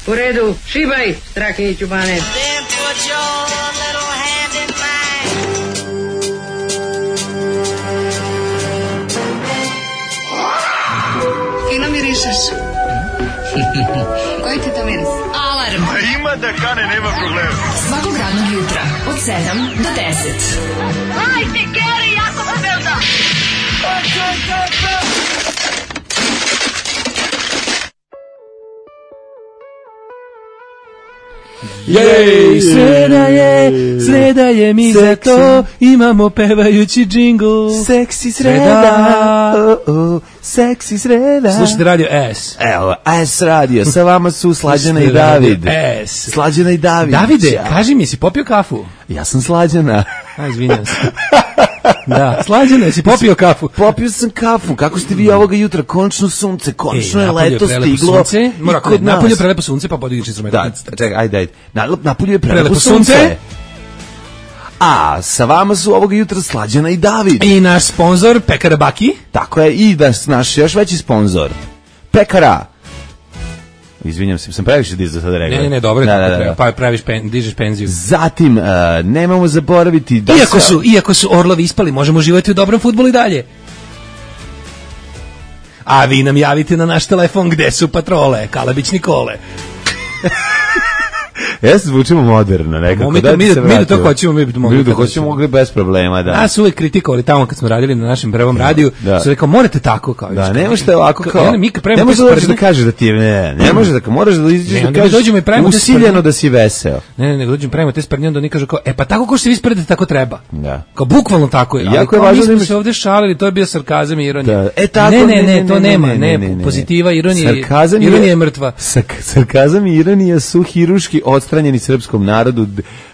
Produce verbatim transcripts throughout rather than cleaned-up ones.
U redu, šibaj, Strahinji Ćubane. Fino mirišeš. Koji ti to miris? Alarm. A ima da kane, nema problema. Svakog radnog jutra od sedam do deset. Hajde, Geri, jako se velda. Jej, sreda je, sreda je mi za to, imamo pevajući džingl. Seksi sreda, oh, oh, seksi sreda. Slušajte radio S. Evo, S radio, sa vama su Slađana i David. S. Slađana i David. Davide, kaži mi, si popio kafu? Ja sam Slađana. A, izvinjam se. Da, Slađana, jesi popio kafu? Popio sam kafu, kako ste vi ovoga jutra, končno sunce, končno Ej, je leto stiglo. Sunce, mora kod nas. Napolju je prelepo sunce, pa podigiš instrument. Da, čekaj, ajde, ajde. Na, napolju je prelepo, prelepo sunce. sunce. A sa vama su ovoga jutra Slađana i David. I naš sponsor, Pekara Baki. Tako je, i da naš još veći sponsor, Pekara. Izvinjam se, sam previše dizao sada rekao. Ne, ne, ne, dobro, da, da, da. pa praviš pen, dižeš penziju. Zatim, uh, nemamo zaboraviti da iako sa... su, iako su orlovi ispali, možemo uživati u dobrom fudbalu i dalje. A vi nam javite na naš telefon gde su patrole, Kalabić Nikole. Ja se zvučimo moderno nekako. Mi, da, mi, mi da to hoćemo, mi bi mogli. Mi da hoćemo mogli bez problema, da. A su uvijek kritikovali tamo kad smo radili na našem prvom radiju, da. Su rekao, morate tako kao. Da, ne možete ovako kao. Ne, mi ne može da, da kaže da ti je, ne, ne može da, moraš da izađeš da kažeš usiljeno da si veseo. Ne, ne, nego dođemo pravimo te sprdnje, onda oni kažu kao, e pa tako ko što se vi sprdite, tako treba. Da. Kao bukvalno tako je. Jako je važno da smo se ovde šalili, to je bio sarkazam i ironija. E tako, ne, ne, ne, to nema, ne, pozitiva, ironija, ironija je mrtva. Sarkazam i ironija su hiruški odstranjeni srpskom narodu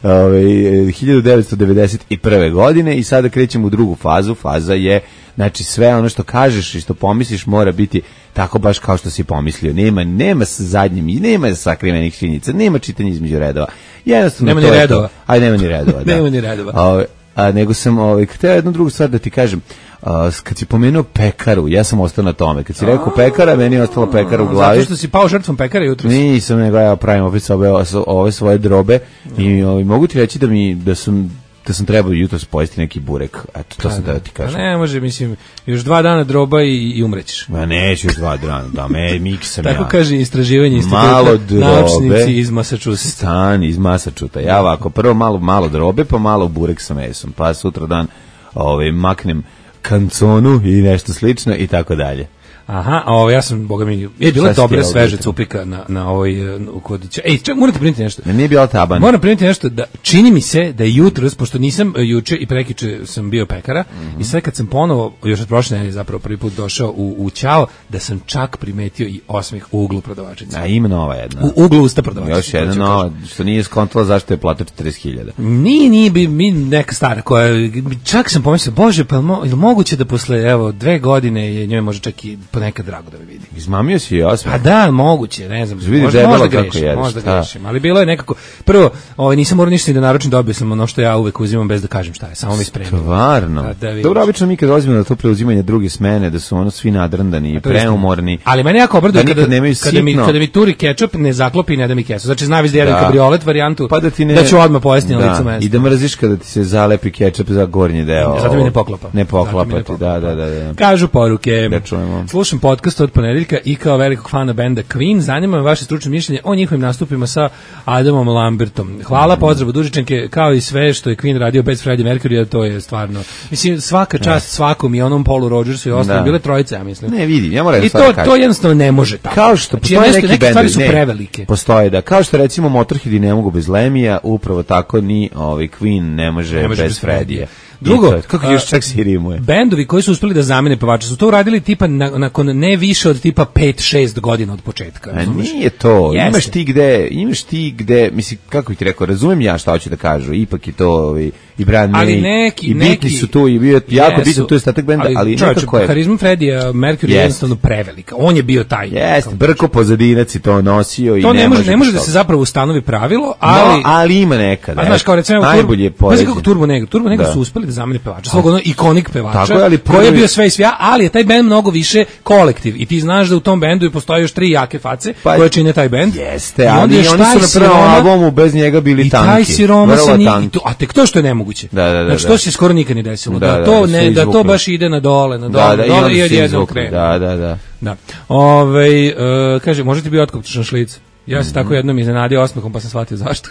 ovaj hiljadu devetsto devedeset prve godine i sada krećemo u drugu fazu. Faza je, znači, sve ono što kažeš i što pomisliš mora biti tako baš kao što si pomislio. Nema nema sa zadnjim i nema sakrivenih činjenica, nema čitanja između redova. Jednostavno nema ni redova. Aj nema ni redova, da. Nema ni redova. A, a nego sam ovaj hteo jednu drugu stvar da ti kažem. Uh, kad si pomenuo pekaru, ja sam ostao na tome. Kad si rekao pekara, meni je ostala pekara u glavi. Zato što si pao žrtvom pekara jutros. Nisam, nego ja pravim opet ove, ove svoje drobe i ovaj, mogu ti reći da mi da sam da sam trebao jutros pojesti neki burek. Eto, to sam da ti kažem. Ne, može, mislim, još dva dana droba i, i umrećeš. Ma neću još dva dana, da me miksam ja. Tako kaže istraživanje instituta, naučnici iz Massachusettsa. Stan iz Massachusettsa. Ja ovako, prvo malo, malo drobe, pa malo burek sa mesom, pa sutra dan ovaj, maknem kanconu i nešto slično i tako dalje. Aha, a ovo ja sam, boga mi, je bila dobra sveža cupika na, na ovoj uh, kodića. Ej, čak, morate primiti nešto. Ne, nije bila taban. Moram primiti nešto, da čini mi se da je jutros, pošto nisam uh, juče i prekiče sam bio pekara, mm-hmm. i sve kad sam ponovo, još od prošle nedelje zapravo prvi put došao u, u Ćao, da sam čak primetio i osmeh u uglu prodavačice. A ima nova jedna. U uglu usta prodavačice. Još jedna nova, što nije skontala zašto je plata četrdeset hiljada. Nije, nije, bi, mi neka stara koja, čak sam pomislio, bože, pa je li moguće da posle, evo, dve godine je njoj može čak i ponekad drago da me vidi. Izmamio si i osmeh. Pa da, moguće, ne znam. Vidi možda, možda grešim, jedeš, možda grešim, ali bilo je nekako, prvo, ovaj, nisam morao ništa ni da naručim, dobio sam ono što ja uvek uzimam bez da kažem šta je, samo mi spremim. Stvarno? Da, da dobro, obično mi kad dolazimo na to preuzimanje druge smene, da su ono svi nadrndani i preumorni. Ali mene jako obraduje da kada, kada, mi, kada mi turi kečap, ne zaklopi i ne da mi kesu. Znači, zna viš da jedem da. kabriolet varijantu, pa da, ti ne, da ću odmah pojesti na licu mesta. I da mrziš kada ti se zalepi kečap za gornji deo. Zato mi ne poklapa. Ne poklapa ti, da, da, da, da. Kažu poruke. Da čujemo. Slušam podcast od ponedeljka i kao velikog fana benda Queen, zanima me vaše stručno mišljenje o njihovim nastupima sa Adamom Lambertom. Hvala, pozdrav Dužičanke, kao i sve što je Queen radio bez Freddie Mercury, to je stvarno, mislim, svaka čast svakom i onom Paulu Rodgersu i ostalim, bile trojice, ja mislim. Ne, vidi, ja moram i to, to jednostavno ne može tako. Kao što znači, postoje neki neke stvari su ne, prevelike. Postoje, da, kao što recimo Motorheadi ne mogu bez Lemija, upravo tako ni ovaj Queen ne može, ne može bez, bez Freddija. Drugo, to, kako još čak si rimuje. Bendovi koji su uspeli da zamene pevača su to uradili tipa na, nakon ne više od tipa pet šest godina od početka. A nije to. Jeste. Imaš ti gde, imaš ti gde, mislim, kako bih ti rekao, razumem ja šta hoću da kažu, ipak je to ovaj, i Brian May, neki, i bitni su tu, i bio jako bitno tu je statak benda, ali, ali čovječ, nekako je... Harizma Freddija Mercury je jednostavno prevelika. On je bio taj. Jeste, brko pozadinac i to nosio to i ne, ne može, može, ne može da se zapravo ustanovi pravilo, ali... No, ali ima nekada. A znaš, kao recimo, najbolje Turbo, pazi kako Turbo Negro. Turbo Negro su uspeli da zameni pevača, svog ono ikonik pevača, Tako je, ali prvi- koji je bio sve i svja, ali je taj bend mnogo više kolektiv i ti znaš da u tom bendu postoje još tri jake face Pa- koje čine taj bend. Jeste, I onda ali još oni taj su na prvom siroma- albumu bez njega bili I tanki. taj siroma vrlo se nije, tanki. i to, a tek to što je nemoguće. Da, da, da, znači da. to se skoro nikad nije desilo. Da, Da, da, to da, ne, svi da to izvukli. baš ide na dole, na dole, Da, da, na i dole onda i su se odjednom izvukli. krene. Da, da, da. Da. Ovaj e, kaže, možete bi otkopčeš na šlic. Ja se tako jednom iznenadio osmehom, pa sam shvatio zašto.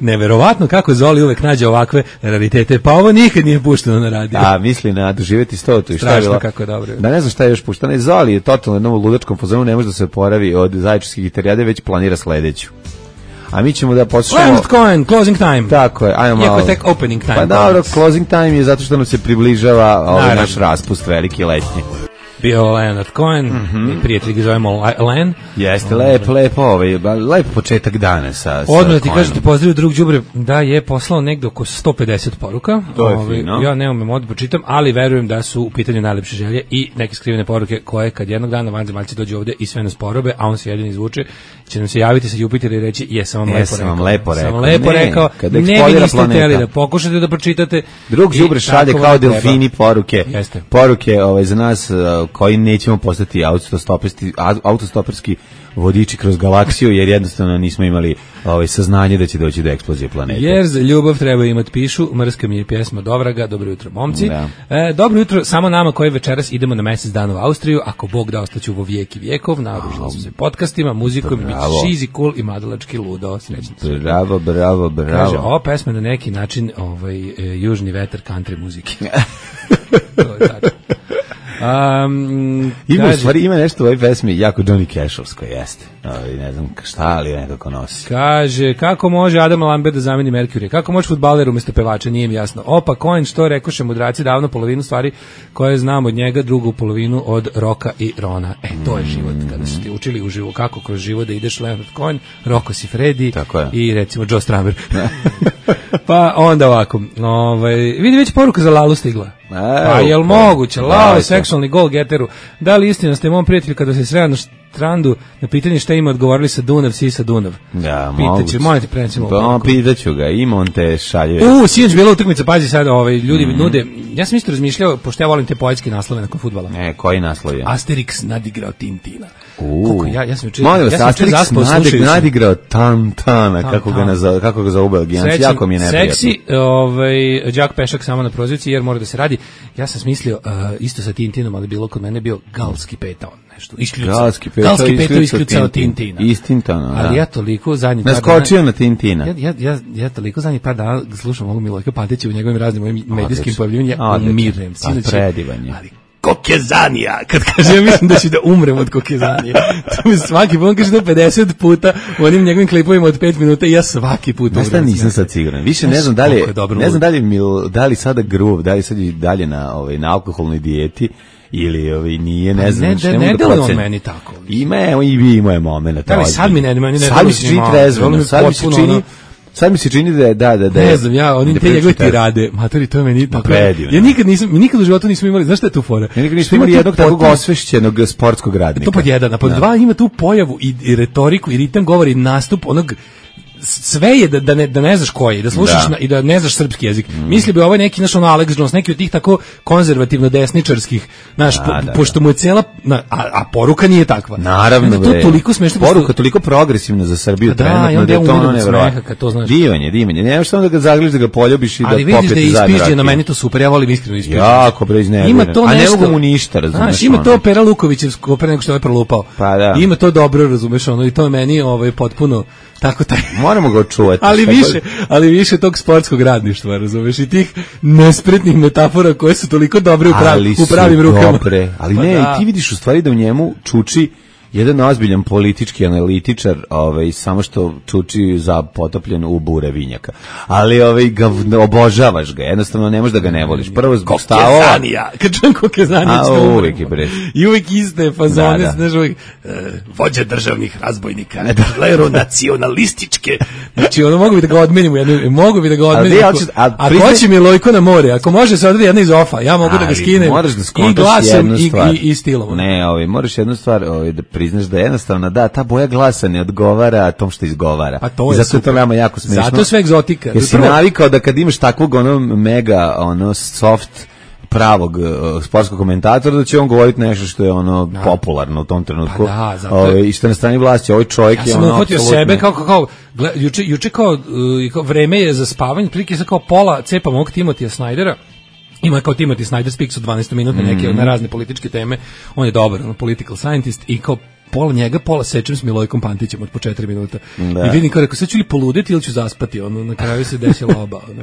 Neverovatno kako Zoli uvek nađe ovakve raritete, pa ovo nikad nije pušteno na radiju. A, misli na doživjeti stotu i šta je Strašno bilo? kako je dobro. Da ne znam šta je još puštano. I Zoli je totalno jednom ludačkom fazonu, ne može da se oporavi od zaječarskih gitarijade, već planira sledeću. A mi ćemo da poslušamo... Leonard Cohen, Closing Time. Tako je, ajmo Iako malo. je tek opening time. Pa dobro, closing time je zato što nam se približava ovaj Naravno. naš raspust veliki letnji. Bio Leonard Cohen, Mhm. i prijatelj ga zovemo Le- Len. Jeste, lep, lep, ovaj, ba- lep početak dana sa, sa Odmah ti Cohenom. kažete pozdravio drug đubre da je poslao negde oko sto pedeset poruka. To je Ovaj, fino. Ja ne umem odmah pročitam, ali verujem da su u pitanju najlepše želje i neke skrivene poruke koje kad jednog dana vanzemaljci dođu ovde i sve nas porobe, a on se jedin izvuče, će nam se javiti sa Jupitera i reći jesam vam lepo Jesam rekao. vam lepo Sam rekao. vam lepo Ne, rekao. kad Ne, vi eksplodira niste planeta. hteli da pokušate da pročitate. Drug I đubre šalje tako kao vam treba. delfini poruke. Jeste. Poruke ovaj, za nas uh, koji nećemo postati autostoperski, autostoperski vodiči kroz galaksiju, jer jednostavno nismo imali ovaj, saznanje da će doći do eksplozije planete. Jer za ljubav treba imati pišu, mrska mi je pjesma Dovraga, dobro jutro momci. Da. E, dobro jutro samo nama koji večeras idemo na mesec dana u Austriju, ako Bog da ostaću vo vijek i vijekov, naoružila sam se podcastima, muzikom, bit Bravo. će šizi, cool i mladalački ludo, srećni se. Bravo, bravo, bravo. Kaže, ova pesma je na neki način ovaj, e, južni vetar country muzike. To je tako. Um, Ima, u kaže- stvari, ima nešto u ovoj pesmi jako Johnny Cashovsko, jeste. Ovaj, ne znam šta, ali nekako nosi. Kaže, kako može Adam Lambert da zameni Mercury? Kako može fudbaler umjesto pevača? Nije mi jasno. Opa, Cohen, što rekoše mudraci davno, polovinu stvari koje znam od njega, drugu polovinu od Roka i Rona. E, to je život. Kada su ti učili uživo kako kroz život da ideš Leonard Cohen, Roko si Freddy Tako je. i recimo Joe Strummer. Pa onda ovako. Ovaj, vidi već poruka za Lalu stigla. Pa jel moguće? Lalo, seksualni gol geteru. Da li istina ste mom prijatelju kada se sreo na strandu na pitanje šta ima odgovorili sa Dunav, si sa Dunav? Da, Pitaće, moguće. molim te prenesimo. Pa, pitaću ga, ima on te šalje. U, sinoć bila utakmica, pazi sad, ovaj, ljudi mm. nude, ja sam isto razmišljao, pošto ja volim te poetske naslove nakon fudbala. E, koji naslov je? Asterix nadigrao Tintina. U. Koliko ja, ja sam juče, Molim vas, ja sam juče Asterix zaspao nadig, slušajući. nadigrao Tantana, Tan, kako ga, tan. nazo, kako ga zove Belgijanci, Srećan, jako mi je neprijatno. Seksi, ovaj, Đak Pešak samo na prozivci, jer mora da se radi. Ja sam smislio, uh, isto sa Tintinom, ali bilo kod mene bio galski petao. Nešto, iskljucao. Galski petao, Galski petao iskljucao iskljucao Tintin. Tintina. Iz Tintana, Ali da. ja toliko zadnjih par Naskočio dana- na Tintina. Ja, ja, ja, ja toliko zadnjih par dana slušam ovog Milojka Pantića u njegovim raznim ovim medijskim pojavljivanjima, ja Odlično. umirem. Pa, Sinoć je- predivan je. Ali kokezanija, kad kaže, ja mislim da ću da umrem od kokezanije. To mi svaki put, on kaže to pedeset puta u onim njegovim klipovima od pet minuta i ja svaki put Znaš šta, umrem. nisam sad siguran. Više ne Znaš znam da li, koliko je dobro ne znam lud. da li, mi, da li sada gruv, da li sad i dalje na, ovaj, na alkoholnoj dijeti ili ovaj, nije, ne znam. ne, znači, ne, mogu ne da deluje on procenim. meni tako. Ima, evo, i vi imao je moment. Da, ali sad mi ne- meni ne Sad deluje mi se ni čini malo. trezveno, Deluje mi sad mi se potpuno čini, ono- sad mi se čini da je, da, da, da je- Ne znam, ja, oni da te njegove priča trezveno. tirade, matori, to je meni tako. predivno. Ja nikad nisam, mi nikad u životu nismo imali, znaš šta je tu fora? Ja nikad nismo Što ima imali tu jednog takvog potpuno- osvešćenog sportskog radnika. To pod jedan, a pod dva ima tu pojavu i, i retoriku i ritam govori nastup onog sve je da, da, ne, da ne znaš koji je, da slušaš Da. na, i da ne znaš srpski jezik. Mm. Misli bi ovo je neki naš ono Alex Jones, neki od tih tako konzervativno desničarskih, znaš, Da, po, da, pošto mu je cela, na, a, a poruka nije takva. Naravno, Onda to bre. toliko smešno. Poruka toliko progresivna za Srbiju, Da, trenutno, i onda da ja je to umiram ono od nevjerojatno. smeha kad to znaš. Divan je, divan je. Nemaš samo da ga zagliš, da ga poljubiš i Ali da vidiš da popijete je zajedno ispižđeno, rakiju. meni to super, ja volim iskreno ispižđeno. Jako bre iznerviran. Ima to A ne nešto, mogu mu ništa, razumeš, Znaš, ima ono. to Pera Lukovićevsko pre nego što je ovaj prolupao. Pa da. Ima to dobro, razumeš, ono, i to je meni ovaj, potpuno tako taj... Moramo ga očuvati. ali Šta više, god- ali više tog sportskog radništva, razumeš, i tih nespretnih metafora koje su toliko dobre u, prav, Ali u pravim su rukama. dobre. Ali Pa ne, da. ti vidiš u stvari da u njemu čuči jedan ozbiljan politički analitičar, ovaj, samo što čuči za potopljen u bure vinjaka. Ali ovaj, ga, obožavaš ga, jednostavno ne možeš da ga ne voliš. Prvo zbog stavova. Kokezanija, kad čujem Kokezanija A, ću da umrem. uvijek je, bre. I uvijek iste fazone, Da, da. znaš, uvijek, e, vođa državnih razbojnika, klero nacionalističke. Znači, ono, mogu bi da ga odmenim u jednu, mogu bi da ga odmenim. Ali, Ako, hoćeš- a ako priznaj- hoće mi Lojko na more, ako može se odredi jedna iz ofa, ja mogu da ga Ali skinem moraš da i skontaš glasom jednu i, stvar. i, i stilom. Ne, ovaj, moraš jednu stvar ovaj, da priznaš da jednostavno, da, ta boja glasa ne odgovara tom što izgovara. Pa to je I zato super. je to nama jako smešno. Zato je sve egzotika. Jer si Prvo- navikao da kad imaš takvog ono mega, ono soft pravog uh, sportskog komentatora da će on govoriti nešto što je ono popularno u tom trenutku. Pa da, zato je- Ove, i što je na strani vlasti, ovaj čovjek Ja je sam ono uhvatio apsolutno- sebe kao, kao, kao gle, juče, juče kao, uh, kao vreme je za spavanje, prilike sa kao pola cepa mog Timotija Snydera. Ima je kao Timothy Snyder Speaks od dvanaest minuta neke na razne političke teme. On je dobar, on political scientist i kao pola njega, pola sečem s Milojkom Pantićem od po četiri minuta. Da. I vidim kao rekao, sad ću li poluditi ili ću zaspati, ono, na kraju se desila oba. Ono.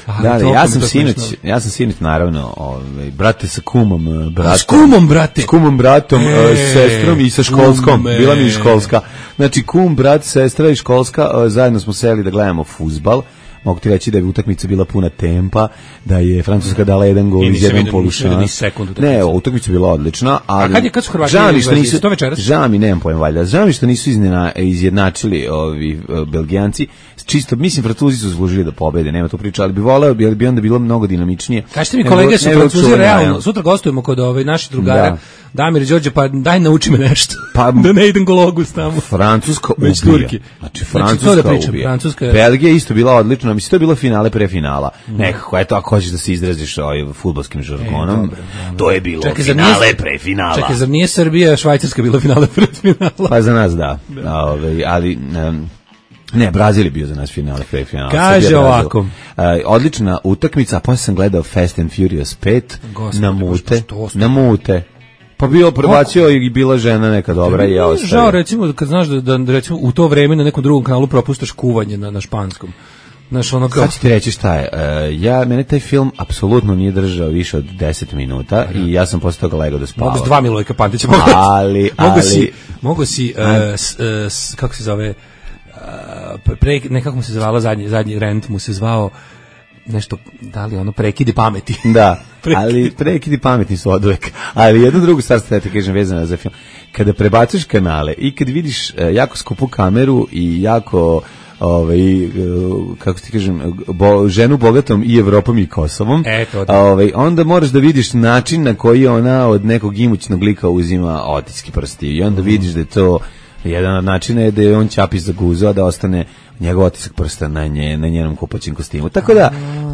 Ali Da, da, toliko ja mi sam to sinoć, smešno. ja sam sinoć naravno, ovaj brate sa kumom, eh, bratom. S kumom, brate. S kumom, bratom, E, eh, sestrom i sa školskom. kume. Bila mi i školska. Znači kum, brat, sestra i školska, eh, zajedno smo seli da gledamo fudbal. Mogu ti reći da je utakmica bila puna tempa, da je Francuska dala jedan gol I iz nisam jednom vidio- nisam vidio polušansa. ni sekundu utakmice. Ne, utakmica je bila odlična, ali A kad je- kad su Hrvati žao mi igrali što u nisu Braziliji? To večeras? žao mi, nemam pojma valjda. Žao mi što nisu iznena, izjednačili ovi uh, Belgijanci. Čisto mislim Francuzi su zaslužili da pobede, nema tu priče, ali bi voleo bi, ali bi onda bilo mnogo dinamičnije. Kažite mi Nego- kolege su nego Francuzi čuvanja, realno. ja. Sutra gostujemo kod ove naših drugara Da. Damir i Đorđe, pa daj nauči me nešto. Pa- da ne idem gologus tamo. Francuska Već ubija. Turki. Znači, Znači, Francuska to da pričam, ubija. Francuska je- Belgija je isto bila odlična, mislim, to je bilo finale pre finala. Nekako, eto, ako hoćeš da se izraziš ovaj fudbalskim žargonom, dobro, to je bilo Čekaj, zar finale nije- pre finala. Čekaj, zar nije Srbija, Švajcarska bila finale pred finala? Pa za nas da. A, ovaj, ali em, ne, Brazil je bio za nas finale, pre finala. Kaže Srbija, Brazil. ovako. E, odlična utakmica, a posle sam gledao Fast and Furious pet Gospode, na Bože, mute. što ste- Na mute. Pa bio prebacio i bila žena neka dobra i ja ostavio. Žao recimo kad znaš da, da, da recimo u to vreme na nekom drugom kanalu propuštaš kuvanje na, na španskom. Znaš, ono kao... Sad ću ti reći šta je. E, ja, mene taj film apsolutno nije držao više od deset minuta i ja sam posle toga legao da spavam. Mogu s dva Milojka Pantića. Mogu, Ali, mogu ali- si, mogu si uh, s, uh, s, kako se zove, uh, pre, ne kako mu se zvala, zadnji, zadnji rent mu se zvao, nešto, da li ono, prekidi pameti. Da, Prekidi. ali prekidi pametni su oduvek. Ali jednu drugu stvar ste ti kažem vezano za film. Kada prebaciš kanale i kad vidiš e, jako skupu kameru i jako ovaj e, kako ti kažem bo, ženu bogatom i Evropom i Kosovom, E, to da. ovaj onda moraš da vidiš način na koji ona od nekog imućnog lika uzima otiske prsti i onda vidiš da je to jedan od načina je da je on ćapi za guzu, a da ostane njegov otisak prsta na nje, na njenom kupaćem kostimu. Tako da,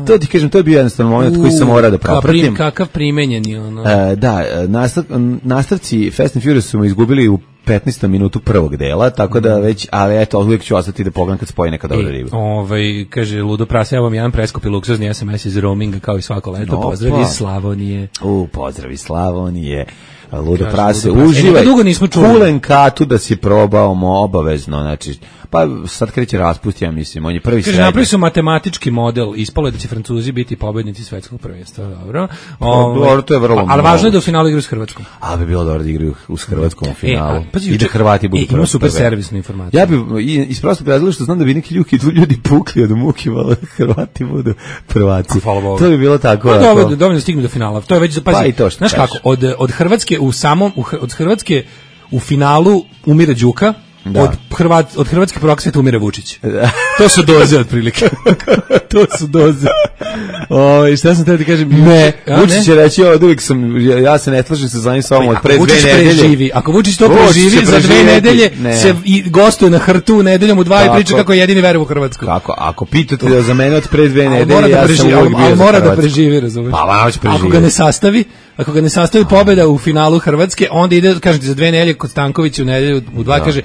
to ti kažem, to je bio jednostavno moment koji sam morao da Kakav propratim. prim- Kakav primenjeni, ono. E, da, e, nastav, nastavci Fast and Furious su me izgubili u petnaestom minutu prvog dela, tako da već, ali eto, uvijek ću ostati da pogledam kad spoji neka dobra E, riba. ovaj, kaže, Ludo Prasa, evo vam jedan preskupi luksuzni es em es iz roaminga kao i svako leto. Opa. Pozdrav iz Slavonije. U, pozdravi Slavonije, Ludo Kaže, Prase, Ludo Prase. E, uživaj, nikad dugo nismo čuli. kulen katu da si probao mo obavezno, znači, pa sad kreće raspust, ja mislim, on je prvi Kaže, srednji. napravili su matematički model, ispalo je da će Francuzi biti pobednici svetskog prvenstva, dobro. Ovaj, dobro, to je vrlo ali važno je da u moguće. finalu igraju s Hrvatskom. A bi bilo dobro da igraju u s Hrvatskom u finalu. E, a, pazi, I da juče- Hrvati budu e, ima prvi. super servisnu informaciju. Ja bi i- iz prostog razloga što znam da bi neki ljudi, ljudi pukli od muke, malo da Hrvati budu prvaci. Hvala Bogu. To bi bilo tako. Pa ako- dovoljno, dovoljno da stignu do finala. To je već, pazi, Pa i to što znaš kažeš. kako, od, od Hrvatske u samom, u, Hr- od Hrvatske u finalu umire Đuka, Da. od, Hrvat, od Hrvatske prvog sveta umire Vučić. To su doze otprilike. To su doze. O, šta sam teo ti kažem? Ne, A, Vučić će reći od uvijek sam, ja, ja se ne slažem sa zanim sa ovom od Ako pre Vučić dve nedelje. preživi, ako Vučić to Vučić preživi, će za dve preživjeti. nedelje Ne. se i gostuje na Hrtu nedeljom u dva i Tako. priča kako je jedini veruje u Hrvatsku. Kako, ako pitate za mene od pre dve Ali nedelje, mora da ja sam preživi, uvijek ali, bio ali za mora da Hrvatsku. preživi, razumiješ? Pa, ma, hoće Ako ga preživjeti. ne sastavi, ako ga ne sastavi pobeda u finalu Hrvatske, onda ide, kažem ti, za dve nedelje kod Stankovića u nedelju u dva, kaže,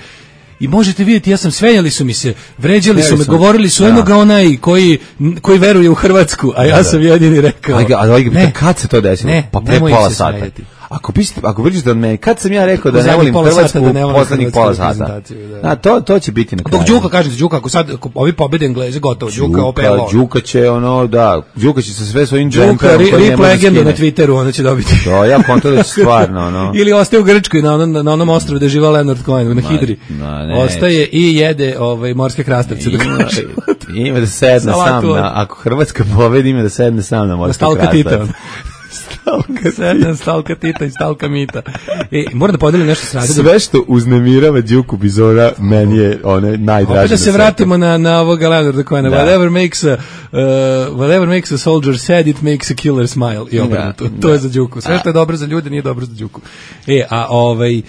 i možete vidjeti, ja sam svenjali su mi se, vređali su me, Vređali su me. govorili su, Da. eno ga onaj koji, koji veruje u Hrvatsku, a ja sam jedini rekao. Ajde, a ovaj ne, kad se to desilo? Ne, pa pre nemoj im pola se sata. smejati. Ako pišete, ako pričate od mene, kad sam ja rekao da U ne zadnjih volim pola sata Hrvatsku, da ne volim poslednjih hrvatsku pola sata. reprezentaciju, da. Da, to to će biti na kraju. Dok Đuka, kažete, Đuka, ako sad, ako ovi pobede Engleze, gotovo, Đuka, opet Đuka, Đuka će ono, da, Đuka će sa sve svojim Đuka, džemperom ri- koji ne rip može legendu na skine. Twitteru, ona će dobiti. To, ja konto da će stvarno, ono. Ili ostaje u Grčkoj na onom, na onom ostrvu gde živa Leonard Cohen, na Hidri. ma, neće. Ostaje i jede ovaj, morske krastavce. dok Ima, kaže. ima da sedne Salatu sam, od- na, ako Hrvatska pobedi, ima da sedne sam na Na morski stalka Tita. krastavac. Stalka Sedam stalka Tita i stalka Mita. E, moram da podelim nešto s Radom. Sve što uznemirava Đuku Bizona, meni je one najdraže. Opet da se vratimo na, na ovoga Leonarda Cohena. Da. Whatever makes a, uh, whatever makes a soldier sad, it makes a killer smile. I obrnuto. Da, to da. je za Đuku. Sve što je dobro za ljude nije dobro za Đuku. E, a ovaj,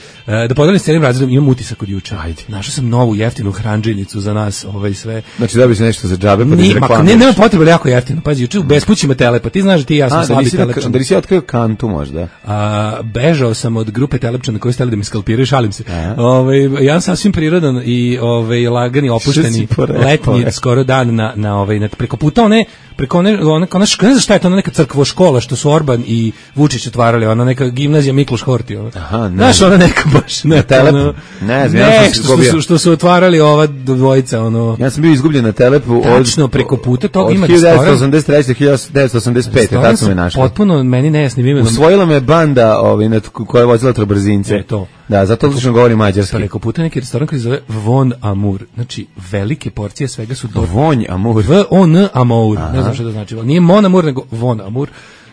da podelim s cijelim razredom, imam utisak od juče. Ajde. Našao sam novu jeftinu hranđenicu za nas, ovaj sve. Znači da bi se nešto za džabe, pa da reklamiraš. Ne, nema potrebe, jako jeftino. Pazi, juče u bespućima Telepa. Ti znaš da ti i ja sam slabi telepčan. Da li si otkrio kantu možda? A, bežao sam od grupe telepčana koji stali da mi skalpiraju, šalim se. Ovaj, ja sam sasvim prirodan i ovaj, lagani, opušteni, letnji, skoro dan na, na, ovaj, na preko puta one, preko one, one, one, ne znam šta je to, ona neka crkvo škola što su Orban i Vučić otvarali, ona neka gimnazija Mikloš Horti. Ona. Aha, ne. Znaš, ona neka baš, ne, Telepu. Ono, ne, znam, ne, ja što, što, su, što su otvarali ova dvojica, ono. Ja sam bio izgubljen na Telepu. Tačno, od, preko puta toga ima hiljadu devetsto osamdeset treće do hiljadu devetsto osamdeset pete, tako su me našli. Potpuno meni nejasnim imenom. Usvojila me banda ovaj, koja je vozila trobrzince. E, to. Da, zato odlično govori mađarski. Preko puta neki restoran koji se zove Von Amour. Znači, velike porcije svega su do... Von Amour. V O N Amour. Ne znam što to znači. Nije Mon Amour, nego Von Amour.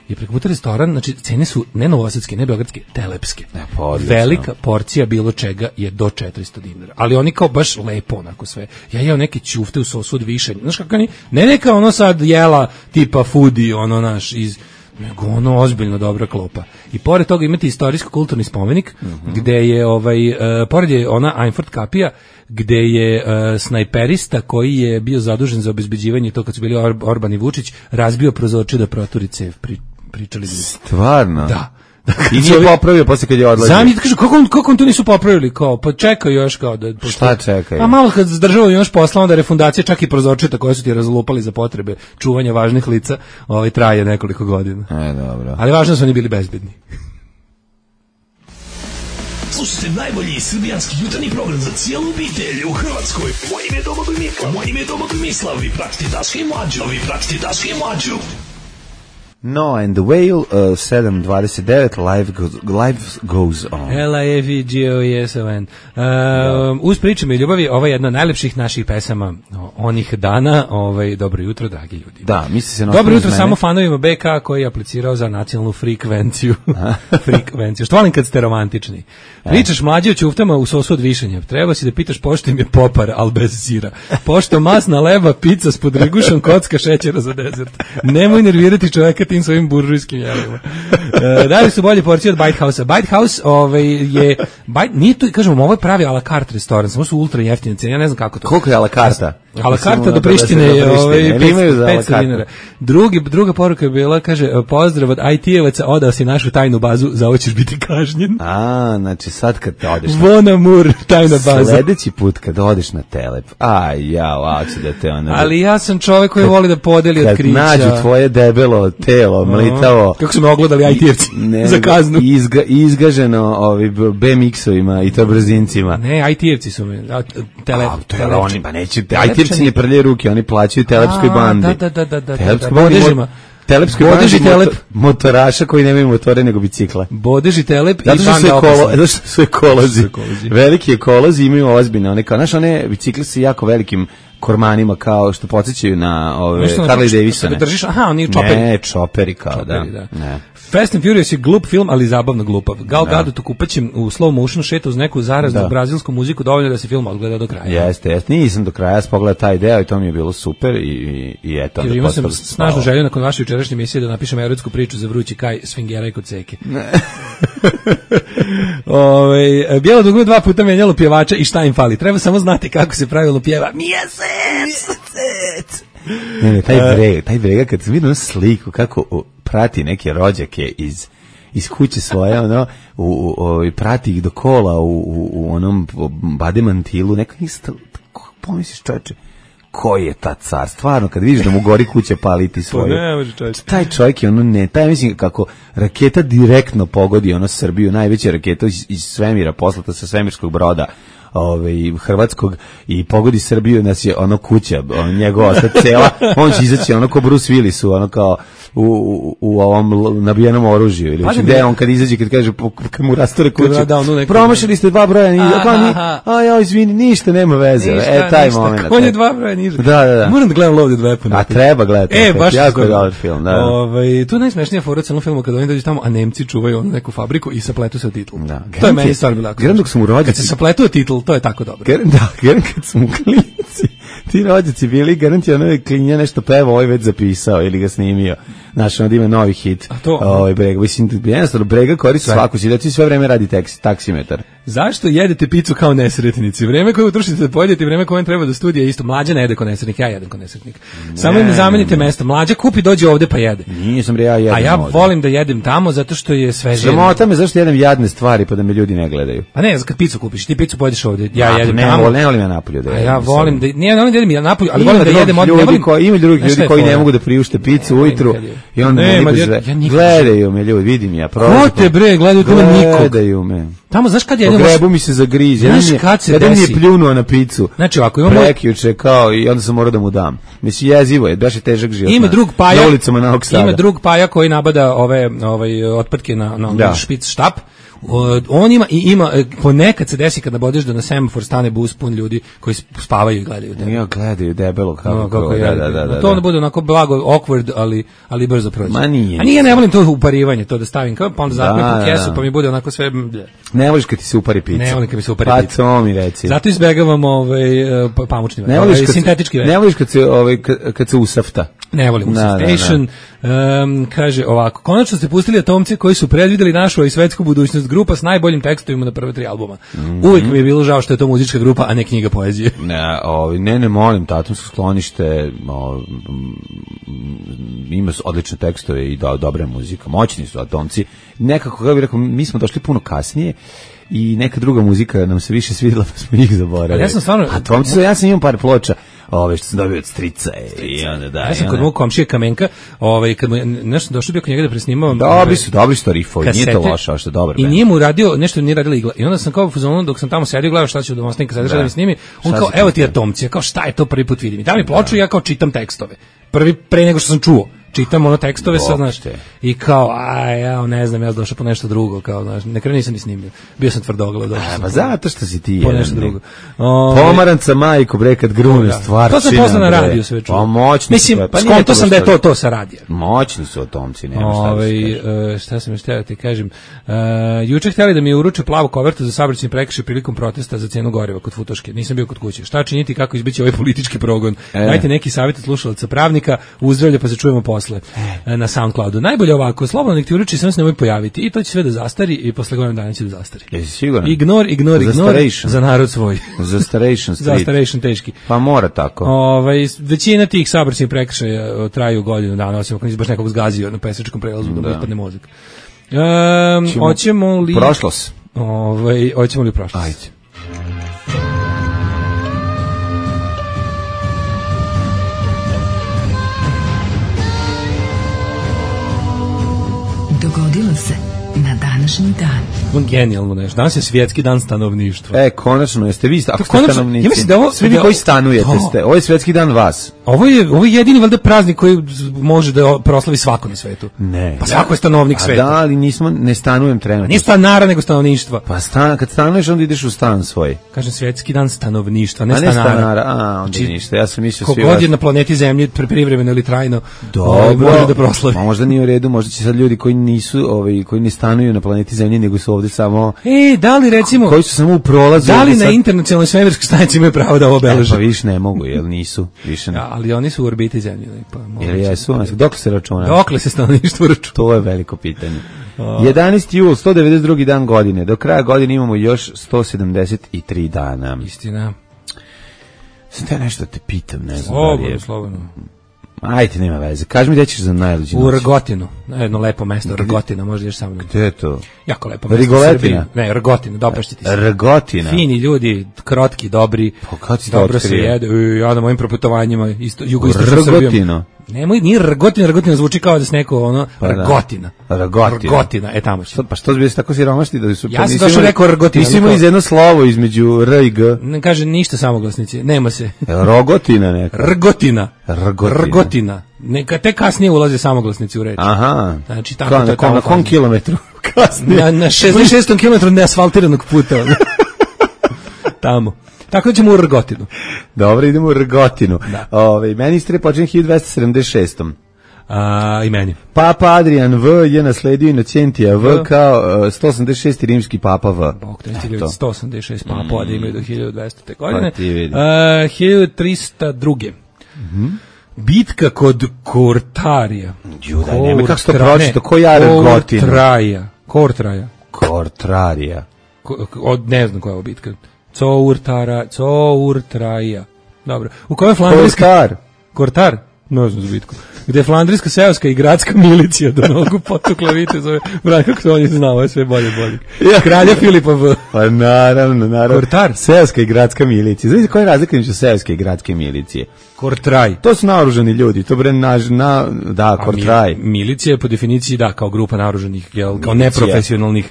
Je preko puta restoran, znači cene su ne novosadske, ne beogradske, telepske. Ne, pa velika porcija bilo čega je do četiristo dinara. Ali oni kao baš lepo onako sve. Ja jeo neke ćufte u sosu od višanja. Znaš kako oni, ne neka ono sad jela tipa foodie, ono naš iz nego ono ozbiljno dobra klopa. I pored toga imate istorijsko-kulturni spomenik, mm-hmm. gde je, ovaj, uh, pored je ona Einfurt kapija, gde je uh, snajperista koji je bio zadužen za obezbeđivanje to kad su bili Or- Orban i Vučić, razbio prozorče da proturi cev. Pri, pričali bi. Stvarno? Da. I nije popravio posle kad je odlazio. Zamit kaže kako on kako on to nisu popravili kao pa čekaju još kao da pošto, šta čekaju? A malo kad zdržavaju još posla onda refundacija čak i prozorčeta koje su ti razlupali za potrebe čuvanja važnih lica, ovaj traje nekoliko godina. E dobro. Ali važno su oni bili bezbedni. Slušajte najbolji srbijanski jutarnji program za cijelu obitelj u Hrvatskoj. Moje ime je Domagoj Mislav. Moje ime je Domagoj Mislav. Vi pratite Daška i Mlađu. Vi pratite Daška i Mlađu. No and the Whale, uh, sedam dvadeset devet, live goes, life goes on. L I F E G O E S O N. Uh, uz pričama i ljubavi, ova je jedna od najlepših naših pesama onih dana. Ovaj, dobro jutro, dragi ljudi. Da, misli se na dobro jutro samo fanovima B K koji je aplicirao za nacionalnu frekvenciju. Frekvenciju. Što volim kad ste romantični. Pričaš mlađe o ćuftama u sosu od višanja. Treba si da pitaš pošto im je popar, al bez sira. Pošto masna leba, pizza s podrigušom, kocka šećera za dezert. Nemoj nervirati čoveka tim svojim buržujskim jelima. E, da li su bolje porcije od Bite House-a? Bite House ovaj, je... Bite, nije to, kažemo, ovo je pravi a la carte restoran, samo su ultra jeftine cene, ja ne znam kako to. Koliko je a la carta? A la carta do Prištine je ovaj, petsto dinara. Drugi, druga poruka je bila, kaže, pozdrav od I T-evaca, odao si našu tajnu bazu, za ovo ćeš biti kažnjen. A, znači sad kad te odeš... Von Amour, tajna baza. Sledeći put kad odeš na Telep, aj, ja, ovako da te ono... Ali ja sam čovek koji voli da podeli otkrića. Kad nađu tvoje debelo telo, mlitavo... Kako su me ogledali I T-evci za kaznu. Izga, izgaženo ovi B M X-ovima i to brzincima. Ne, I T-evci su me. Tele, a, tele, oni, ba neće, I T-evci ne prlje ruke, oni plaćaju telepskoj bandi. Da, da, da, da. Telepskoj bandi, telepskoj bandi motor, motoraša koji nemaju motore nego bicikle. Bodeži telep i banda opasna. Zato što su ekolozi. Veliki ekolozi imaju ozbiljne. One kao, znaš, one bicikle su jako velikim kormanima kao što podsjećaju na ove Harley Davidsone. Držiš, aha, oni čoperi. Ne, čoperi kao čoperi, da. da. Ne. Fast and Furious je glup film, ali zabavno glupav. Gal Gadot u kupaćem u slow motionu šeta uz neku zaraznu da. brazilsku muziku, dovoljno da se film odgleda do kraja. Jeste, jeste. Nisam do kraja spogledao taj deo i to mi je bilo super i, i, i eto. Jer imao sam snažnu želju nakon vaše jučerašnje emisije da napišem erotsku priču za vrući kaj svingera i kod seke. Ove, bijelo dugme dva puta menjalo pjevača i šta im fali. Treba samo znati kako se pravilno pjeva. Mjesec! Mjesec! Ne, ne, taj brega, taj brega kad sam vidio sliku kako prati neke rođake iz iz kuće svoje, ono, u, u, u, prati ih do kola u, u, u onom bademantilu, neka isto, pomisliš čoveče, koji je ta car, stvarno, kad vidiš da mu gori kuća paliti svoju. Ne, može čoveče. Taj čovjek je ono, ne, taj mislim kako raketa direktno pogodi ono Srbiju, najveća raketa iz, iz svemira, poslata sa svemirskog broda, ovaj, hrvatskog i pogodi Srbiju, nas je ono kuća, on, njegova osta cela, on će izaći ono ko Bruce Willisu, ono kao u, u, u ovom nabijenom oružju, ili znači, gde on kad izađe, kad kaže, kad mu rastore kuću, promašili ste dva broja niže, a ja, izvini, ništa, nema veze, ništa, e, taj ništa, moment. On je dva broja niže. Da, da, da. Moram da gledam Loaded Weapon. A treba gledati. E, baš jako je dobar film, da. Ovaj, tu je najsmešnija fora u celom filmu kad oni dođu tamo, a Nemci čuvaju onu neku fabriku i sapletu se o titl. Da. To je meni stvarno bilo. Dok su mu rođaci. Kad se sapletu o titl, to je tako dobro. Gar, da, gar, kad su mu klinici, ti rođaci bili, garanti ono je klinja nešto peva, ovaj već zapisao ili ga snimio. Znaš, onda ima novi hit. A to? Ovaj Brega, mislim, jednostavno Brega koristi svaku situaciju, sve vreme radi taksi, taksimetar. Zašto jedete picu kao nesretnici? Vreme koje utrošite da pojedete, vreme koje treba do studija isto. Mlađa ne jede kao nesretnik, ja jedem kao nesretnik. Samo im zamenite mesto. Mlađa kupi, dođe ovde pa jede. Nisam ja jedem. A ja ovde. volim da jedem tamo zato što je sveže. Sramota me zašto jedem jadne stvari pa da me ljudi ne gledaju. A ne, kad picu kupiš, ti picu pojedeš ovde. Ja A, jedem ne, tamo. Ne volim ja napolju da jedem. A ja volim da nije, ne volim da jedem ja napolju, ali ima volim da jedem ovde. Ljudi koji ima drugih ljudi koji ne mogu da priušte picu ujutru i onda ne mogu da gledaju me ljudi, vidim ja. Ko te bre, gledaju tamo nikog. Gledaju me. Tamo znaš kad jedemo. Grebu mi se zagriz. Jedan je kad se desi. Je pljunuo na picu. Znači ovako imamo prekjuče kao i onda sam morao da mu dam. Mislim jezivo je, baš je težak život. Ima drug paja. Na ulicama Novog Sada. Ima drug paja koji nabada ove ovaj otpadke na na da. špic štap. On ima i ima ponekad se desi kad nabodeš da na semafor stane bus pun ljudi koji spavaju i gledaju tebe. Ja gledaju debelo kao no, kako da, da, da, da. To onda bude onako blago awkward, ali ali brzo prođe. Ma nije. A nije, ne volim to uparivanje, to da stavim kao pa onda zapnem u kesu pa mi bude onako sve. Ne voliš kad ti se upari pica. Ne volim kad mi se upari pa pica. Pa to mi reci. Zato izbegavam ovaj pamučni ne voliš kad sintetički ne voliš kad se ovaj kad se usafta. Ne volim Usaftation. Um, kaže ovako, konačno ste pustili Atomci koji su predvideli našu i svetsku budućnost, grupa s najboljim tekstovima na prve tri albuma. Mm-hmm. Uvijek mi je bilo žao što je to muzička grupa, a ne knjiga poezije. Ne, ovi, ne, ne molim, Atomsko sklonište o, ima odlične tekstove i do, dobra muzika, moćni su Atomci. Nekako, kako bih rekao, mi smo došli puno kasnije i neka druga muzika nam se više svidjela, pa smo ih zaboravili. Ja sam stvarno... Atomci, ja sam imam par ploča, ove što sam dobio od strica, strica. I onda da. Ja sam kod mog komšije Kamenka, ovaj kad mu nešto došao bio kod njega da presnimavam. Dobri su, dobri su rifovi, nije to loše, što je dobar. I nije mu radio, nešto nije radila igla. I onda sam kao u fazonu dok sam tamo sedio, gledao šta će u domovinska sadržaja da mi snimi. On kao evo ti Atomci, kao šta je to, prvi put vidim. I da mi ploču, ja kao čitam tekstove. Prvi pre nego što sam čuo. Čitam ono tekstove sad, znaš, i kao, aj, ja ne znam, ja sam došao po nešto drugo, kao, znaš, na kraju nisam ni snimio. Bio sam tvrdoglav, došao sam. Pa zato što si ti po nešto drugo. Pomaranca majko, bre, kad grune stvarčina. To sam posle na radiju sve čuo. Pa moćni Mislim, su. Pa skonto sam da je to, to sa radija. Moćni su Atomci, nema šta da se kaže. Šta sam još htio da ti kažem. Juče htjeli da mi uruče plavu kovertu za saobraćajni prekršaj prilikom protesta za cenu goriva kod Futoške. Nisam bio kod kuće. Šta činiti, kako izbeći ovaj politički progon? Dajte neki savjet od slušalaca pravnika, uzdravlja pa se čujemo posle. Na SoundCloudu. Najbolje ovako, slobodno nek ti uruči, samo se nemoj pojaviti i to će sve da zastari i posle godinu dana će da zastari. Jesi siguran? Ignor, ignor, ignor za narod svoj. Zastaration street. Zastaration teški. Pa mora tako. Ovaj većina tih saobraćajnih prekršaja traju godinu dana, osim ako nisi baš nekog zgazio na pešačkom prelazu da mu ispadne mozak. Um, hoćemo li... Prošlost. Ovaj, hoćemo li prošlost? Ajde. Dogodilo se na današnji dan. Genijalno nešto. Danas je svjetski dan stanovništva. E, konačno, jeste vi ako ste stanovnici. Ja mislim da ovo, svi vi koji stanujete to. ste. Ovo je svjetski dan vas. Ovo je, ovo je jedini valjda praznik koji može da proslavi svako na svetu. Ne. Pa svako je stanovnik sveta. Da, ali nismo, ne stanujem trenutno. Nije stanara, nego stanovništva. Pa stan, kad stanuješ, onda ideš u stan svoj. Kažem, svjetski dan stanovništva, ne, a ne stanara. stanara. A, onda znači, ništa. Ja sam mislio svi kogod je na planeti Zemlji, privremeno ili trajno, dobro, može da proslavi. A možda nije u redu, možda će sad ljudi koji nisu, ovaj, koji ne stanuju na planeti Zemlji, nego su ovdje samo... E, da li recimo... Koji su samo u prolazu... Da li na sad... internacionalnoj svemirskoj stanici imaju pravo da ovo obeleže? E, pa više ne mogu, jel nisu? Više ne. Ja, ali oni su u orbiti Zemlje. Pa, jel jesu? Dokle se računa? Dokle se stanovništvo računa? To je veliko pitanje. jedanaesti jul, sto devedeset drugi dan godine. Do kraja godine imamo još sto sedamdeset tri dana. Istina. Sam te nešto te pitam, ne znam. Slobodno, je... slobodno. Ajde, nema veze. Kaži mi gde ćeš za najluđi noć. U Rgotinu. Jedno lepo mesto, Rgotina, možda ješ sa mnom. Gde je to? Jako lepo mesto. Rigoletina? Ne, Rgotina, dopašće ti se. Rgotina? Fini ljudi, krotki, dobri. Pa kad si dobro se jede. Ja na mojim proputovanjima, isto, jugoistočnom Srbijom. Nemoj, nije Rgotina, Rgotina zvuči kao da se neko, ono, Pa da. Rgotina. Rgotina. Rgotina, e tamo će. Što, pa što bi se tako siromašni da su... Ja sam došao rekao Rgotina. Nisi imali iz jedno slovo između R i G. Ne kaže ništa samoglasnici, nema se. Rogotina neka. Rgotina. Rgotina. Rgotina. Neka te kasnije ulaze samoglasnici u reč. Aha. Znači, tako Kao to na, je kom, tamo na kom faza. kilometru? Kasnije. Na, na šezdeset šestom kilometru neasfaltiranog puta. ono. Tamo. Tako da ćemo u Rgotinu. Dobro, idemo u Rgotinu. Ove, meni istorija počinje hiljadu dvesta sedamdeset šestom. A, i meni. Papa Adrian V je nasledio Inocentija V kao uh, sto osamdeset šesti rimski papa V. Bog, to je hiljadu sto osamdeset šest papova da imaju do hiljadu dvesta godine. Pa ti vidi. Uh, hiljadu trista druge. Mm-hmm. Bitka kod Kortarija. Judaj, nema kako se to pročito, ko ja Rgotinu? Kortraja. Kortraja. Kortrarija. Ko, od, ne znam koja je ovo bitka. Courtara, Courtraja. Dobro. U kojoj je flandrijska... Kortar. Kortar? Ne znam za bitku. Gde je flandrijska seoska i gradska milicija do nogu potukla vitezove. Bran, kako to oni znao, ovo je sve bolje bolje. Kralja Filipa V. Pa naravno, naravno. Kortar. Seoska i gradska milicija. Znači koja je razlika između seoske i gradske milicije? Kortraj. To su naoružani ljudi, to bre naš, na, da, Kortraj. Mi, milicija je po definiciji, da, kao grupa naoružanih, jel, kao Milicija. neprofesionalnih,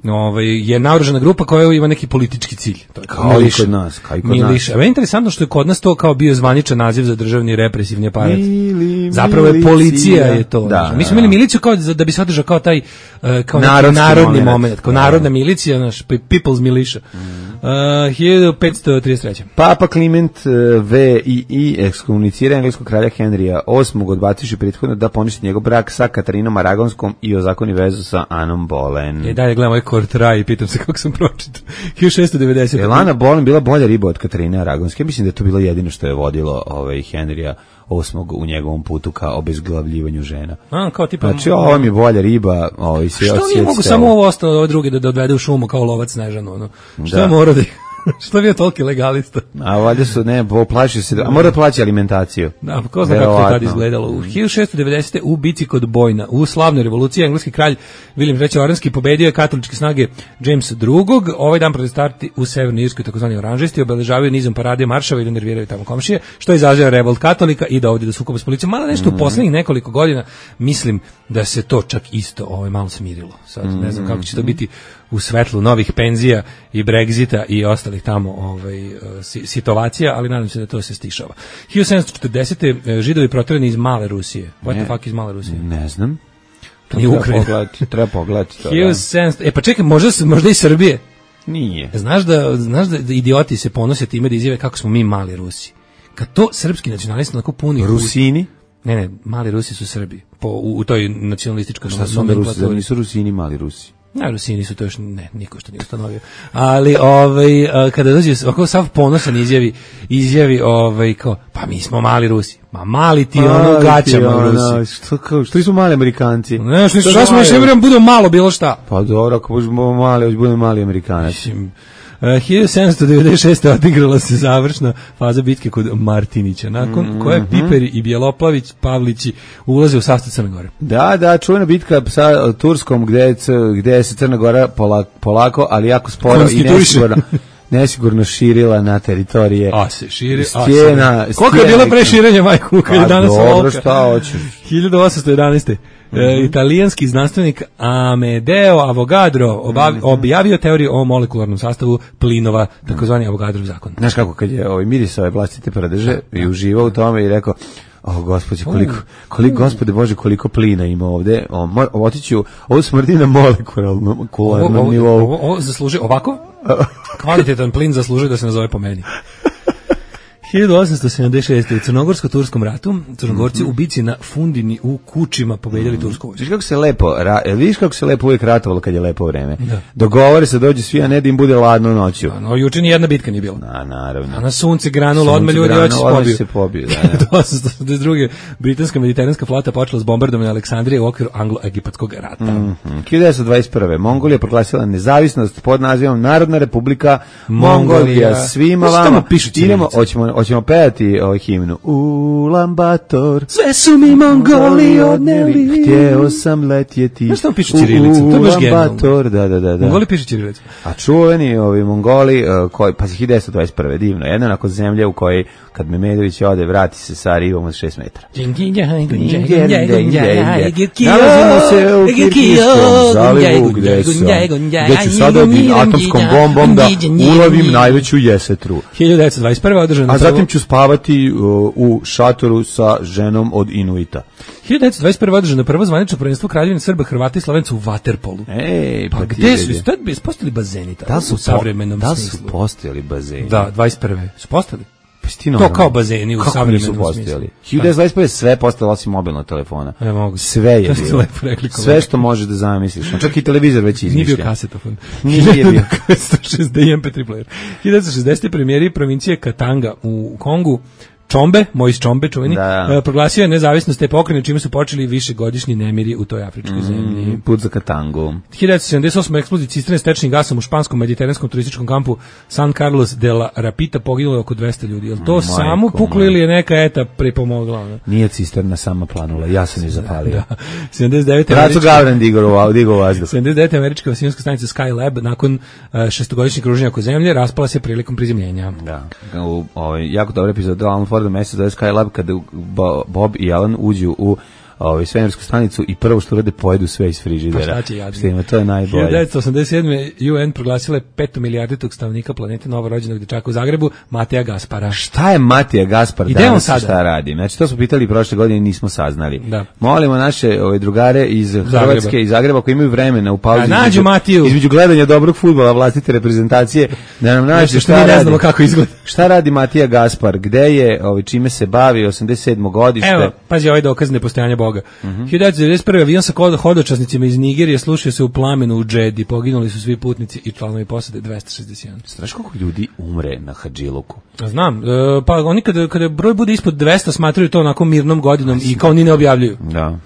ovaj, je naoružana grupa koja ima neki politički cilj. To je Kao i kod nas, kao i kod miliša. nas. Evo je interesantno što je kod nas to kao bio zvaničan naziv za državni represivni aparat. Mili, Zapravo je milicija. policija je to. Da, znaš. Mi smo da, imali da. miliciju kao da bi se održao kao taj uh, kao neki Narodski narodni moment. moment, kao Da. narodna milicija, naš people's militia. Uh, hiljadu petsto trideset treće. Papa Kliment uh, V i I ekskomunicira engleskog kralja Henrija osmog odbaciši prethodno da poništi njegov brak sa Katarinom Aragonskom i ozakoni vezu sa Anom Boleyn. E, dalje gledam ovaj Kortraj i pitam se kako sam pročitao. hiljadu šessto devedeset. Je Ana Boleyn bila bolja riba od Katarine Aragonske? Mislim da je to bilo jedino što je vodilo ovaj, Henrija osmog u njegovom putu ka obezglavljivanju žena. A, kao tipa... Znači, ovo mi je bolja riba. Ovaj, Što nije mogu samo ovo ostalo, ove druge da, da odvede u šumu kao lovac Snežanu, ono? Što Da. je morao da... Što bi je toliki legalista? A valjda su, ne, plaši se, a mora da plaća alimentaciju. Da, pa ko zna kako je Verovatno. tad izgledalo. U hiljadu šessto devedesete. u bici kod Bojna, u slavnoj revoluciji, engleski kralj William treći Oranski pobedio je katoličke snage James drugog. Ovaj dan protestarti u Severnoj Irskoj, takozvani oranžisti, obeležavaju nizom parade maršava i da nerviraju tamo komšije, što izaziva revolt katolika i da ovdje da sukoba s policijom. Malo nešto u poslednjih nekoliko godina, mislim da se to čak isto ovaj, malo smirilo. Sad ne znam kako će to biti u svetlu novih penzija i Brexita i ostalih tamo ovaj, situacija, ali nadam se da to se stišava. hiljadu sedamsto četrdesete. Židovi proterani iz Male Rusije. What the fuck iz Male Rusije? Ne znam. To nije Treba Ukrajina. pogledati, treba pogledati to. hiljadu sedamsto. E pa čekaj, možda, možda i Srbije. Nije. Znaš da, znaš da idioti se ponose time da izjave kako smo mi mali Rusi. Kad to srpski nacionalisti onako puni... Rusini? Ne, ne, mali Rusi su Srbi. Po, u, u toj nacionalističkoj Šta su onda Rusi? Zar nomenklaturi. nisu Rusini mali Rusi? Ne, Rusini su to još, ne, niko što nije ustanovio. Ali, ovaj, a, kada dođe, ovako sav ponosan izjavi, izjavi, ovaj, kao, pa mi smo mali Rusi. Ma mali ti ono gaćama Rusi. Što, kao, što su mali Amerikanci? Ne, što, Što što smo mali? još ne budemo malo bilo šta. Pa dobro, ako budemo mali, hoće budemo mali Amerikanac. Mislim, Uh, hiljadu sedamsto devedeset šeste. odigrala se završna faza bitke kod Martinića, nakon mm-hmm. koje Piperi i Bjeloplavić Pavlići ulaze u sastav Crne Gore. Da, da, čuvena bitka sa Turskom gde, je c- gde se Crna Gora polako, polako ali jako sporo i Konstituiše. nesigurno, nesigurno širila na teritorije. A se širi, a Stijena, se... Koliko je bilo stijena- preširenja, majku, kad je Pa danas dobro, olovka? šta hoćeš? hiljadu osamsto jedanaeste. Mm-hmm. E, italijanski znanstvenik Amedeo Avogadro obav, Mhm. objavio teoriju o molekularnom sastavu plinova, takozvani Avogadrov zakon. Znaš kako, kad je ovaj mirisao je vlastite prdeže i uživao u tome i rekao, o gospode, koliko, koliko, gospode Bože, koliko plina ima ovde, o, mo, otići ću, ovo smrdi na molekularnom Ovo, kularnom ovo, nivou. ovo, ovo zasluži ovako? Kvalitetan plin zaslužuje da se nazove po meni. hiljadu osamsto sedamdeset šeste. u Crnogorsko-turskom ratu Crnogorci u bici na Fundini u Kučima pobedili tursku vojsku. Viš kako se lepo, ra, viš kako se lepo uvijek ratovalo kad je lepo vreme. Da. Dogovore se, dođe svi, a ne da im bude ladno noću. No, juče ni jedna bitka nije bila. A, naravno. A na sunce granulo, Sunce odmah ljudi granulo, hoće se odmah pobiju. se pobiju, da, da. hiljadu osamsto osamdeset druge. britanska mediteranska flota počela s bombardovanjem Aleksandrije u okviru anglo-egipatskog rata. Mm-hmm. hiljadu devetsto dvadeset prve. Mongolija proglasila nezavisnost pod nazivom Narodna republika Mongolija. Mongolija. Svima Znaš šta vama. mu pišu Idemo, ćirilice? hoćemo, hoćemo pevati ovaj himnu. Ulan Bator. Sve su mi Mongoli odneli. Htjeo sam letjeti. Znaš što on piše ćirilicom? To je baš genijalno. Bator, da, da, da. Mongoli piše ćirilicom. A čuveni ovi Mongoli, uh, koji, pa hiljadu devetsto dvadeset prve divno, jedna onako zemlje u kojoj kad Memedović ode, vrati se sa rivom od šest metara. Nalazimo se u Kirgijskom zalivu, gde ću sada atomskom bombom da ulovim najveću jesetru. hiljadu devetsto dvadeset prve održano. A zatim ću spavati uh, u šatoru sa ženom od Inuita. hiljadu devetsto dvadeset prve održano prvo zvanično prvenstvo Kraljevine Srba, Hrvata i Slovenca u vaterpolu. Ej, pa, pa gde su? Tad bi postojali bazeni tada, da su u savremenom da smislu. Da su postojali bazeni. Da, dvadeset prve su postali. Stino, to kao bazeni u savremenom smislu. hiljadu devetsto dvadeset prve sve postalo osim mobilnog telefona. Ja mogu. Sve je bilo. Sve što možeš da zamisliš. Čak i televizor već izmišlja. Nije bio kasetofon. Nije bio. em pe tri player. hiljadu devetsto šezdeset premijeri provincije Katanga u Kongu. Čombe, Mojs Čombe, čuveni, da. proglasio je nezavisnost te pokrajine, čime su počeli višegodišnji nemiri u toj afričkoj zemlji. Mm, put za Katangu. hiljadu devetsto sedamdeset osme eksploziji cisterne s tečnim gasom u španskom mediteranskom turističkom kampu San Carlos de la Rapita poginulo je oko dvesta ljudi. Je li to Majko, samo puklo ili je neka eta pripomogla? Ne? Nije cisterna sama planula, ja sam je zapalio. Da. sedamdeset devete Raco Gavran digao digao vazduh. sedamdeset devete američka vasijonska stanica Skylab nakon uh, šestogodišnjeg kruženja oko zemlje raspala se prilikom prizemljenja. Da. U ovaj jako dobar epizod Alan Forda mesec da Skylab kada Bob i Alan uđu u ovaj svemirsku stanicu i prvo što rade pojedu sve iz frižidera. Šta to je najbolje. hiljadu devetsto osamdeset sedme U N proglasila peto milijarditog stanovnika planete novorođenog dečaka u Zagrebu, Mateja Gaspara. Šta je Mateja Gaspar danas sada? Šta radi? Znači to smo pitali prošle godine i nismo saznali. Da. Molimo naše ove drugare iz Hrvatske Zagreba. i Zagreba koji imaju vremena u pauzi da, između, između gledanja dobrog fudbala vlastite reprezentacije da nam nađe šta radi. Ne znamo kako izgleda. Šta radi Mateja Gaspar? Gde je, ovaj čime se bavi? osamdeset sedmo godište. Evo, pazi ovaj dokaz nepostojanja Boga. Uh-huh. hiljadu devetsto devedeset prve avion sa hodočasnicima iz Nigerije slušio se u plamenu u Džedi. Poginuli su svi putnici i članovi posade dvesta šezdeset jedan. Znaš koliko ljudi umre na Hadžiluku? Znam. E, pa oni kada, kada broj bude ispod dvesta smatraju to onako mirnom godinom i kao ni ne objavljuju. Da.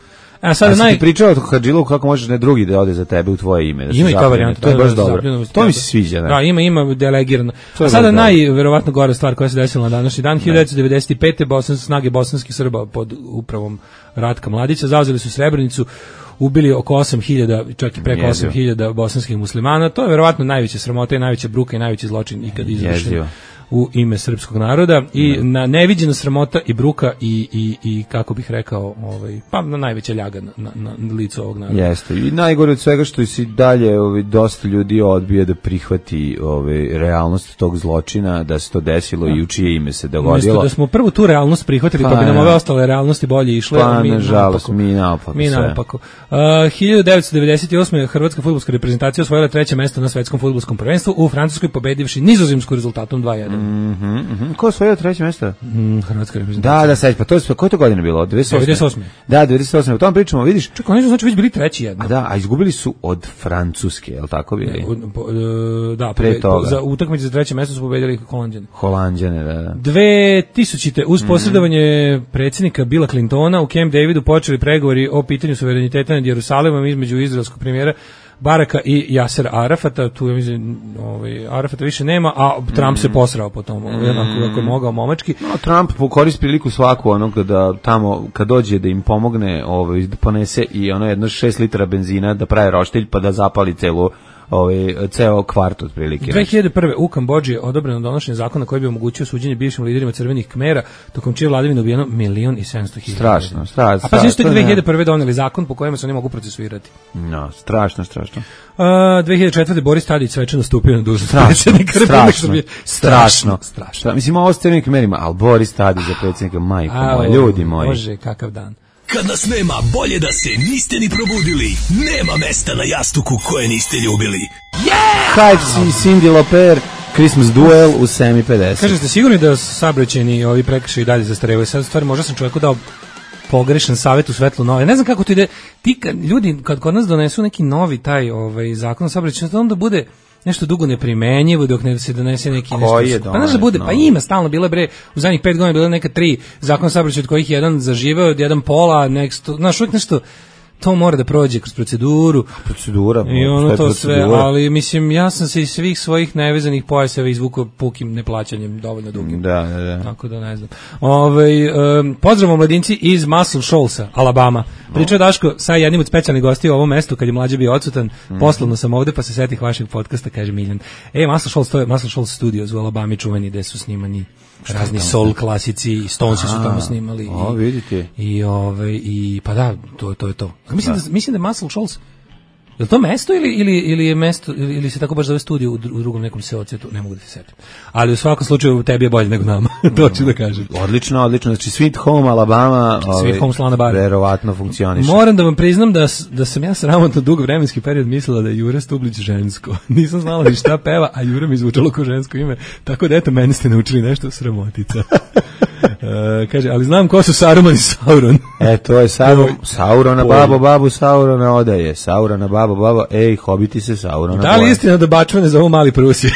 A sada naj... ti pričao o Hadžiluku kako možeš ne drugi da ode za tebe u tvoje ime. Da ima i ta varijanta. To je baš dobro. To mi se sviđa. Da, da ima, ima delegirano. A sada najverovatno gora stvar koja se desila na današnji dan. hiljadu devetsto devedeset pete bosanske snage bosanskih Srba pod upravom Ratka Mladića zauzeli su Srebrenicu, ubili oko osam hiljada, čak i preko osam hiljada bosanskih muslimana. To je verovatno najveća sramota i najveća bruka i najveći zločin ikad izvršen u ime srpskog naroda i ne. na neviđena sramota i bruka i, i, i kako bih rekao, ovaj, pa na najveća ljaga na, na, na licu ovog naroda. Jeste. I najgore od svega što si dalje ovaj, dosta ljudi odbije da prihvati ovaj, realnost tog zločina, da se to desilo da. i u čije ime se dogodilo. Umjesto da smo prvo tu realnost prihvatili, pa, pa bi nam ove ostale realnosti bolje išle. Pa, mi nažalost, mi naopako. Mi naopako. Uh, hiljadu devetsto devedeset osme Hrvatska fudbalska reprezentacija osvojila treće mesto na svetskom fudbalskom prvenstvu u Francuskoj pobedivši Nizozemsku rezultatom dva jedan. Mhm, mhm. Ko je osvojio treće mesto? Mm, Hrvatska reprezentacija. Da, da, sad, pa to je koje to godine bilo? devedeset osme. Da, devedeset osme. O tom pričamo, vidiš? Čekaj, oni su znači već bili treći jedno. A da, a izgubili su od Francuske, je l' tako bili? Ne, u, po, da, pre toga. Za utakmicu za treće mesto su pobedili Holanđane. Holanđane, da, da. dve tisućite uz posredovanje mm. predsjednika Billa Clintona u Camp Davidu počeli pregovori o pitanju suvereniteta nad Jerusalimom između izraelskog premijera Baraka i Jasera Arafata, tu je mislim, ovaj, Arafata više nema, a Trump mm. se posrao po tom, mm. jednako kako je mogao momački. No, Trump koristi priliku svaku onog da tamo, kad dođe da im pomogne, ovaj, da ponese i ono jedno šest litara benzina da pravi roštilj pa da zapali celu ovaj ceo kvart otprilike. dve hiljade prve u Kambodži je odobreno donošenje zakona koji bi omogućio suđenje bivšim liderima crvenih Kmera, tokom čije vladavine ubijeno milion i sedamsto hiljada. Strašno, strašno. A pa znači dve hiljade prve doneli zakon po kojem se oni mogu procesuirati. No, strašno, strašno. Uh, dve hiljade četvrte Boris Tadić svečano stupio na dužnost predsjednika Republike Srbije. Strašno, strašno. strašno. Mislim, ovo s crvenim Kmerima, ali Boris Tadić za predsjednika, majko moja, ljudi moji. Bože, kakav dan. Kad nas nema, bolje da se niste ni probudili. Nema mesta na jastuku koje niste ljubili. Yeah! Hype, Cindy Lauper, Christmas Duel u sedam pedeset. Kažete, ste sigurni da saobraćajni ovi prekršaji dalje zastarevaju? Sad stvari, možda sam čovjeku dao pogrešan savjet u svetlu nove. Ne znam kako to ide. Ti kad, ljudi, kad kod nas donesu neki novi taj ovaj, zakon o saobraćaju, onda bude nešto dugo neprimenjivo dok ne se donese neki nešto. Je pa znaš da bude, no. pa ima stalno bilo bre u zadnjih pet godina bilo neka tri zakona saobraćaja od kojih jedan zaživeo, jedan pola, next, znaš uvijek nešto to mora da prođe kroz proceduru. Procedura. I ono to procedura. sve, ali mislim, ja sam se iz svih svojih nevezanih pojaseva izvukao pukim neplaćanjem dovoljno dugim. Da, da, da. Tako da ne znam. Ovaj um, pozdrav mladinci iz Muscle Shoalsa, Alabama. Pričao Daško sa jednim od specijalnih gostiju u ovom mestu kad je mlađe bio odsutan. Mm. Poslovno sam ovde pa se setih vašeg podcasta, kaže Miljan. E, Muscle Shoals, to je Muscle Shoals Studios u Alabami čuveni gde su snimani razni soul klasici, i Stonesi su tamo snimali. O, vidite. I ovaj i pa da, to to je to. Mislim da, da mislim da Muscle Shoals. Je li to mesto ili, ili, ili je mesto ili, ili se tako baš zove studio u, dru, u drugom nekom seocu, ne mogu da se setim. Ali u svakom slučaju tebi je bolje nego nama, to ću da kažem. Odlično, odlično. Znači Sweet Home Alabama, Sweet ovaj, Home Slana Bar. Verovatno funkcioniše. Moram da vam priznam da, da sam ja sramotno dug vremenski period mislila da je Jura Stublić žensko. Nisam znala ni šta peva, a Jura mi zvučalo kao žensko ime. Tako da eto, meni ste naučili nešto sramotica. Uh, kaže, ali znam ko su Saruman i Sauron. E, to je Sauron, Saurona babo, babu, Saurona odaje. Saurona babo, babo, ej, hobiti se Saurona. Da li je istina da bačvane zovu Mali Prusije?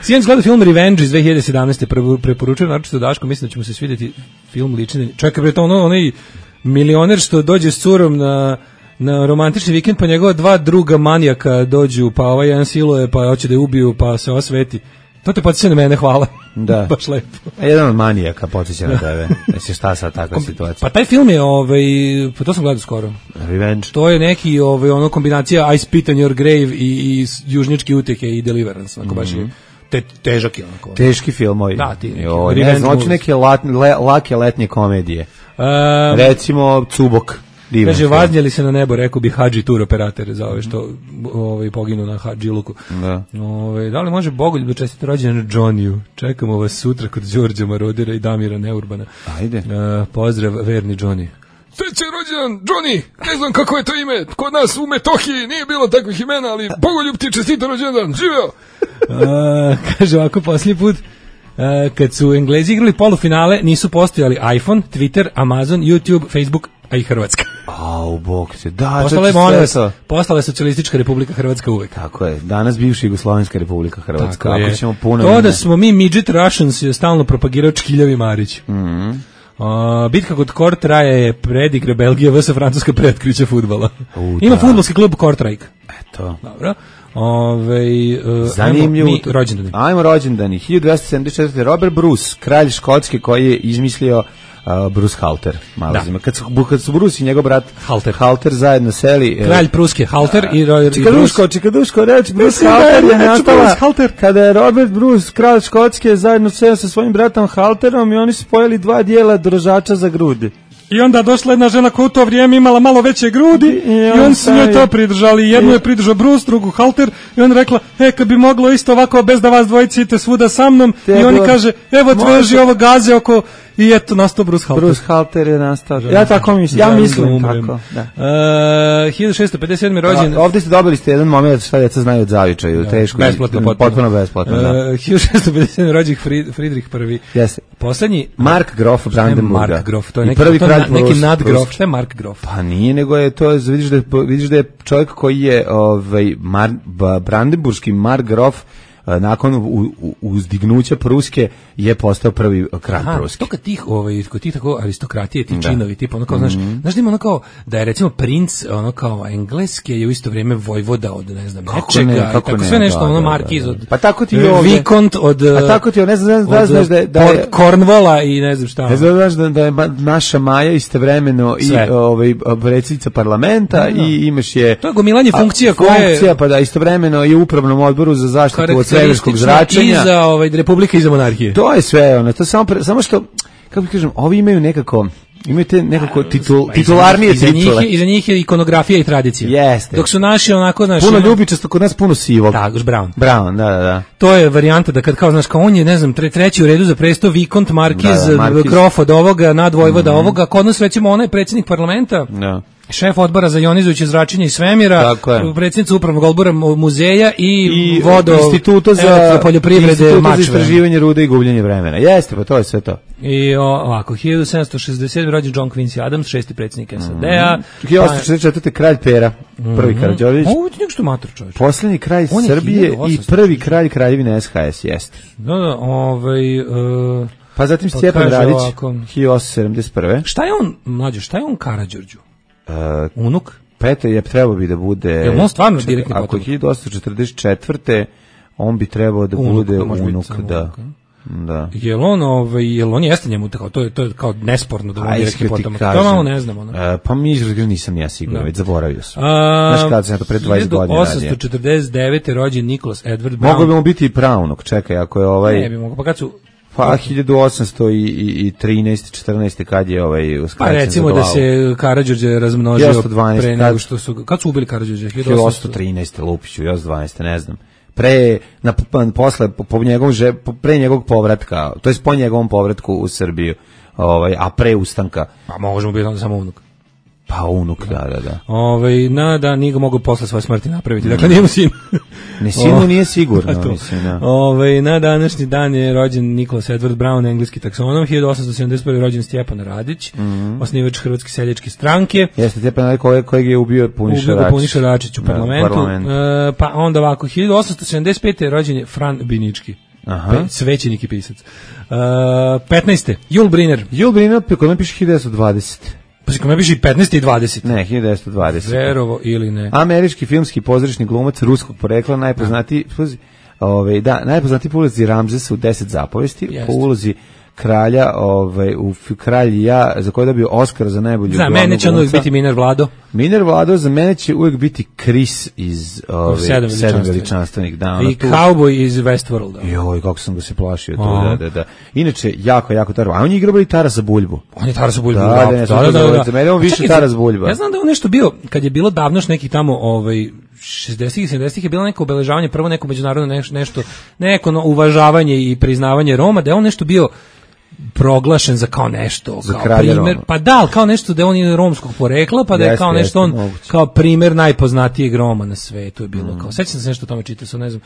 Sjedan gleda film Revenge iz dve hiljade sedamnaeste. Preporučujem naročito Daško, mislim da ćemo se svidjeti film ličine. Čekaj, bre, to ono, onaj milioner što dođe s curom na na romantični vikend, pa njegova dva druga manijaka dođu, pa ovaj jedan siluje, pa hoće da je ubiju, pa se osveti. To te podsjeća na mene, hvala. Da. Baš lepo. A jedan od manijaka podsjeća na tebe. Jesi šta sad takva situacija? Pa taj film je, ovaj, pa to sam gledao skoro. Revenge. To je neki, ovaj, ono kombinacija I Spit on Your Grave i, i Južnjačke uteke i Deliverance, onako baš je te, težak je onako. Teški filmovi. Da, ti neki. Jo, ne znam, hoću neke lat, le, lake letnje komedije. Um, Recimo Cubok. Divan kaže, film. vaznjeli se na nebo, rekao bi Hadži tur operator za ove što ovaj, poginu na Hadžiluku. Da. Ove, da li može Bogoljub da čestite rođendan Johnny-u? Čekamo vas sutra kod Đorđa Marodira i Damira Neurbana. Ajde. Uh, pozdrav, verni Johnny. Srećan rođendan, Johnny, ne znam kako je to ime, kod nas u Metohiji nije bilo takvih imena, ali Bogoljub ti čestita rođendan, živeo! uh, kaže ovako, posljednji put, uh, kad su Englezi igrali polufinale, nisu postojali iPhone, Twitter, Amazon, YouTube, Facebook, a i Hrvatska. Au, bog se, da, postale, je postala socijalistička Republika Hrvatska uvek. Tako je, danas bivša Jugoslovenska Republika Hrvatska. Tako ako je. ćemo puno... To da smo mi midget Russians je stalno propagirao Čkiljavi Marić. Mhm. Uh, bitka kod Kortraje je predigre Belgija vs Francuska pretkriće fudbala. U, Ima da. fudbalski klub Kortrajk. Eto. Dobro. Ove, uh, zanimljivo. Ajmo mi rođendani. Ajmo rođendani. hiljadu dvesta sedamdeset četvrte. Robert Bruce, kralj Škotske koji je izmislio uh, Bruce Halter. Malo da. Kad su, kad su Bruce i njegov brat Halter, Halter zajedno seli. Kralj Pruske, Halter uh, i, i Čikaduško, Čikaduško, reč Bruce Halter je nastala kada je Robert Bruce, kralj Škotske, zajedno seo sa svojim bratom Halterom i oni su spojili dva dijela držača za grudi. I onda došla jedna žena koja u to vrijeme imala malo veće grudi i, i on su njoj to pridržali. Jednu je pridržao Bruce, drugu Halter i on rekla, e, kad bi moglo isto ovako bez da vas dvojici idete svuda sa mnom. Te I oni kaže, evo tveži ovo gaze oko i eto nastao Bruce Halter. Bruce Halter je nastao. Ja tako mislim, ja mislim tako. Da. Uh, hiljadu šessto pedeset sedme rođen. Da, ovdje ste dobili ste jedan moment šta djeca znaju od zavičaju, da, teško. Besplatno, potpuno, potpuno besplatno, da. Uh, hiljadu šessto pedeset sedme rođen Friedrich prvi. Jeste. Poslednji Mark Grof Brandenburga. Mark Grof, to je neki, prvi to na, neki nadgrof. Šta je Mark Grof? Pa nije, nego je to, vidiš da je, vidiš da je čovjek koji je ovaj, Mar, Brandenburški Mark Grof nakon u, u, uzdignuća Pruske je postao prvi kralj Pruske. To kad tih, ovaj, kod tih tako aristokratije, ti činovi, tipa ono kao, mm-hmm. znaš, znaš da ima ono kao, da je recimo princ, ono kao engleske je u isto vrijeme vojvoda od, ne znam, kako nečega, ne, kako tako ne, sve nešto, da, ono da, markiz da, od, da. Pa tako ti je ovdje. Vikont od, pa tako ti je, ne znam, da znaš da je, da je Cornwalla i ne znam šta. Ne znam, znaš da, da je naša Maja istovremeno i ovaj, predsjednica parlamenta no, no. i imaš je... To je gomilanje funkcija koje... Funkcija, pa da, istovremeno i u upravnom odboru za zaštitu od svemirskog zračenja. I za ovaj, republika i za monarhije. To je sve, ono, to samo, pre, samo što, kako kažem, ovi imaju nekako, imaju te nekako titul, titularnije titule. I za njih je ikonografija i tradicija. Jeste. Dok su naši onako, naši... Puno ljubičasto, kod nas puno sivog. Da, Brown. Brown, da, da, da. To je varijanta da kad kao, znaš, kao on je, ne znam, tre, treći u redu za presto, Vikont, Markiz, da, da, Grof od ovoga, nadvojvoda mm-hmm. ovoga, kod nas recimo onaj predsjednik parlamenta. Da. Šef odbora za ionizujuće zračenje iz svemira, predsjednica upravnog odbora muzeja i, I vodo instituta za poljoprivrede Mačve. Za istraživanje rude i gubljenje vremena. Jeste, pa to je sve to. I o, ovako, hiljadu sedamsto šezdeset sedme rođen John Quincy Adams, šesti predsjednik S A D-a. Mm-hmm. hiljadu osamsto šezdeset četvrte kralj Pera, prvi mm-hmm. Karađorđević. Ovo je nešto mator, čovječ. Posljednji kralj Srbije i prvi kralj kraljevine S H S, jeste. Da, da, ovaj... Uh, Pa zatim Pa Stjepan kaže Radić, ovako. hiljadu osamsto sedamdeset prve. Šta je on, mlađo, šta je on Karađorđu? Uh, Unuk? Peto je trebao bi da bude... Je on stvarno čekaj, direktni ako je potomak? hiljadu osamsto četrdeset četvrte on bi trebao da Unuk, bude može biti unuk, samo da. unuk, a? Da. Jel on, ovaj, jel on jeste njemu tako, to je, to je kao nesporno da on A, direktni iskreno ti potomak. kažem, To malo ne znam, ono. e, pa mi izrazio nisam ja siguran, Da. već zaboravio sam. A, Znaš kada sam ja to pre dvadeset godina radio. hiljadu osamsto četrdeset devete rođen Nicholas Edward Brown. Mogao bi mu biti i pravnuk, čekaj, ako je ovaj... Ne bi mogao, pa kad su... Pa hiljadu osamsto trinaeste četrnaeste kad je ovaj Pa uskraćen recimo za da glavu. se Karađorđe razmnožio hiljadu osamsto dvanaeste pre kad- nego što su... Kad su ubili Karađorđe? hiljadu osamsto trinaeste Lupiću, još dvanaeste, ne znam. Pre, na, pa, posle, po, po njegovom, že- po, pre njegovog povratka, to je po njegovom povratku u Srbiju, ovaj, a pre ustanka, Pa možemo biti onda samo unuk. pa unuk, da, da, da. Ovaj na da nije ga mogao posle svoje smrti napraviti. Dakle nije mu sin. Ni sinu O, nije sigurno, pa to. mislim, da. Ovaj na današnji dan je rođen Nicholas Edward Brown, engleski taksonom, hiljadu osamsto sedamdeset prve rođen Stjepan Radić, Mhm. osnivač Hrvatske seljačke stranke. Jeste, te pa kojeg, kojeg je ubio Puniša Ubio ga Račić. Puniša Račić u Da, parlamentu. parlamentu. E, pa onda ovako, hiljadu osamsto sedamdeset pete rođen je Fran Binički. Aha. Pe- svećenik i pisac. E, petnaeste Jul Briner. Jul Briner, kod me piše hiljadu devetsto dvadeset. Pa se kome piše i petnaeste i dvadesete. Ne, hiljadu devetsto dvadeset. Verovo ili ne. Američki filmski pozorišni glumac ruskog porekla, najpoznatiji, sluzi, ovaj, da, najpoznatiji po ulozi Ramzesa u deset zapovesti, Jeste. po ulozi kralja, ovaj, u f- Kralj i ja, za koji je dobio Oskar za najbolju Za glavnog mene će on uvijek glumca. biti Miner Vlado. Miner Vlado, za mene će uvijek biti Chris iz ovaj, Sedam sedam veličanstvenih. veličanstvenih. Da, ono I tu- Cowboy iz Westworlda. Joj, kako sam ga se plašio tu, Aha. da, da, da. Inače, jako, jako taro. A on je igrao i Tarasa Buljbu. On je Taras Buljbu. Da, da, ne, sam to zaboravio. Za mene je on A više čekaj, Taras Buljba. Ja znam da je on nešto bio, kad je bilo davnoš neki tamo, ovaj, šezdesetih i sedamdesetih je bilo neko obeležavanje, prvo neko međunarodno neš, nešto, neko no, uvažavanje i priznavanje Roma, da je on nešto bio proglašen za kao nešto, Za kao kralja primer, Roma. pa da, ali kao nešto da je on je romskog porekla, pa da je Jeste, kao nešto jeste, on, moguće. kao primer najpoznatijeg Roma na svetu je bilo, Mm. kao, sećam se nešto o tome čitao, sam ne znam,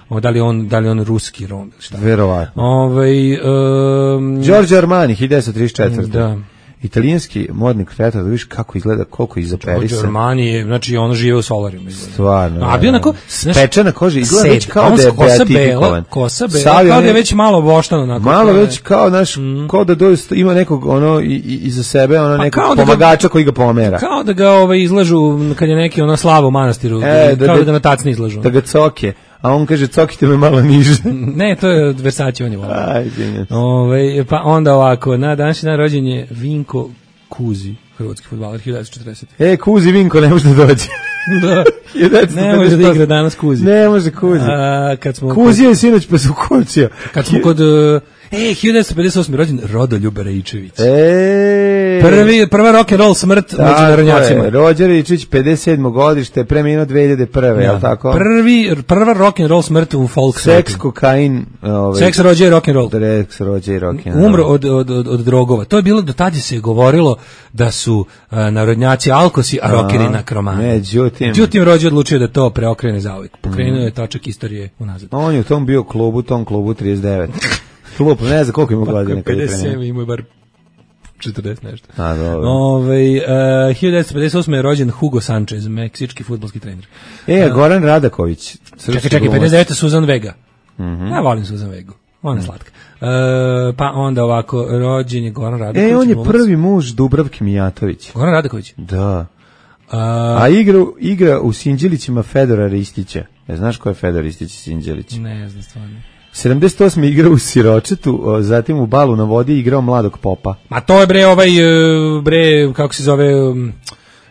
o, da li je on, da li je on ruski Rom, ili šta. Verovatno. Ovaj, um, Giorgio Armani, hiljadu devetsto trideset četvrte. Da. Italijanski modni kreator, da vidiš kako izgleda, koliko Giorgio izoperisan. Armani je, znači ono žive u solarijumu. izgleda. Stvarno. A bio onako, znaš, Spečena koža, izgleda već sed, kao on da je kosa bela, beatifikovan. kosa bela, Sav je kao da je ne- već malo boštano onako. Malo kao već kao, znaš, kao da doista ima nekog, ono, i, i, iza sebe, ono, Pa nekog kao da ga- pomagača koji ga pomera. Kao da ga ovaj izlažu kad je neki ona slava u manastiru, E, da- kao da, da- ga na tacni izlažu. Da ga coke. A on kaže, cokite me malo niže. Ne, to je od Versace, on je volio. Aj, izvinjam se. Ovaj, pa onda ovako, na današnji dan rođen je Vinko Kuzi, hrvatski fudbaler, hiljadu devetsto četrdeset. E, Kuzi Vinko ne može da dođe. Da. hiljadu devetsto Ne može da pedeset osam. igra danas Kuzi. Ne može Kuzi. A, kad smo Kuzi je sinoć pa su kucio. kad smo kod uh, e hiljadu devetsto pedeset osme rođen Rodoljub Rejčević. E, Prvi prva rock and roll smrt među narodnjacima. Rođer Ričić, pedeset sedmo godište, preminuo dve hiljade prve, je li tako? Prvi prva rock and roll smrt u folk Seks, svijetu. kokain, ovaj, Seks rođe rock and roll. Seks, rođe i rock and roll. Umro od, od, od, od drogova. To je bilo, do tada se je govorilo da su uh, narodnjaci alkosi, a rockeri nakromani. Međutim, Međutim, rođe odlučio da to preokrene zauvijek. Pokrenuo je točak istorije unazad. on je u tom bio klubu, tom klubu trideset devet. Klub, ne znam koliko ima godina kada je pedeset sedam preminuo. imao je bar četrdeset nešto. A, dobro. Ovaj uh, hiljadu devetsto pedeset osme je rođen Hugo Sanchez, meksički fudbalski trener. E, Goran Radaković. Čekaj, čekaj, pedeset devete Suzan Vega. Ja volim Suzan Vegu. Ona je slatka. E, pa onda ovako, rođen je Goran Radaković. E, on je glumac. prvi muž Dubravke Mijatović. Goran Radaković. Da. A, A igra, igra u Sinđelićima Fedora Ristića. Ne znaš ko je Fedor Ristić i Sinđelić? ne znam stvarno. sedamdeset osme igrao u Siročetu, o, zatim u Balu na vodi igrao mladog popa. Ma to je bre ovaj, e, bre, kako se zove, um,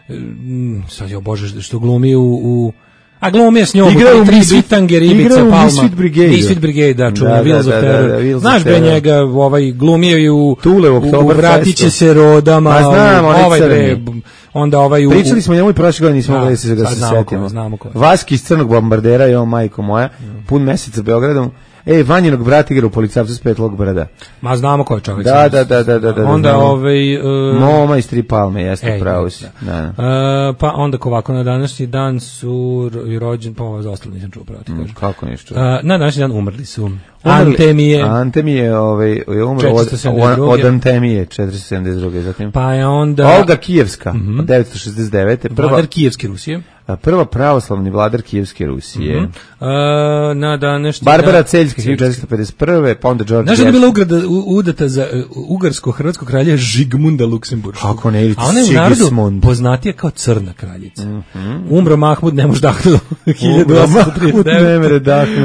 um, sad je, bože, što glumi u... u a glumi je s njom, Igrao u u tri Misfit- bitange, Ribica, igrao u Palma. Misfit Brigade. Misfit Brigade, da, čuvena, Da, da, Wheels of da, da, Terror. da, Wheels of Znaš bre Terror. njega, ovaj, glumio i u... Tule u u, u Oktoberfestu. Vratit će se rodama. Ma znam, onaj ovaj bre, crni. b- onda ovaj u... Pričali smo o njemu i prošle godine, nismo Da, mogli da se ga sad se znamo ko je, setimo. znamo ko je. Vaski iz Crnog bombardera i on, majko moja, pun mesec sa Beogradom. Ej, Vanjinog brat igra u Policajcu s Petlog brda. Ma znamo ko je čovjek. Da, sad. da, da, da, da, da, Onda znamo. ovaj... Uh, Moma iz Tri Palme, jeste, Ej, pravo da, si. da. Da, da. Uh, pa onda ko ovako na današnji dan su ro- i rođen, pa ovo za ostalo nisam čuo pravo ti kažem. Kako ništa? Uh, na današnji dan umrli su Antemije. Antemije, ovaj, je umro od, od Antemije, četiristo sedamdeset druge. Zatim. Pa je onda... Olga Kijevska, mm-hmm. od devetsto šezdeset devete. Prva, vladar Kijevske Rusije. Prva pravoslavni vladar Kijevske Rusije. Mm-hmm. A, na današnji Barbara Celjska, hiljadu četiristo pedeset prve, pa onda George Znaš da je bila ugrada, u, udata za uh, ugarsko-hrvatskog kralja Žigmunda Luksemburškog. Kako ne, ili a ona je u narodu poznatija kao crna kraljica. Mm-hmm. Umro Mahmud, ne može dahnuti. hiljadu osamsto trideset devet.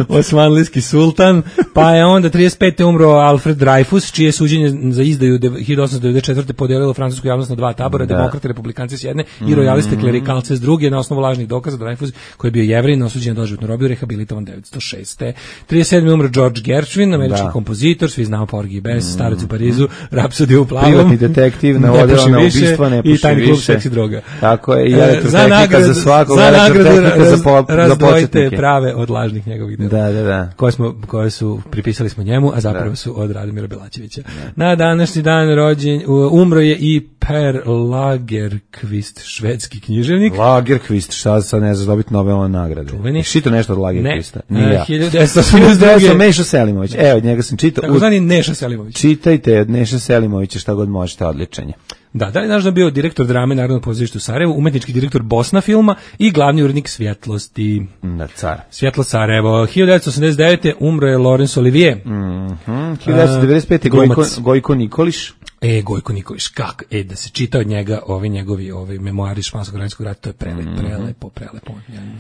Osmanlijski sultan. Pa je onda trideset pete umro Alfred Dreyfus, čije suđenje za izdaju hiljadu osamsto devedeset četvrte podelilo francusku javnost na dva tabora, da. Demokrate, republikanci s jedne i rojaliste klerikalce s druge, na osnovu lažnih dokaza. Dreyfus, koji je bio Jevrin, osuđen na doživotnu robiju, rehabilitovan devetsto šeste. trideset sedme umro George Gershwin, američki da. kompozitor, svi znamo Porgy i Bess, mm. Starac u Parizu, Rapsodija u plavom, privatni detektiv, navodila na ubistva, ne puši i tajni klub seksi droga. Tako je, i elektrotehnika za svakog, za nagradu raz, za, po, za početnike. Prave od lažnih njegovih dela. Da, da, da. Koje, smo, koje su, pripisali smo njemu, a zapravo da. su od Radomira Belačevića. Da. Na današnji dan rođen, umro je i Per Lagerkvist, švedski književnik. Lagerkvist, šta sad ne znaš dobiti Nobelove nagrade. Šito nešto od Lagerkvista. Ne, Nije ja. hiljadu devetsto osamdeset druge. Neša Selimović. Evo, od njega sam čitao. Tako zvani Neša Selimović. Čitajte od Neša Selimovića šta god možete, odličanje. Da, da li znaš da bio direktor drame Narodnog pozorišta u Sarajevu, umetnički direktor Bosna filma i glavni urednik Svjetlosti. Na car. Svjetlo Sarajevo. hiljadu devetsto osamdeset devete umro je Laurence Olivier. Mhm. hiljadu devetsto devedeset pete Gojko, Gojko Nikolić. E, Gojko Nikolić, kako? E, da se čita od njega ovi njegovi ovi memoari Španskog građanskog rata, to je prelep, mm-hmm. prelepo, prelepo.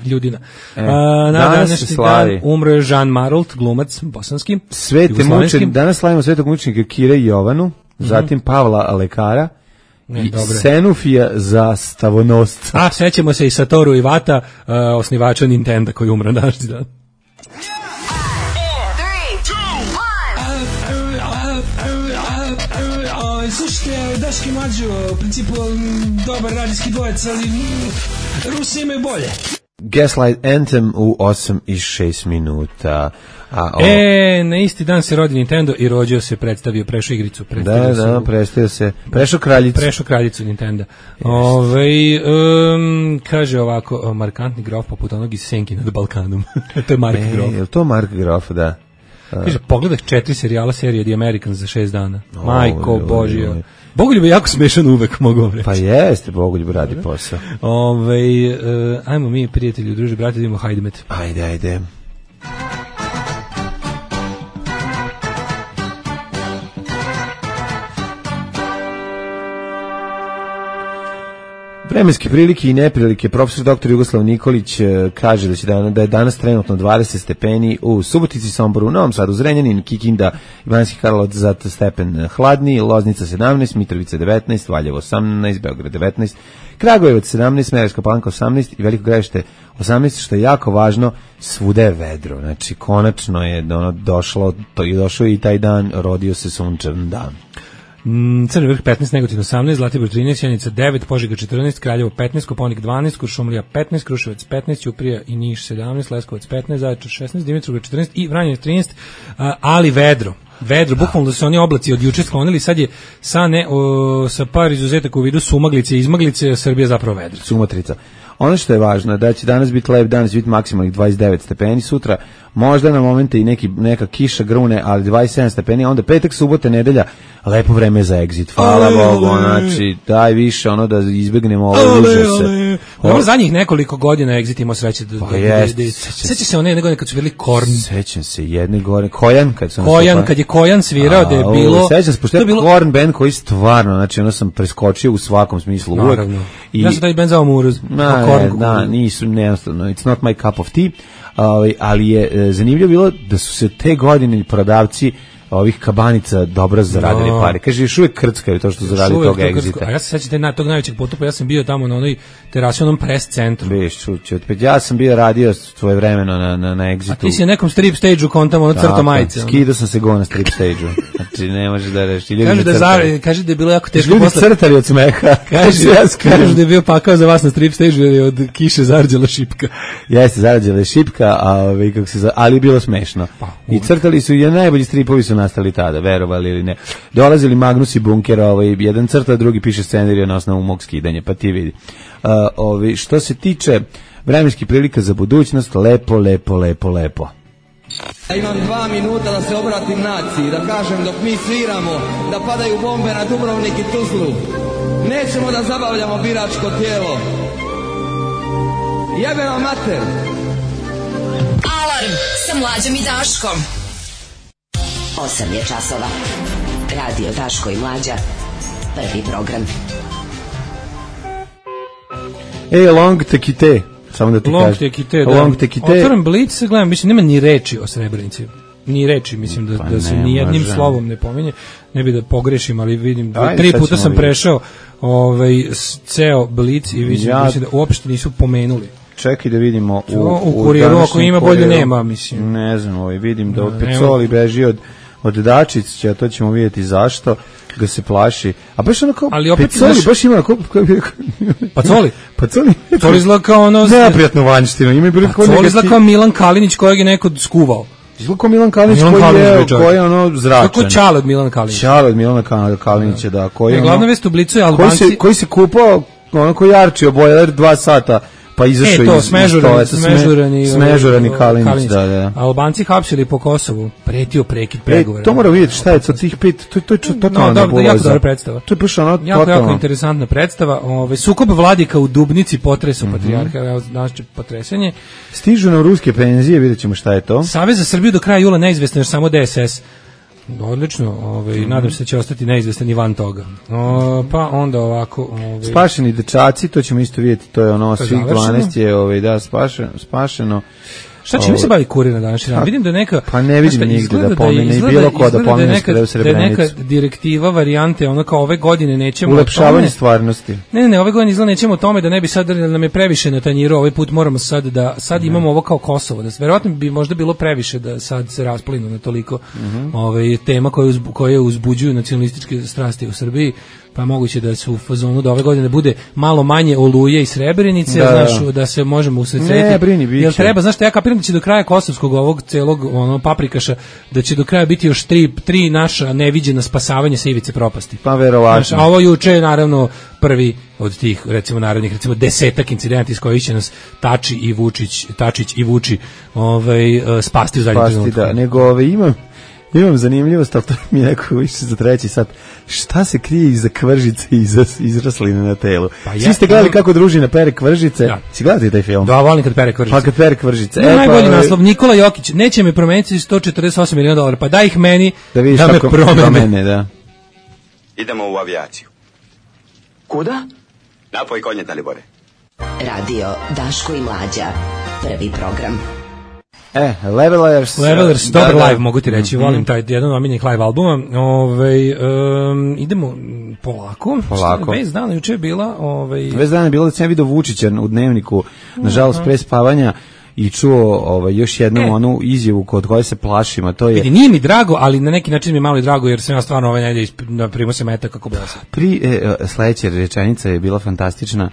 Ljudina. E, A, na današnji dan umro je Jean Maralt, glumac bosanski. Svete mučenike, danas slavimo svetog mučenika Kire i Jovanu, mm-hmm. zatim Pavla Lekara. Ne, i dobre. Senufija za stavonosca. A, sećamo se i Satoru Iwata, uh, osnivača Nintendo koji umre današnji dan. Slušajte, Daški Mađo, u principu dobar radijski dvojec, ali Rusi imaju bolje. Gaslight Anthem u osam i šest minuta. A, o... E, na isti dan se rodi Nintendo i rođeo se, predstavio, prešao igricu. Da, da, u... predstavio se, prešao kraljicu. Prešao kraljicu Nintendo. Ove, um, kaže ovako, markantni grof poput onog iz Senki nad Balkanom. To je Mark e, Grof. Je li to Mark Grof, da? Kaže, pogledaj četiri serijala serije The Americans za šest dana. O, Majko Božija. Bogoljub je jako smešan uvek, mogu vam reći. Pa jeste, Bogoljub radi posao. Ove, uh, ajmo mi, prijatelji, druži, brate, da imamo Hajdmet. Ajde, ajde. Vremenske prilike i neprilike. Profesor doktor Jugoslav Nikolić kaže da će da, da je danas trenutno dvadeset stepeni u Subotici, Somboru, Novom Sadu, Zrenjanin, Kikinda, Ivanski Karlovac za stepen hladniji, Loznica sedamnaest, Mitrovica devetnaest, Valjevo osamnaest, Beograd devetnaest, Kragujevac sedamnaest, Smederevska Palanka osamnaest i Veliko Gradište osamnaest, što je jako važno, svuda je vedro. Znači, konačno je ono došlo, to je došao i taj dan, rodio se sunčan dan. Crni vrh petnaest, Negotin osamnaest, Zlatibor trinaest, Sjenica devet, Požega četrnaest, Kraljevo petnaest, Koponik dvanaest, Kuršumlija petnaest, Kruševac petnaest, Ćuprija i Niš sedamnaest, Leskovac petnaest, Zaječar šesnaest, Dimitrovgrad četrnaest i Vranje trinaest, ali vedro. Vedro, bukvalno da se oni oblaci od juče sklonili, sad je sa, ne, o, sa par izuzetaka u vidu sumaglice i izmaglice, Srbija zapravo vedra. Sumatrica. Ono što je važno je da će danas biti lep dan, će biti maksimalnih dvadeset devet stepeni, sutra možda na momente i neki, neka kiša grune, ali dvadeset sedam stepeni, onda petak, subota, nedelja, lepo vreme za exit, hvala ale, Bogu, ale. Znači, daj više ono da izbegnemo ovo užase. Ovo zadnjih nekoliko godina exit imao sreće da... Pa jest. Seća se one jedne godine kad su bili Korn. Sećam se jedne godine, Kojan, kad su... Kojan, kad je Kojan svirao, da je bilo... Sećam se, pošto je bilo... Korn band koji stvarno, znači ono sam preskočio u svakom smislu uvek. Naravno. I... Ja sam taj band zvao Muruz. Na, ne, da, nisu, neostavno, it's not my cup of tea, ali, ali je zanimljivo bilo da su se te godine prodavci ovih kabanica dobro zaradili no. pare. Kaže, još uvijek krckaju to što zaradili toga egzita. A ja se sećam na tog najvećeg potupa, ja sam bio tamo na onoj terasi, onom press centru. Biš, čući, opet ja sam bio radio svoje vremeno na, na, na egzitu. A ti si na nekom strip stage-u kontamo ono crto majice. Skidao sam se go na strip stage-u. Znači, ne može da reši. Kaže da, zar, kaže da je bilo jako teško ljudi posle... crtali od smeha. Kaže, kaže da je bio pakao za vas na strip stage-u jer je od kiše zarđala šipka. Jeste, zarđala šipka, a, kako se, ali je bilo smešno. Pa, i crtali su, i najbolji stripovi su nastali tada, verovali ili ne. Dolazili Magnus i Bunker, ovaj, jedan crta, drugi piše scenarij na osnovu mog skidanja, pa ti vidi. Uh, ovaj, što se tiče vremenskih prilika za budućnost, lepo, lepo, lepo, lepo. Ja imam dva minuta da se obratim naciji, da kažem dok mi sviramo, da padaju bombe na Dubrovnik i Tuzlu. Nećemo da zabavljamo biračko tijelo. Jebe vam mater. Alarm sa Mlađom i Daškom. osam je časova. Radio Daško i Mlađa. Prvi program. Ej, long tekite. Samo da ti long kažem. tekite, da. Long tekite. Otvaram Blic, gledam, mislim, nema ni reči o Srebrenici. Ni reči, mislim, da, pa da se ne, ni jednim može. slovom ne pominje. Ne bi da pogrešim, ali vidim, Ajde, tri sad puta ćemo sam vidjeti. prešao ovaj, s- ceo Blic i vidim, Ja- mislim da uopšte nisu pomenuli. Čekaj da vidimo u, U- u kuriru, današnjem ako ima, bolje kuriru. nema, mislim. Ne znam, ovaj, vidim da Ne, od nema. Pecoli beži od, od Dačića, to ćemo vidjeti zašto ga se plaši. A baš ono kao, Ali opet, Pecoli znaš- baš ima onako... Pacoli? Pacoli? Coli izgleda kao ono... Neprijatnu vanjštinu, ima i bilo kao Coli izgleda negativ- kao Milan Kalinić kojeg je neko skuvao. Izgleda kao Milan Kalinić Milan koji Kalinić, je, bre, čovjek. koji je ono zračan. Kako Čale od Milana Kalinića. Čale od Milana Kal- Kalinića, da. Koji, Ne, ono- glavna vest u Blicu je koji Albanci... se, koji se kupao, ono koji jarčio bojler dva sata, pa izašao E, to, iz smežurani, iz toaleta, sme- smežurani, smežurani ovaj, Kalinić, Kalinić. da, da. Albanci hapsili po Kosovu, pretio prekid E, pregovora. to mora vidjeti šta je sa tih pet, to, to je čo- totalna No, dobro, nebuloza. jako dobra predstava. To je baš ono Jako, jako totalno. interesantna predstava. Ove, sukob vladika u Dubnici potresao Mhm. patrijarha, evo, danas će potresanje. Stižu nam ruske penzije, vidjet ćemo šta je to. Savez za Srbiju do kraja jula neizvestan, još samo D S S. Odlično, ovaj, Mhm. nadam se da će ostati neizvestan i van toga. O, pa onda ovako... Ovaj, Spašeni dečaci, to ćemo isto vidjeti, to je ono, To je svih završeno. dvanaest je, ovaj, da, spašeno. spašeno. Šta čime se bavi kurir na današnji dan? Vidim da je neka... Pa ne vidim znaš šta, nigde izgleda da pomene, je- i izgleda- bilo ko da izgleda pomene je nešto neka- da je u da je neka Srebrenici. direktiva varijante, ono kao ove godine nećemo... o Ulepšavanje tome- stvarnosti. Ne, ne, ne, ove godine izgleda nećemo o tome da ne bi sad da nam je previše na tanjiru, ovaj put moramo sad da sad imamo ovo kao Kosovo, da verovatno bi možda bilo previše da sad se rasplinu na toliko ovaj tema koje uzbu, koje uzbuđuju nacionalističke strasti u Srbiji, pa je moguće da su u fazonu da ove godine bude malo manje Oluje i Srebrenice, Da, znaš, da. da se možemo usredsrediti. Ne, brini, biće. Jel treba, znaš, šta ja kapiram da će do kraja kosovskog ovog celog ono paprikaša da će do kraja biti još tri, tri naša neviđena spasavanja sa ivice propasti. Pa verovatno. Znaš, a ovo juče je naravno prvi od tih, recimo, narednih, recimo, desetak incidenta iz kojih će nas Tači i Vučić, Tačić i Vuči ovaj, eh, spasti u zadnjem Spasti, trenutku. da, nego ove, imam, imam zanimljivost, ali to mi je neko više za treći sat. Šta se krije iza kvržice i iza izrasline na telu? Pa ja- Svi ste gledali kako družina pere kvržice? Da. Si gledali taj film? Da, volim kad pere kvržice. Pa kad pere kvržice. Ne, E, pa, najbolji ove, naslov, Nikola Jokić, neće me promeniti sto četrdeset osam miliona dolara, pa daj ih meni Da vidiš da me kako promene. promene, da. Idemo u avijaciju. Kuda? Napoj konje, Dalibore. Radio Daško i Mlađa. Prvi program. E, Levelers. Levelers, da, dobar da. live, mogu ti reći, Mhm. volim taj jedan od omiljenih live albuma. Ovaj um, idemo polako. Polako. Vez dana juče je bila, ovaj Vez dana je bilo da sam ja vidio Vučića u dnevniku, nažalost pre spavanja, i čuo ovaj, još jednu E. onu izjavu kod koje se plašim, a to je vidi, nije mi drago, ali na neki način mi je malo i drago jer sam ja stvarno ove nedelje isp- na primu se meta kako bila sam. pri, e, e, sledeća rečenica je bila fantastična.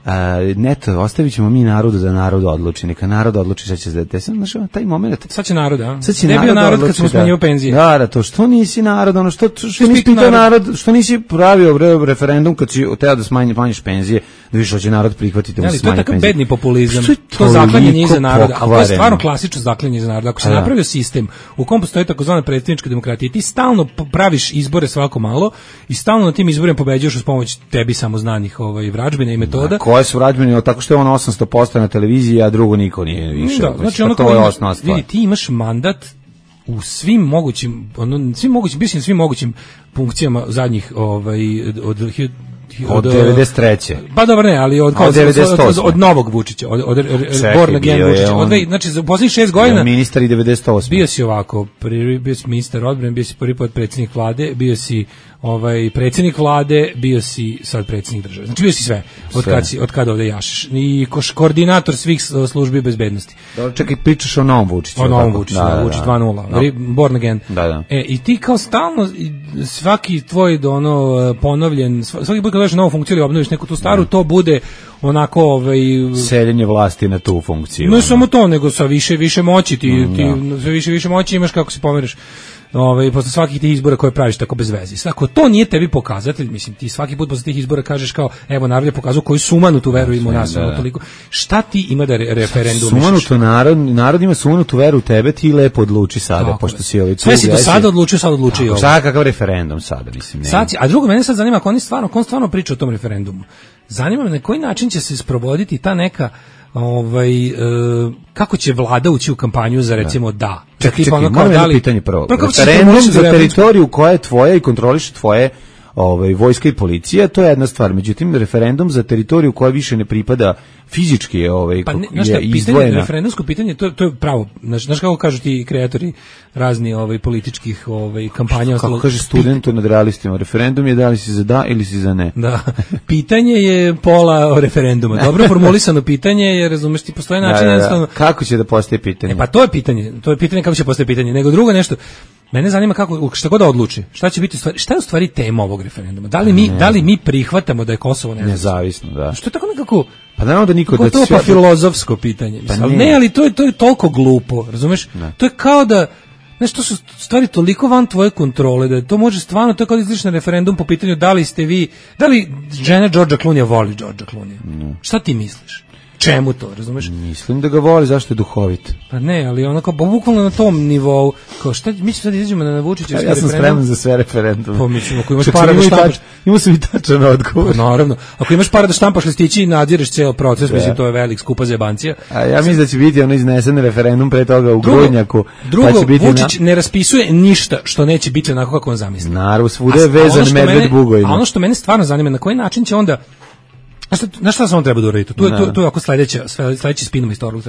Uh, neto, ostavit ćemo mi narodu da narod odluči, neka narod odluči šta će se desiti. Znaš, ono, taj moment, Sad će narod, a? sad će Ne bio narod kad odluči, smo smanjivali da. penzije. Da, da, to što nisi narod, ono što, što, što Nisi nisi pitao pitao narod. narod, što nisi pravio bre, referendum kad si teo da smanji, smanjiš penzije, da više hoće narod prihvatiti da Ne, mu ali se to je smanji takav penzije. bedni populizam. Što je To zaklanjanje toliko iza naroda, a to je pokvareno? stvarno klasično zaklanjanje iza naroda. Ako se A da. napravio sistem u kom postoji takozvana predsjednička demokratija, ti stalno p- praviš izbore svako malo i stalno na tim izborima pobeđuješ uz pomoć tebi samoznanih ovaj vražbina i metoda. Koje su rađbene, tako što je on osamsto posto na televiziji, a drugo niko nije više. Da, znači ono to kao je imaš- osnovna stvar. vidi, ti imaš mandat u svim mogućim, ono, svim mogućim, mislim svim mogućim funkcijama zadnjih ovaj od od, hi- hi- Od devedeset treće. Pa dobro ne, ali od A od devedeset od, osme. od, od novog Vučića, od od Čekaj, Born Again bio je Vučića, on- od dve- znači za poslednjih šest godina Ministar i devedeset osme. bio si ovako, prvi bio si ministar odbrane, bio si prvi potpredsjednik vlade, bio si ovaj predsjednik vlade, bio si sad predsjednik države. Znači bio si sve. Od Sve. kad si od kad ovde jašiš. I koš koordinator svih s- službi bezbednosti. Dobro, čekaj, pričaš o novom Vučiću. O novom tako? Vučiću, da, Vučić dva nula, Da. Re- Born Again. Da, da. E, i ti kao stalno, i svaki tvoj ono ponovljen, sva- svaki put kad dođeš na novu funkciju ili obnoviš neku tu staru, to bude onako, ovaj, Seljenje vlasti na tu funkciju. ne samo to, nego sa više više moći, ti, ti sve više više moći imaš kako se pomeriš. ovaj, posle svakih tih izbora koje praviš tako bez veze. Ako to nije tebi pokazatelj, mislim, ti svaki put posle tih izbora kažeš kao, evo, narod je pokazao koju sumanutu veru ima u nas, da, da. Toliko. Šta ti ima da re, referendum sumanuto narod, narod ima sumanutu veru u tebe, ti lepo odluči sada, tako pošto si ovaj... Sve si do sada odlučio, sad odluči i ovo. Šta, kakav referendum sada, mislim, ne. Sad, a drugo, mene sad zanima, ako oni stvarno, ako on stvarno priča o tom referendumu, zanima me na koji način će se sprovoditi ta neka ovaj, e, kako će vlada ući u kampanju za recimo da. da. Čekaj, čekaj, moram jedno pitanje prvo. Referendum za teritoriju koja je tvoja i kontroliše tvoje ovaj, vojska i policija, to je jedna stvar. Međutim, referendum za teritoriju koja više ne pripada fizički ovaj, pa ne, je šta, izdvojena. Pitanje, referendumsko pitanje, to, to je pravo. Znaš, znaš kako kažu ti kreatori razni ovaj, političkih ovaj, kampanja. Kako kaže studentu nad realistima, referendum je da li si za da ili si za ne. Da. Pitanje je pola referenduma. Dobro formulisano pitanje, jer razumeš ti postoje način. Da, da, da. Kako će da postaje pitanje? E pa to je pitanje. To je pitanje kako će postaje pitanje. Nego drugo nešto. Mene zanima kako šta god da odluči. Šta će biti stvari? Šta je u stvari tema ovog referenduma? Da li mi ne. da li mi prihvatamo da je Kosovo nezavisno? Nezavisno, da. Što je tako nekako pa naravno da niko da to je pa filozofsko pitanje. Pa ali ne, ali to je to je toliko glupo, razumeš? Ne. To je kao da znaš, to su stvari toliko van tvoje kontrole da to može stvarno, to je kao da izliš na referendum po pitanju da li ste vi, da li žena Đorđa Klunija voli Đorđa Klunija? Ne. Šta ti misliš? Čemu to, razumeš? Mislim da ga voli, zašto je duhovit. Pa ne, ali ono kao bukvalno na tom nivou, kao šta, mi ćemo sad izađemo na Vučićevski referendum. Ja sam spreman za sve referendume. Pa mislim, ako imaš para da štampaš, imao sam i tačan odgovor. Pa naravno, ako imaš para da štampaš listići i nadzireš ceo proces, da. Mislim, to je velik skupa zebancija. A ja mislim da će biti ono iznesen referendum pre toga u drugo, Grudnjaku. Drugo, pa će biti Vučić na... ne raspisuje ništa što neće biti onako kako on zamisli. Naravno, svuda je vezan medved bugojima. A ono što mene stvarno zanima, na koji način će onda na šta samo treba da uraditi? Tu je, tu, tu je ako sledeća, sledeći spinova istoriju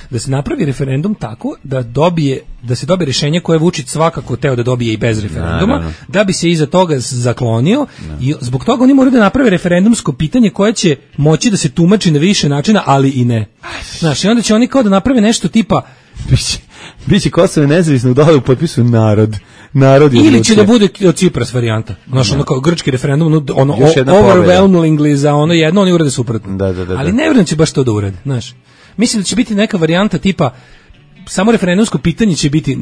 da se napravi referendum tako da dobije, da se dobije rješenje koje Vučić svakako teo da dobije i bez referenduma, no, no, no. Da bi se iza toga zaklonio no. I zbog toga oni moraju da naprave referendumsko pitanje koje će moći da se tumači na više načina, ali i ne. Znaš, i onda će oni kao da naprave nešto tipa biće, biće Kosovo nezavisno dole u potpisu narod. Narod ili odlučio. Će da bude od Cipras varijanta. Znaš, ono kao grčki referendum, ono overwhelmingly za ono jedno, oni urade suprotno. Da, da, da, ali ne vjerujem će baš to da urade, znaš. Mislim da će biti neka varijanta tipa samo referendumsko pitanje će biti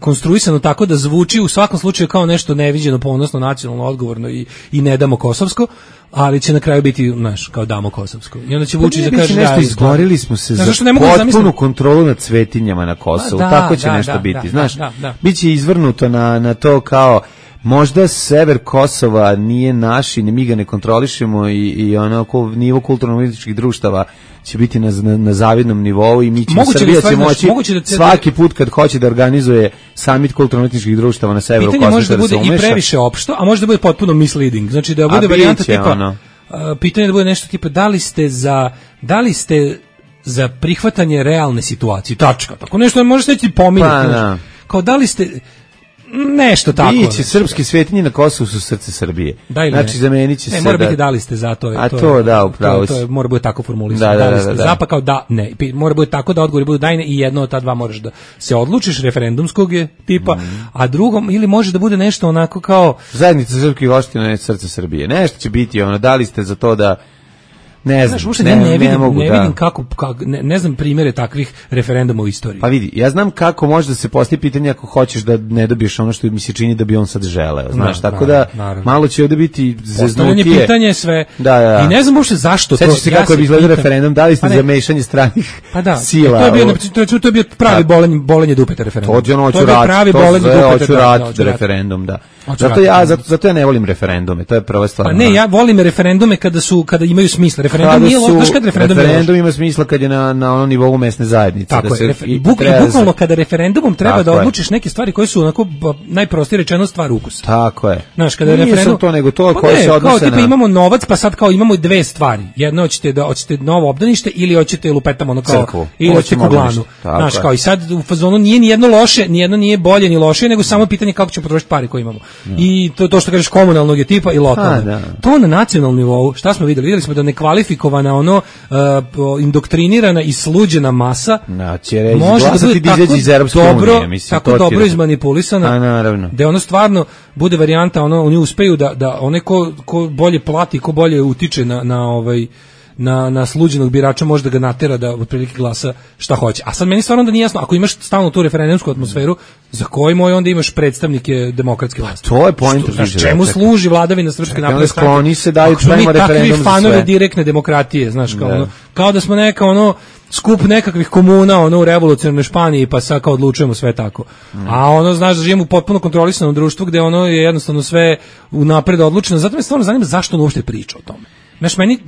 konstruisano tako da zvuči u svakom slučaju kao nešto neviđeno, ponosno, nacionalno, odgovorno i, i ne damo kosovsko, ali će na kraju biti, znaš, kao damo kosovsko. I onda će pa Vučić da kaže nešto da, izborili smo se znaš, za potpunu kontrolu nad svetinjama na Kosovu. Da, tako će da, nešto da, biti, da, znaš. Da, da, da. Biće izvrnuto na, na to kao možda sever Kosova nije naš i mi ga ne kontrolišemo i, i ono nivo kulturno-političkih društava će biti na, na, na zavidnom nivou i mi ćemo, Srbija će moći da svaki put kad hoće da organizuje samit kulturno-političkih društava na severu Kosova. Pitanje može da bude i previše opšto, a može da bude potpuno misleading. Znači da bude varijanta tipa, ono. uh, pitanje da bude nešto tipa da li ste za, da li ste za prihvatanje realne situacije, tačka. Tako nešto može se ti pominjati. Pa, da. Kao da li ste nešto tako. Biće srpski svetinje na Kosovu su srce Srbije. Da znači zamenit će ne, se mora da... biti da li ste za to. A to, to je, da, upravo. To, to je, mora biti tako formulisano. Da, da, da, da, li ste da, za pa kao da, ne. Mora biti tako da odgovori budu da i ne i jedno od ta dva moraš da se odlučiš, referendumskog je tipa, mm. a drugom ili može da bude nešto onako kao zajednica srpskih opština je srce Srbije. Nešto će biti ono, da li ste za to da ne znam, znaš, ne, ne, ne, vidim, ne, mogu, ne vidim kako, kako ne, ne znam primjere takvih referenduma u istoriji. Pa vidi, ja znam kako može da se postavi pitanje ako hoćeš da ne dobiješ ono što mi se čini da bi on sad želeo, znaš, no, tako naravno, da naravno. Malo će ovdje biti zeznutije. Pitanje sve. Da, da. I ne znam uopšte zašto to. Sećaš se kako ja je izgledao referendum, da li ste pa za mešanje stranih pa da, sila? To je bio, to, to je bio pravi bolenje, bolenje dupeta referendum. To je ono, to je pravi bolenje dupeta referendum, da. Zato ja, zato, zato ja ne volim referendume, to je prva stvar. Pa ne, ja volim referendume kada su kada imaju smisla. Referendum nije loš, kad referendum, referendum ima smisla kad je na na onom nivou mesne zajednice. Tako da se je, i bukvalno kada referendumom treba da odlučiš neke stvari koje su onako najprostije rečeno stvar ukusa. Tako je. Znaš, kada referendum to nego to koje se odnose na kao tipa imamo novac, pa sad kao imamo dve stvari. Jedno hoćete da hoćete novo obdanište ili hoćete lupetamo ono kao crkvu. Ili hoćete kuglanu. Znaš, kao i sad u fazonu nije ni jedno loše, ni jedno nije bolje ni lošije, nego samo pitanje kako ćemo potrošiti pare koje imamo. I to to što kažeš komunalnog je tipa i lokalnog. To na nacionalnom nivou, šta smo videli? Videli smo da nekvalifikovana ono uh, indoktrinirana i sluđena masa no, će reći, može da bude tako iz dobro, unije, mislim, tako dobro izmanipulisana, a, naravno. Da ono stvarno bude varijanta, ono, oni uspeju da, da one ko, ko bolje plati, ko bolje utiče na, na ovaj na, na sluđenog birača može da ga natera da otprilike glasa šta hoće. A sad meni stvarno da nije jasno, ako imaš stalno tu referendumsku atmosferu, za koji moj onda imaš predstavnike demokratske vlasti? To je poenta. Znaš, čemu služi vladavina Srpske napredne stranke? Oni se daju prema referendum za sve. Takvi fanovi direktne demokratije, znaš, kao, ono, kao da smo neka ono skup nekakvih komuna ono u revolucionarnoj Španiji pa sad kao odlučujemo sve tako. Mm. A ono znaš da živimo u potpuno kontrolisanom društvu gde ono je jednostavno sve unapred odlučeno. Zato me stvarno zanima zašto on uopšte priča o tome. Znaš, meni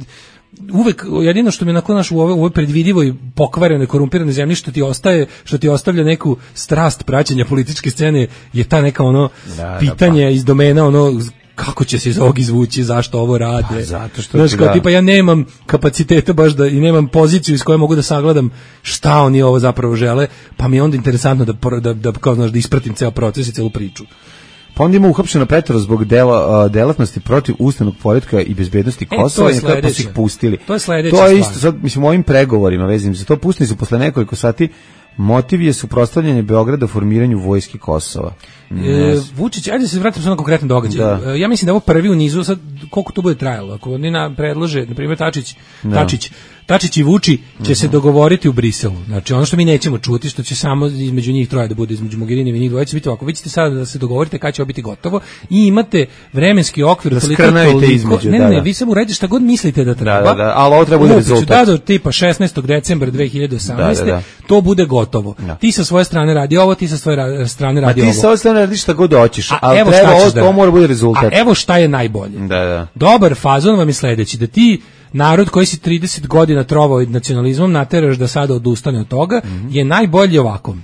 uvek jedino što mi nakon naš u ovoj, u ovoj predvidivoj pokvarenoj korumpiranoj zemlji što ti ostaje, što ti ostavlja neku strast praćenja političke scene je ta neka ono da, pitanje da, pa. iz domena ono kako će se iz ovog izvući, zašto ovo rade. Pa, zato što znaš, ti kao, da. tipa ja nemam kapaciteta baš da i nemam poziciju iz koje mogu da sagledam šta oni ovo zapravo žele, pa mi je onda interesantno da da da kao znaš da ispratim ceo proces i celu priču. Pa onda ima uhapšeno petoro zbog dela, uh, delatnosti protiv ustavnog poretka i bezbednosti Kosova e, i kako su ih pustili. To je sledeće. To je isto sad, mislim, u ovim pregovorima vezim za to, pustili su posle nekoliko sati. Motiv je suprotstavljanje Beograda formiranju vojske Kosova. E, Vučić, ajde se vratimo na konkretne događaje. Da. Ja mislim da je ovo prvi u nizu, sad koliko to bude trajalo. Ako oni na predlože, na primjer Tačić, da. Tačić, Tačić i Vuči će uh-huh. se dogovoriti u Briselu. Znači ono što mi nećemo čuti, što će samo između njih troje da bude, između Mogherini i njih dvoje će biti ovako. Vi ćete sada da se dogovorite kada će ovo biti gotovo i imate vremenski okvir da toliko, između, ne, da, ne, da. vi samo uradite šta god mislite da treba. Da, da, da, ali ovo treba bude rezultat. Da, do tipa šesnaestog decembra dve hiljade osamnaeste. Da, da, da. To bude gotovo. Da. Ti sa svoje strane radi ovo, ti sa svoje strane radi ovo. A ti sa svoje strane radiš šta god hoćeš, a ali evo treba ovo, da, to mora bude rezultat. A evo šta je najbolje. Da, da. Dobar fazon vam je sledeći, da ti narod koji si trideset godina trovao nacionalizmom nateraš da sada odustane od toga, mm-hmm. je najbolje ovako.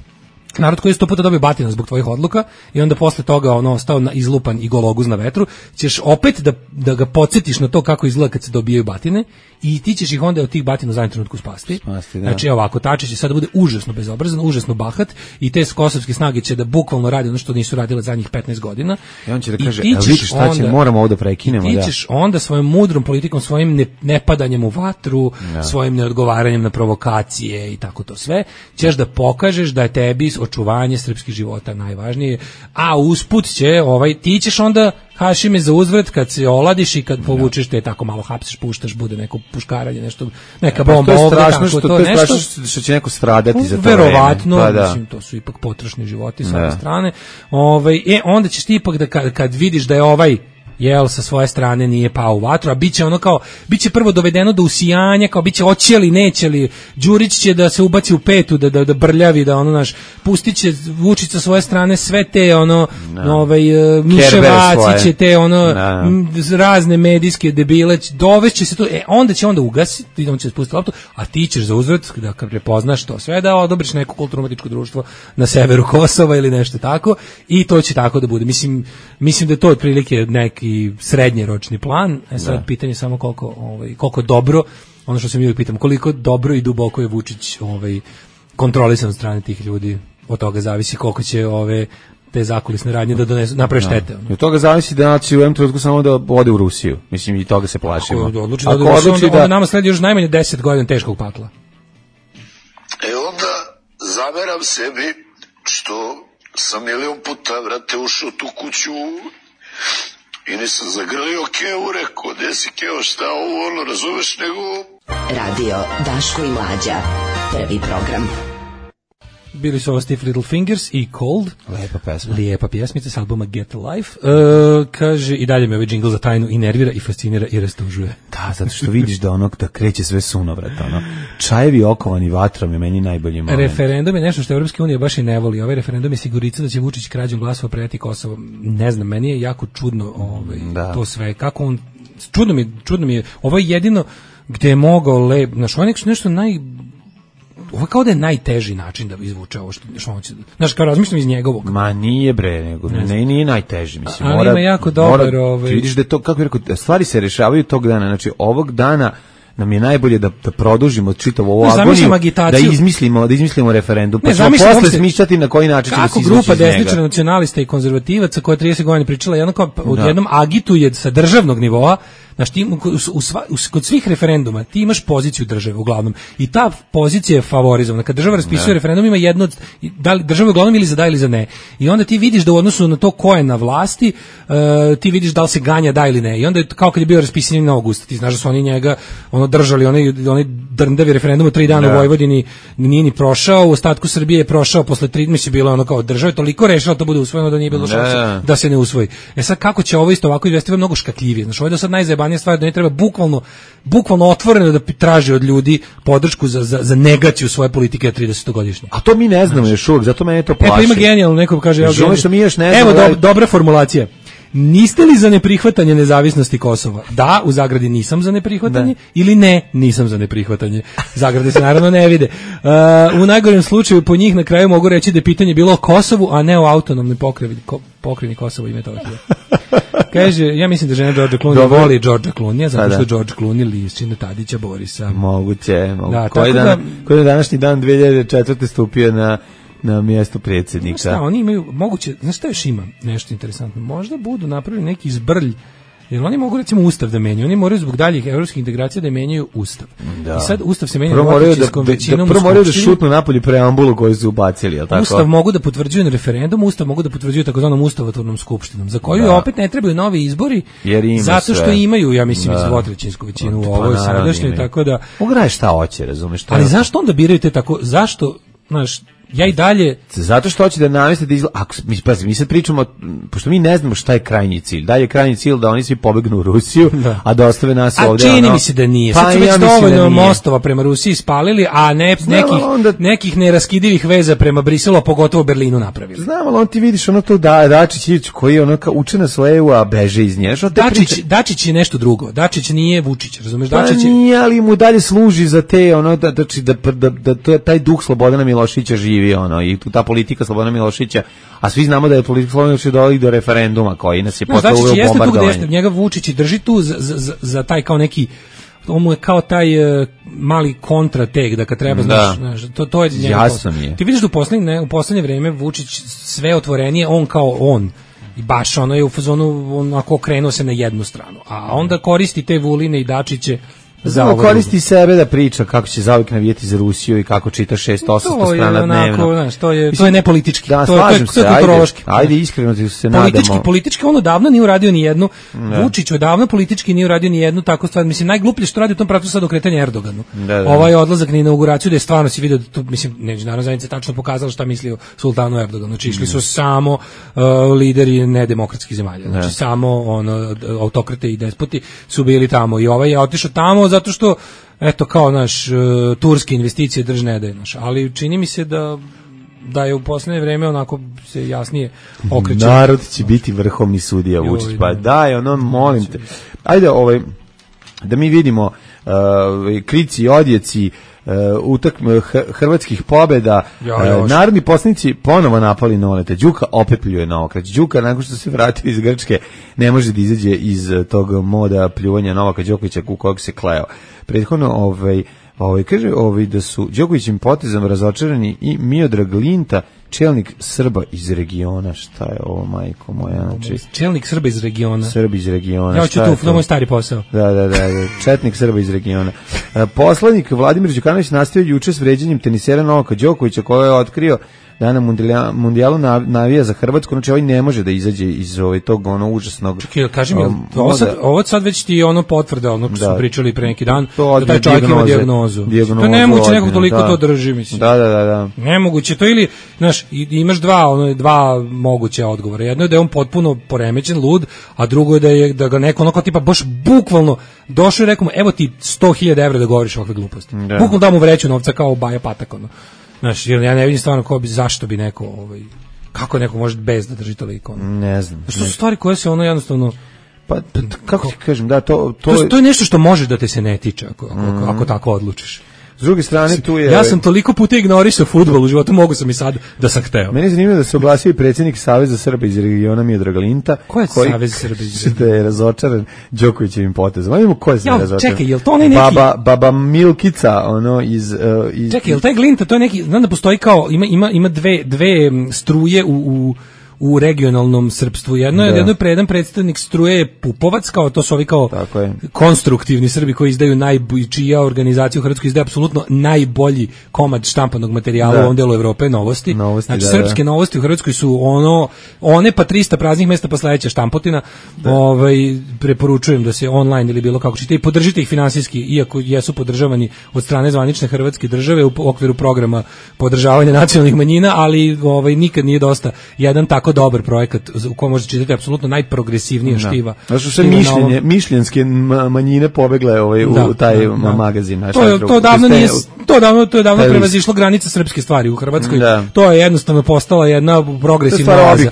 Narod koji je sto puta dobio batina zbog tvojih odluka i onda posle toga ono ostao na izlupan i gologuz na vetru, ćeš opet da, da ga podsjetiš na to kako izgleda kad se dobijaju batine i ti ćeš ih onda od tih batina u zadnjem trenutku spasti. spasti da. Znači ovako, Tačić će sada bude užasno bezobrazan, užasno bahat i te kosovske snage će da bukvalno radi ono što nisu radile zadnjih petnaest godina. I on će da kaže, a vidiš šta će, moramo ovo da prekinemo. I ti ćeš da. onda svojom mudrom politikom, svojim ne, nepadanjem u vatru, da. svojim neodgovaranjem na provokacije i tako to sve, ćeš da pokažeš da je tebi očuvanje srpskih života najvažnije, a usput će, ovaj, ti ćeš onda Hašime za uzvrat kad se oladiš i kad povučeš te tako malo hapsiš, puštaš, bude neko puškaranje, nešto, neka bomba ovde, tako, što, to, to je nešto. Što, što će neko stradati za to verovatno, vreme. Pa, da. Mislim, to su ipak potrošni životi sa ove strane. Ovaj, e, onda ćeš ti ipak da kad, kad vidiš da je ovaj jel sa svoje strane nije pao u vatru, a biće ono kao, biće prvo dovedeno do usijanja, kao biće hoće li, neće li, Đurić će da se ubaci u petu, da, da, da brljavi, da ono naš, pustit će Vučić sa svoje strane sve te ono, no. ovaj, Miševaci će te ono, no. razne medijske debile, dovešće se to, e, onda će onda ugasiti, on će spustiti loptu, a ti ćeš za uzvrat, da kad prepoznaš to sve, da odobriš neko kulturno-umetničko društvo na severu Kosova ili nešto tako, i to će tako da bude. Mislim, mislim da je to otprilike neki i srednjeročni plan. E sad da. pitanje samo koliko ovaj koliko dobro, ono što se mi uvijek pitamo, koliko dobro i duboko je Vučić ovaj kontrolisan od strane tih ljudi. Od toga zavisi koliko će ove te zakulisne radnje da donesu naprave štete. No. Od toga zavisi da naći u jednom trenutku samo da ode u Rusiju. Mislim i toga se plašimo. Ako odluči da, da, odluči onda, da onda nama sledi još najmanje deset godina teškog pakla. E onda zameram sebi što sam milion puta vrate ušao tu kuću i nisam zagrlio Keo, rekao, gde si Keo, šta ovo, ono, razumeš, nego... Radio Daško i Mlađa, prvi program. Bili su ovo Stiff Little Fingers i Cold. Lepa pesma. Lijepa pjesmica s albuma Get Life. Uh, kaže, i dalje me ovaj džingl za tajnu i nervira i fascinira i rastužuje. Da, zato što vidiš da onog da kreće sve sunovrat, ono. Čajevi okovani vatrom je meni najbolji moment. Referendum je nešto što Evropska unija baš i ne voli. Ovaj referendum je sigurica da će Vučić krađom glasova predati Kosovo. Ne znam, meni je jako čudno ovaj, da. to sve. Kako on, čudno mi, čudno mi je, ovo je jedino gde je mogao lep, znaš, ovo je nešto naj... Ovo kao da je najteži način da izvuče ovo što, što on će... Znaš, kao razmišljam iz njegovog. Ma nije bre, nego ne, ne nije najteži. Mislim, ali mora, ima jako dobar... Mora, ovaj... Vidiš da je to, kako bih rekao, stvari se rešavaju tog dana. Znači, ovog dana nam je najbolje da, da produžimo čitavu ovu agoniju, da izmislimo, da izmislimo referendum, pa ćemo posle smišljati na koji način ćemo se izvući iz njega. Kako grupa desničara, nacionalista i konzervativaca koja trideset godina pričala jedno kao odjednom agituje sa državnog nivoa. Znaš, ti, u, u, u, kod svih referenduma ti imaš poziciju države uglavnom i ta pozicija je favorizovana. Kad država raspisuje referendum ima jedno od, da li država uglavnom ili za da ili za ne. I onda ti vidiš da u odnosu na to ko je na vlasti, uh, ti vidiš da li se ganja da ili ne. I onda je kao kad je bio raspisan na augusta, ti znaš da su oni njega ono držali onaj onaj drndavi referendum u tri dana da. u Vojvodini, nije ni prošao, u ostatku Srbije je prošao posle tri, mislim bilo ono kao država je toliko rešila da bude usvojeno da nije bilo šanse da. da se ne usvoji. E sad kako će ovo isto ovako izvesti, mnogo škatljivije. Znači ovo je do sad najzajebanija stvar, da ne treba bukvalno bukvalno otvoreno da traži od ljudi podršku za za, za negaciju svoje politike tridesetogodišnje. A to mi ne znamo još uvijek, zato mene to plaši. E pa ima genijalno, neko kaže ja genij... što mi još ne Evo znamo, do, dobra formulacija. Niste li za neprihvatanje nezavisnosti Kosova? Da, u zagradi nisam za neprihvatanje, da. Ili ne, nisam za neprihvatanje. Zagrade se naravno ne vide. Uh, u najgorem slučaju po njih na kraju mogu reći da je pitanje bilo o Kosovu, a ne o autonomnoj pokrajini, ko, pokrajini Kosova i Metohije. Kaže, ja mislim da žena Đorđa Clooney Dobre. voli Đorđa Clooney, zato što Đorđ Clooney liči na Tadića Borisa. Moguće, moguće. Da, koji, dan, da, koji je današnji dan dve hiljade četvrte stupio na na mjestu predsjednika. Šta, oni imaju, moguće, znaš šta još ima nešto interesantno, možda budu napravili neki zbrlj, jer oni mogu recimo ustav da menjaju, oni moraju zbog daljih evropskih integracija da menjaju ustav. Da. I sad ustav se menja dvotrećinskom većinom. Prvo moraju da šutnu napolje preambulu koju su ubacili, je li tako? Ustav mogu da potvrđuju na referendumu, ustav mogu da potvrđuju takozvanom ustavotvornom skupštinom, za koju da. opet ne trebaju novi izbori, zato što sve. imaju, ja mislim, da. dvotrećinsku većinu u ovoj sadašnjoj, tako da... Mogu šta hoće, razumeš? Ali zašto onda biraju te tako, zašto, znaš, ja i dalje zato što hoće da naveste da izgleda, ako mi pazi, mi sad pričamo, pošto mi ne znamo šta je krajnji cilj. Da je krajnji cilj da oni svi pobegnu u Rusiju, da. a da ostave nas a ovdje. A čini ono, mi se da nije. Pa sad su već ja dovoljno da mostova prema Rusiji spalili, a ne Znam, nekih onda, nekih neraskidivih veza prema Briselu, a pogotovo Berlinu napravili. Znam, ali on ti vidiš ono to da Dačić koji je ono kao uče na slevu, a beže iz nje. Dačić, priče... Dačić je nešto drugo. Dačić nije Vučić, razumeš? Pa Dačić je... nije, ali mu dalje služi za te ono da da da, da, da, da taj duh Slobodana Miloševića živi ono i tu ta politika Slobodana Miloševića, a svi znamo da je politika Slobodana Miloševića dovela do referenduma koji nas je no, posle uveo bombardovanje. Znači, njega Vučić drži tu za, za, za taj kao neki, on mu je kao taj uh, mali kontratek, da kad treba, da. znaš, to, to je njega. Jasno mi je. Ti vidiš da u poslednje, u poslednje vreme Vučić sve otvorenije, on kao on, i baš ono je u fazonu, onako okrenuo se na jednu stranu, a onda koristi te Vuline i Dačiće. Zato koristi sebe da priča kako će zauvijek navijeti za Rusiju i kako čita šest osamsto strana dnevno. Znaš, to je to je nepolitički. Da, to je slažem to je, se, to je kulturološki. Ajde, ajde iskreno ti se politički, nadamo. Politički on odavno nije uradio ni jednu. Vučić odavno politički nije uradio ni jednu takvu stvar. Mislim najgluplje što radi u tom pravcu sad okretanje Erdoganu. Da, da. Ovaj odlazak na inauguraciju da je stvarno si video da to, mislim međunarodna zajednica tačno pokazala šta misli o sultanu Erdoganu. Znači išli su samo uh, lideri nedemokratskih zemalja. Znači ne. samo ono autokrate i despoti su bili tamo i ovaj je otišao tamo zato što eto kao naš uh, turske investicije drž ne daje naš, ali čini mi se da da je u poslednje vreme onako se jasnije okreće. Narod će biti vrhovni sudija Vučić, pa daj ono molim te. Ajde ovaj da mi vidimo uh, krici i odjeci uh, utakme hrvatskih pobjeda. Ja, ja, uh, narodni poslanici ponovo napali Noleta. Đuka opet pljuje na okrać. Đuka nakon što se vratio iz Grčke ne može da izađe iz tog moda pljuvanja Novaka Đokovića u kojeg se kleo. Prethodno ovaj ovaj kaže ovaj da su Đokovićim potezom razočarani i Miodrag Linta, čelnik Srba iz regiona. Šta je ovo, majko moja? Znači čelnik Srba iz regiona. Srbi iz regiona. Ja ću tu, to moj stari posao. Da, da, da, da. Četnik Srba iz regiona. Poslanik Vladimir Đukanović nastavio juče s vređanjem tenisera Novaka Đokovića koji je otkrio da na mundijalu navija za Hrvatsku, znači ovaj ne može da izađe iz ovaj tog ono užasnog. Čekaj, kaži mi, um, ovo, sad, ovo sad već ti ono potvrda onog što su pričali pre neki dan, to da taj čovjek ima dijagnozu. dijagnozu. To je nemoguće nekog toliko da. to drži, mislim. Da, da, da, da. Nemoguće to ili, znaš, imaš dva, ono, dva moguće odgovora. Jedno je da je on potpuno poremećen, lud, a drugo je da, je, da ga neko onako tipa baš bukvalno došao i rekao mu, evo ti sto hiljada evra da govoriš ovakve gluposti. Da. Bukvalno da mu vreću novca kao Baja Patak, ono. Znaš, jer ja ne vidim stvarno ko bi, zašto bi neko, ovaj, kako neko može bez da drži toliko. Ono. Ne znam. Što su stvari koje se ono jednostavno... Pa, kako ti kažem, da, to... To, to, je, to je nešto što može da te se ne tiče, ako, ako, mm. ako tako odlučiš. S druge strane, tu je... Ja sam toliko puta ignorisao fudbal u životu, mogu sam i sad da sam hteo. Meni je zanimljivo da se oglasio i predsjednik Saveza Srba iz regiona Miodrag Linta. Ko je koji, Savez Srba iz regiona? Da je razočaran Đokovićevim potezom. Ajmo, ko je se razočaran? Čekaj, jel to onaj neki... Baba, baba Milkica, ono, iz... Uh, iz čekaj, jel taj Glinta, to je neki... Znam da postoji kao... Ima, ima, ima dve, dve struje u... u u regionalnom srpstvu. Jedno je, jedno je pre, jedan predstavnik struje Pupovac, kao to su ovi kao konstruktivni Srbi koji izdaju najbolji, čija organizacija u Hrvatskoj izdaje apsolutno najbolji komad štampanog materijala da. u ovom delu Evrope, Novosti. Novosti znači, da, srpske da. Novosti u Hrvatskoj su ono, one pa trista praznih mesta pa sledeća štampotina. Da. Ovaj, preporučujem da se online ili bilo kako čite i podržite ih finansijski, iako jesu podržavani od strane zvanične hrvatske države u okviru programa podržavanja nacionalnih manjina, ali ovaj, nikad nije dosta jedan tako dobar projekat u kojem možete čitati apsolutno najprogresivnije štiva. Znači su sve mišljenje, mišljenske manjine pobegle ovaj, da, u taj da, da. magazin. Znači, to, je, to davno nije, to davno, to je davno prevazišlo granice srpske stvari u Hrvatskoj. Da. To je jednostavno postala jedna progresivna oaza.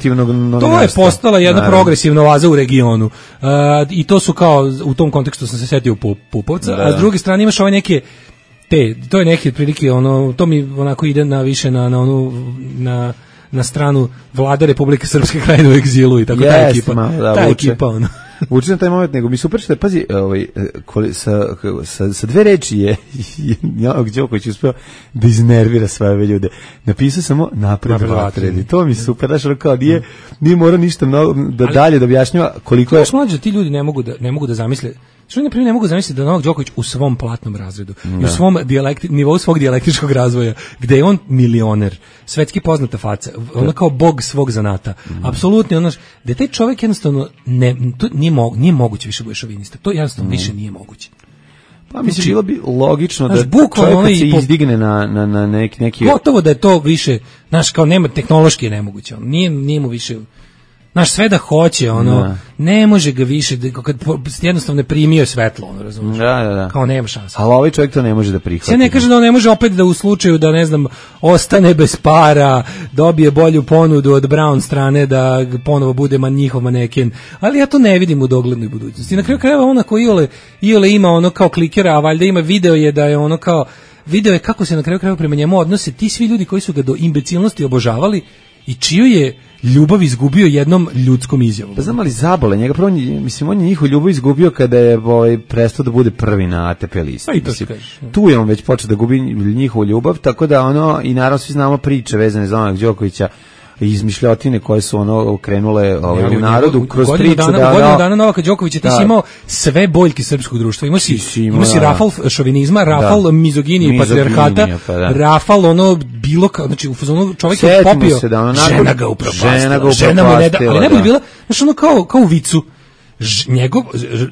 To je postala jedna da. progresivna oaza u regionu. Uh, I to su kao, u tom kontekstu sam se setio Pupovca, da. a s druge strane imaš ove neke te, to je neke prilike, ono, to mi onako ide na više na, na onu, na na stranu vlade Republike Srpske Krajine u egzilu i tako yes, ta ekipa. Malo, da, ta vuče. ekipa, ono. Vuče na taj moment, nego mi super što je, pazi, ovaj, sa, sa, sa dve reči je Novak Đoković uspeo da iznervira sve ove ljude. Napisao samo napred vatreni. To mi super, daš, ono kao, nije, nije morao ništa mnogo da ali, dalje da objašnjava koliko je... Znaš, mlađe, ti ljudi ne mogu da, ne mogu da zamisle. Što na primjer ne mogu zamisliti da Novak Đoković u svom platnom razredu, da. u svom dijalekti, nivou svog dijalektičkog razvoja, gde je on milioner, svetski poznata faca, ono kao bog svog zanata, mm. apsolutno ono, da taj čovjek jednostavno ne, to nije, mo, nije moguće više bude šovinista, to jednostavno mm. više nije moguće. Pa mislim, bilo bi logično znaš, da čovjek kad se izdigne na, na, na neki, neki... Gotovo da je to više, znaš, kao nema, tehnološki je nemoguće, ono, nije, nije mu više... Znaš, sve da hoće, ono, da. ne može ga više, kad jednostavno ne primio svetlo, ono, razumiješ? Da, da, da. Kao nema šanse. Ali ovaj čovjek to ne može da prihvati. Ja ne kaže da on ne može opet da u slučaju da, ne znam, ostane bez para, dobije bolju ponudu od Brown strane, da ponovo bude man njihov maneken, ali ja to ne vidim u doglednoj budućnosti. I na kraju krajeva ona ko Iole, Iole ima ono kao klikera, a valjda ima video je da je ono kao, video je kako se na kraju krajeva prema njemu odnose ti svi ljudi koji su ga do imbecilnosti obožavali i čiju je ljubav izgubio jednom ljudskom izjavom. Pa znam ali zabole njega, prvo, mislim, on je njihovu ljubav izgubio kada je ovaj, prestao da bude prvi na A T P listi. Pa i to mislim, tu je on već počeo da gubi njihovu ljubav, tako da ono, i naravno svi znamo priče vezane za Novaka Đokovića, izmišljotine koje su ono krenule ovaj, ja, u narodu u, kroz priču dana, da... Godinu dana Novaka Đokovića ti da, si imao sve boljke srpskog društva. Imao si, si, imao si rafal šovinizma, rafal da, mizoginije i patrijarhata, pa da. rafal ono bilo kao, znači u fazonu čovjek je popio, da ono, žena ga upropastila, žena, ga žena mu ne da, ali ne bi bila, znači ono kao, kao u vicu. Ž, njegov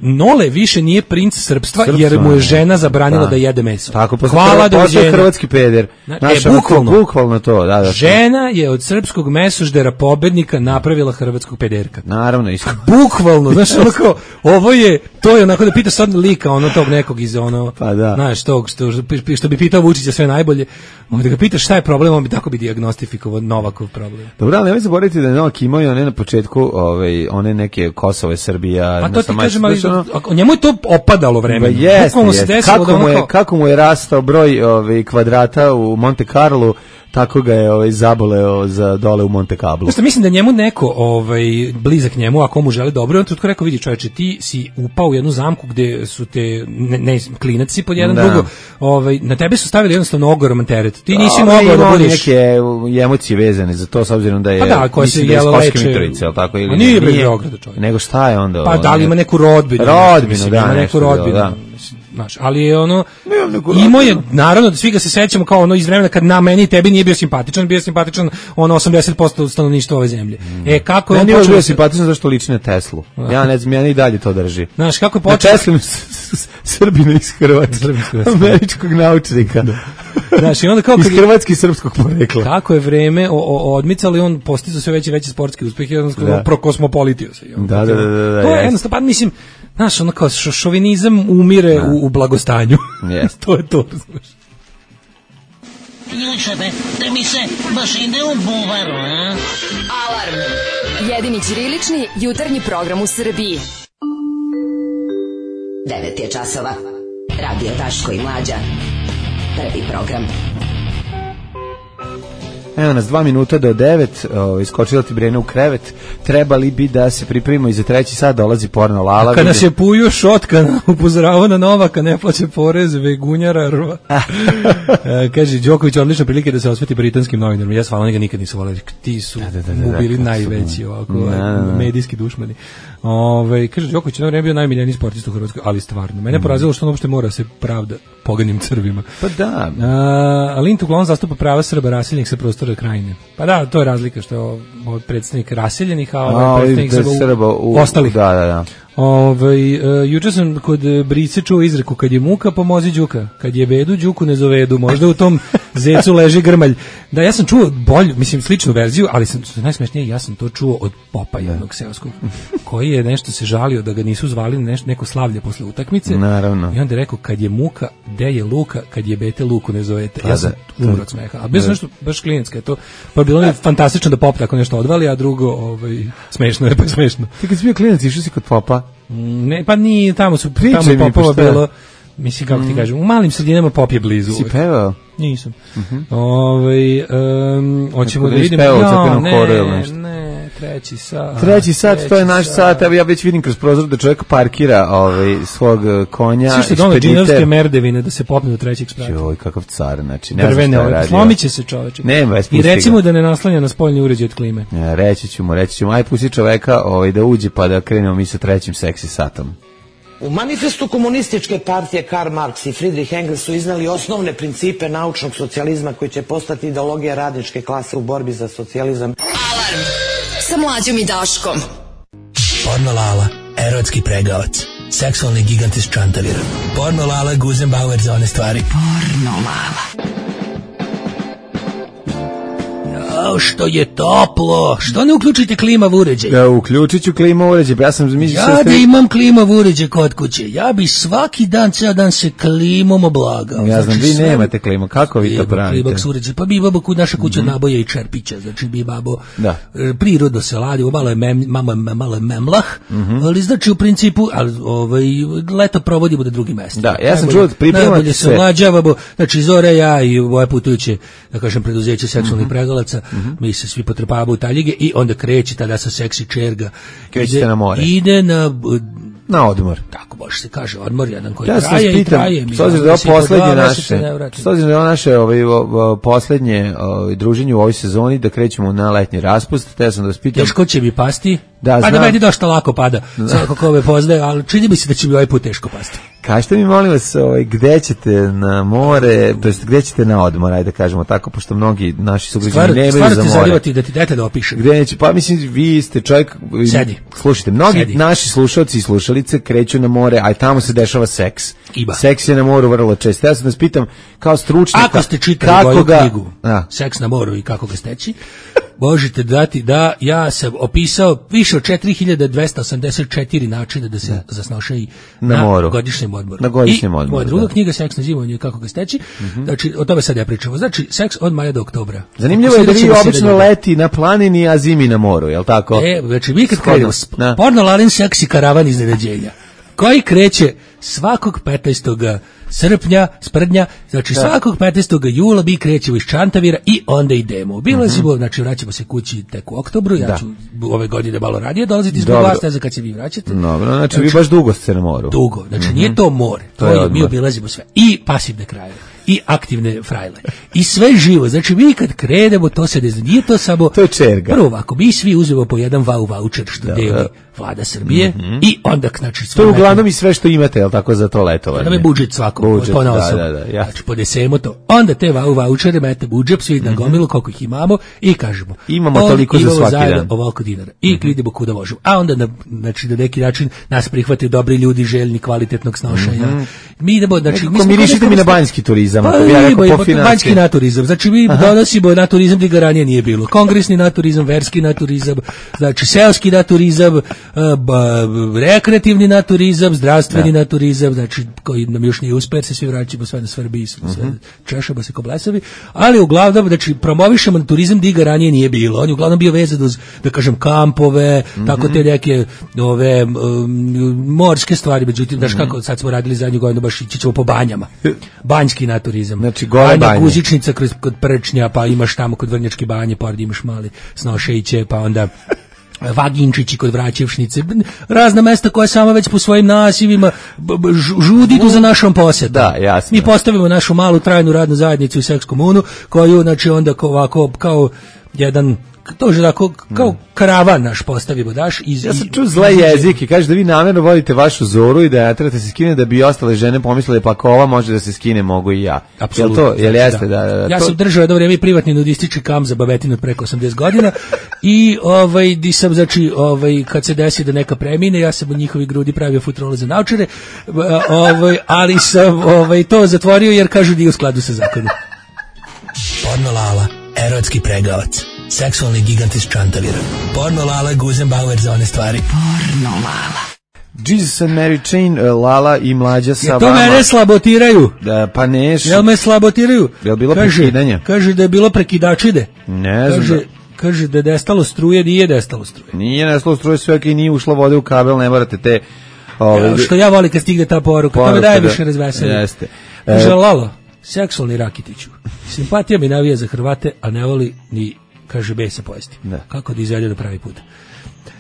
Nole više nije princ srpstva, srpstva jer mu je žena zabranila da, da jede meso. Tako, hvala da je hrvatski peder. Naša, e, bukvalno, bukvalno to, da, da. Žena je od srpskog mesoždera pobednika napravila hrvatskog pederka. Naravno, iskreno. Bukvalno, znaš, ono kao, ovo je, to je onako da pitaš sad lika, ono tog nekog iz ono, pa da. Znaš, tog što, što bi pitao Vučića sve najbolje, da ga pitaš šta je problem, on bi tako bi dijagnostifikovao Novakov problem. Dobro, ali nemoj zaboraviti da je Novak imao i one na početku, ovaj, one neke Kosove, Srbije. A to ti kažem, ali njemu je to opadalo vreme. Jeste, jest. Kako, kako, mu je, kako mu je rastao broj ovaj, kvadrata u Monte Carlo, tako ga je ovaj, zaboleo za dole u Monte Carlo. Znači, mislim da njemu neko ovaj, blizak njemu, ako mu želi dobro, on tutko rekao, vidi čoveče, ti si upao u jednu zamku gde su te, ne, ne klinac si pod jedan da. drugo, ovaj, na tebe su stavili jednostavno ogroman teret. Ti nisi da, mogao da budeš... neke emocije vezane za to, s obzirom da je... Pa da, koja se jela leče... Mitrovice, tako, ili nije bez Beograda, čovjek. Nego šta je onda? Pa da li ima neku rodbinu? Rodbinu, mislim, da, ima neku rodbinu. Da. Znaš, ali je ono, imao je, naravno, da svi ga se sećamo kao ono iz vremena kad na meni i tebi nije bio simpatičan, bio simpatičan ono osamdeset posto stanovništva ove zemlje. Mm. E, kako je on počeo... Meni je bio simpatičan zašto liči na Teslu. Ja ne znam, ja i dalje to drži. Znaš, kako je počeo... Na Teslu Srbina iz Hrvatske, američkog naučnika. Da. Znaš, i onda kao iz hrvatski i srpskog porekla. Kako je vreme o, o, odmicalo i on postizao sve veće veće sportske uspehe, jednostavno prokosmopolitio se. Da, da, da, da. To je jednostavno, pa mislim, znaš, ono kao šovinizam umire u, u blagostanju. Yes. To je to, znaš. Jučebe, te mi se baš ide u buvaru, a? Alarm! Jedini ćirilični jutarnji program u Srbiji. devet je časova. Radio Daško i Mlađa. Prvi program. Evo nas, dva minuta do devet, o, iskočila ti Brena u krevet, trebali bi da se pripremimo i za treći sat, dolazi porno Lala. A kada se puju šotka, upozorava na Novaka, ne plaće porez, vegunjara, rva. e, kaže, Đoković, odlična prilike da se osveti britanskim novinarima. Ja s Valaniga nikad nisu voleli, ti su da, da, da, da, mu bili da, najveći ovako, da, da. medijski dušmani. Ove, kaže, Đoković je bio najmiljeniji sportista u Hrvatskoj, ali stvarno. Mene mm. porazilo što on uopšte mora se pravda poganim crvima. Pa da. A, Lint uglavnom zastupa prava Srba raseljenih sa prostora Krajine. Pa da, to je razlika što je od predstavnik raseljenih, a ovaj predstavnik Srba, Srba u, ostalih. Da, da, da. Ove, uh, juče sam kod Brice čuo izreku, kad je muka, pomozi đuka, kad je bedu, đuku ne zovedu, možda u tom zecu leži grmalj. Da, ja sam čuo bolju, mislim, sličnu verziju, ali sam, najsmešnije, ja sam to čuo od popa jednog seoskog, koji je nešto se žalio da ga nisu zvali na nešto, neko slavlje posle utakmice. Naravno. I onda je rekao, kad je muka, de je luka, kad je bete, luku ne zovete. Ja sam umro od smeha. A bez nešto, baš klinecka je to. Pa bilo je fantastično da pop tako nešto odvali, a drugo, ovaj, smešno je, pa smešno. Ti kad si bio klinac, išao si kod popa? Ne, pa nije, tamo su, tamo popova bilo, mislim, kako ti kažem, u malim sredinama pop je blizu. Si pevao? Nisam. Uh-huh. Ove, um, hoćemo da vidimo. Ja, ne, ne, treći sat. Treći sat, treći to je naš sat. sat. Evo ja već vidim kroz prozor da čovjek parkira ovaj, svog konja. Svi što dono džinovske merdevine da se popne do trećeg sprata. Joj, kakav car, znači. Ne Drvene, ovaj, slomit će se čoveče. Nema, I recimo da ne naslanja na spoljni uređaj od klime. Ja, reći ću mu, reći ću mu, aj pusti čoveka ovaj, da uđe pa da krenemo mi sa trećim seksi satom. U manifestu komunističke partije Karl Marx i Friedrich Engels su iznali osnovne principe naučnog socijalizma koji će postati ideologija radničke klase u borbi za socijalizam. Alarm sa Mlađom i Daškom. Porno Lala, erotski pregavac, seksualni gigant iz Čantavira. Porno Lala, Guzenbauer za one stvari. Porno Lala. Jao, što je toplo. Što ne uključite klimav uređaj? Ja uključit ću klimav uređaj. Ja sam mislio ja da imam klimav uređaj kod kuće. Ja bi svaki dan, ceo dan se klimom oblagao. Ja znam, znači, vi sve... nemate klimu. Kako vi to pravite? Klimaks uređaj. Pa bi babo kod naša kuća mm-hmm. naboja i čerpića. Znači bi babo da. prirodno se ladi. Malo je, mem, malo, malo je memlah. Mm-hmm. Ali znači u principu ali, ovaj, leto provodimo na drugim mestima. Da, ja sam čuo pripremati najbolje se mlađavamo. Znači Zore, ja i moje putujuće, da kažem, preduzeće seksualnih mm-hmm. pregalaca. Mm-hmm. Mi se svi potrpavamo u taljige i onda kreće tada sa seksi čerga. Krećete na more. Ide na... Na odmor. Tako može se kaže, odmor jedan koji ja traje pitam, i traje. S obzirom da je ovo poslednje naše, s obzirom da je ovo naše ovaj, o, poslednje ovaj, druženje u ovoj sezoni, da krećemo na letnji raspust, te sam da vas pitam... Teško će mi pasti, da, pa da meni dosta lako pada, svako ko me poznaje, ali čini mi se da će mi ovaj put teško pasti. Kažete mi, molim vas, ovaj, gde ćete na more, to jest gde ćete na odmor, ajde da kažemo tako, pošto mnogi naši sugrađani nemaju za more. Stvarno ti zarivati da ti dete da opišem. Gde neće, pa mislim, vi ste čovjek... Sedi. Slušajte, mnogi Sedi. naši slušalci i slušalice kreću na more, a i tamo se dešava seks. Iba. Seks je na moru vrlo često. Ja sam vas pitam, kao stručnjaka... Ako ste čitali moju ga... knjigu, a. Seks na moru i kako ga steći, možete dati da ja sam opisao više od četiri hiljade dvesta osamdeset četiri načina da se da. zasnošaji na, na moru. godišnjem odmoru. Na godišnjem I odmoru. Moja druga da. knjiga Seks na zimovanju i kako ga steći. Mm-hmm. Znači, o tome sad ja pričamo. Znači, seks od maja do oktobra. Zanimljivo je da vi obično leti na planini, a zimi na moru, je li tako? E, znači, mi kad krenemo, porno Lalin seksi karavan iznenađenja, koji kreće svakog petnaestog srpnja, sprdnja, znači da. svakog petnaestog jula mi krećemo iz Čantavira i onda idemo. Bilo mm-hmm. je, znači vraćamo se kući tek u oktobru, ja da. ću ove godine malo radije dolaziti zbog vas, ne znam kad se vi vraćate. Dobro, znači, znači vi baš dugo ste na moru. Dugo, znači mm-hmm. nije to more, to, to je, mi obilazimo sve. I pasivne krajeve. I aktivne frajle. I sve živo. Znači mi kad krenemo, to se ne zna. Nije to samo... To je čerga. Prvo ovako, mi svi uzmemo po jedan vau voucher što da, deli da. vlada Srbije mm-hmm. i onda, znači... To je uglavnom i sve što imate, je li tako, za to letovanje? Onda me budžet svako, po na osobu. Da, da, da, ja. Znači podesemo to. Onda te vau vouchere mete budžet, svi na gomilu, koliko ih imamo i kažemo... Imamo toliko za svaki dan. Ovoliko dinara. I mm-hmm. idemo kuda možemo. A onda, na, znači, na neki način nas prihvate dobri ljudi, željni kvalitetnog snošanja. Mm-hmm. Mi idemo, znači... Ko mirišite mi na banjski turizam, ako bi ja rekao po finansiji. Banjski naturizam, znači mi Aha. donosimo naturizam gdje ga ranije nije bilo. Kongresni naturizam, verski naturizam, znači seoski naturizam, rekreativni naturizam, zdravstveni da. naturizam, znači koji nam još nije uspeo, se svi vraćamo sve na Srbiji, sve uh-huh. češamo se ko blesavi, ali uglavnom, znači promovišemo turizam gdje ga ranije nije bilo. On je uglavnom bio vezan uz, da kažem, kampove, uh-huh. tako te neke ove um, morske stvari, međutim, znaš uh-huh. kako sad smo radili zadnju godinu, baš ići ćemo po banjama. Banjski naturizam. turizam. Znači, gole Banja banje. Kuzičnica kroz, kod Prčnja, pa imaš tamo kod Vrnjačke banje, pored imaš mali Snošejiće, pa onda Vaginčići kod Vraćevšnice, razna mesta koja sama već po svojim nasivima b- b- žudi tu za našom posetom. Da, jasno. Mi postavimo našu malu trajnu radnu zajednicu u Seks komunu, koju, znači, onda kao, ovako, kao jedan, to je tako, kao karavan naš postavimo, daš. Iz, Ja sam čuo zle jezike, kaže da vi namjerno vodite vašu zoru i da ne trebate se skine da bi ostale žene pomislile pa ako ova može da se skine, mogu i ja. Apsolutno. Jel to, jel jeste? Da, da, da, ja to... sam držao jedno vrijeme privatni nudistički kamp za babetinu od preko osamdeset godina i ovaj, di sam, znači, ovaj, kad se desi da neka premine, ja sam od njihovi grudi pravio futrole za naučare, ovaj, ali sam ovaj, to zatvorio jer kažu da je u skladu sa zakonom. Porno Lala, erotski pregavac, seksualni gigant iz Čantavira. Porno Lala, Guzenbauer za one stvari. Porno Lala. Jesus and Mary Chain, Lala i Mlađa sa ja to vama. mene slabotiraju. Da, pa neš. Jel me slabotiraju? Jel bilo kaže, prekidanje? Kaže da je bilo prekidačide. Ne znam. Kaže, kaže da je destalo struje, nije destalo struje. Nije nestalo struje, sve ok, nije ušlo vode u kabel, ne morate te... Ove, ja, što ja volim kad stigne ta poruka, to me daje više razveselja. Jeste. Kaže, Lalo, seksualni Rakitiću, simpatija mi navija za Hrvate, a ne voli ni, kaže, besa pojesti. Da. Kako da izvede do pravi put?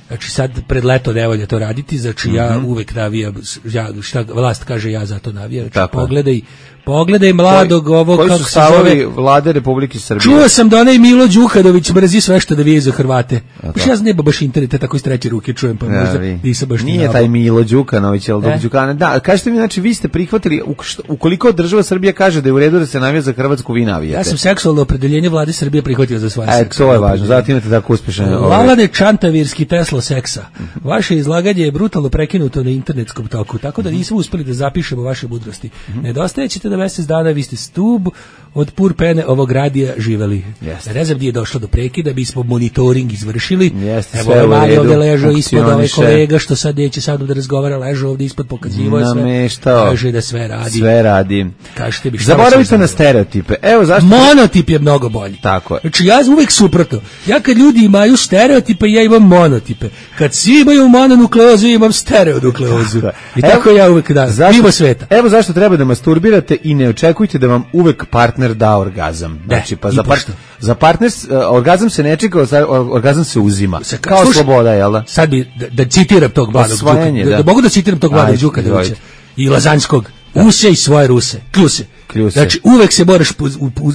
Znači sad pred leto ne volja to raditi, znači mm-hmm. ja uvek navijam, ja, šta vlast kaže, ja za to navijam. Znači, pogledaj, pogledaj mladog Koji, ovog, koji kako su se zove. Vlade Republike Srbije? Čuo sam da onaj Milo Đukanović mrzi sve što da vije za Hrvate. Baš ja znam baš interneta, tako iz treće ruke čujem, pa možda ja, nisam baš nije taj Milo Đukanović, ali e? Đukanović. Da, kažete mi, znači, vi ste prihvatili, ukoliko država Srbija kaže da je u redu da se navija za Hrvatsku, vi navijate. Ja sam seksualno opredeljenje vlade Srbije prihvatio za svoje seksa. E, to je važno, zato imate tako uspešan. Lalane Čantavirski Tesla seksa. Vaše izlaganje je brutalno prekinuto na internetskom toku, tako da nismo uspeli da zapišemo vaše mudrosti. Mm-hmm. Nedostajećete da mjesec dana, vi ste stub od pur pene ovog radija živeli. Yes. Ne znam gdje je došlo do prekida, bismo monitoring izvršili. Yes, evo ovaj Mario ovdje ležao ispod, ovaj kolega što sad neće sad da razgovara, ležao ovdje ispod, pokazivo je sve. Kaže da sve radi. Sve radi. Kažete mi šta. Zaboravite na stereotipe. Evo zašto? Monotip je mnogo bolji. Tako je. Znači ja uvijek suprotno. Ja kad ljudi imaju stereotipe, ja imam monotipe. Kad svi imaju mononukleozu, imam stereonukleozu. I tako evo, ja uvijek da. Mimo sveta. Evo zašto treba da masturbirate i ne očekujte da vam uvek partner da orgazam. Znači, pa za, par, za partner, uh, orgazam se ne čeka, orgazam se uzima. Se, kao slušaj, sloboda, jel da? Sad bi, da, da citiram tog mladog Đuka. Da, da mogu da citiram tog mladog Đukanovića i Lazanskog. Usej svoje ruse, kljuse. Kljuse. Znači, uvek se moraš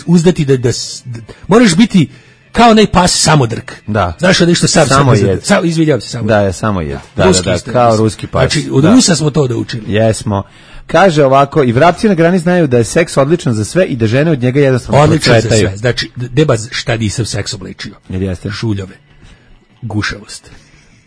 uzdati da, da, da moraš biti kao onaj pas samodrk. Da. Znaš da što sam samo jed. Sam izvinjavam se samo. Da, je samo jed. Da, da, da, da, kao ruski pas. Znači, od da. Rusa smo to da učili. Jesmo. Kaže ovako, i vrapci na grani znaju da je seks odličan za sve i da žene od njega jednostavno odličan procvetaju. Za sve. Znači, deba šta nisam seks obličio. Jer jeste. Šuljove. Gušavost.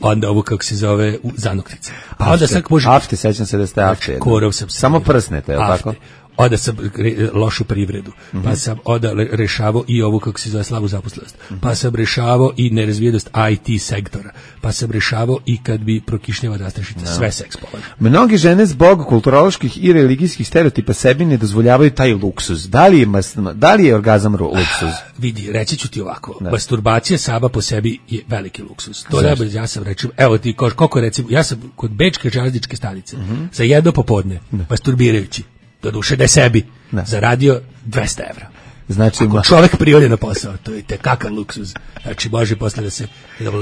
Onda ovo kako se zove zanoktice. Pa onda sad može afte, sećam se da ste afte. Korov sam samo prsnete, je li tako? Onda sam re, lošu privredu, mm-hmm. pa sam onda rešavao i ovu kako se zove slabu zaposlenost, mm-hmm. pa sam rešavao i nerazvijenost I T sektora, pa sam rešavao i kad bi prokišnjava rastrašica, no. Sve seks polaže. Mnogi žene zbog kulturoloških i religijskih stereotipa sebi ne dozvoljavaju taj luksuz. Da li je, da li je orgazam luksuz? Ah, vidi, reći ću ti ovako, da. Masturbacija sama po sebi je veliki luksuz. To najbolje, ja sam rečio, evo ti, koliko recimo, ja sam kod bečke železničke stanice, mm-hmm. za jedno popodne, da. Masturbirajući, do duše da je sebi da. Zaradio dvesta evra. Znači, ako čovjek priode na posao, to je tekakav luksuz. Znači, može posle da se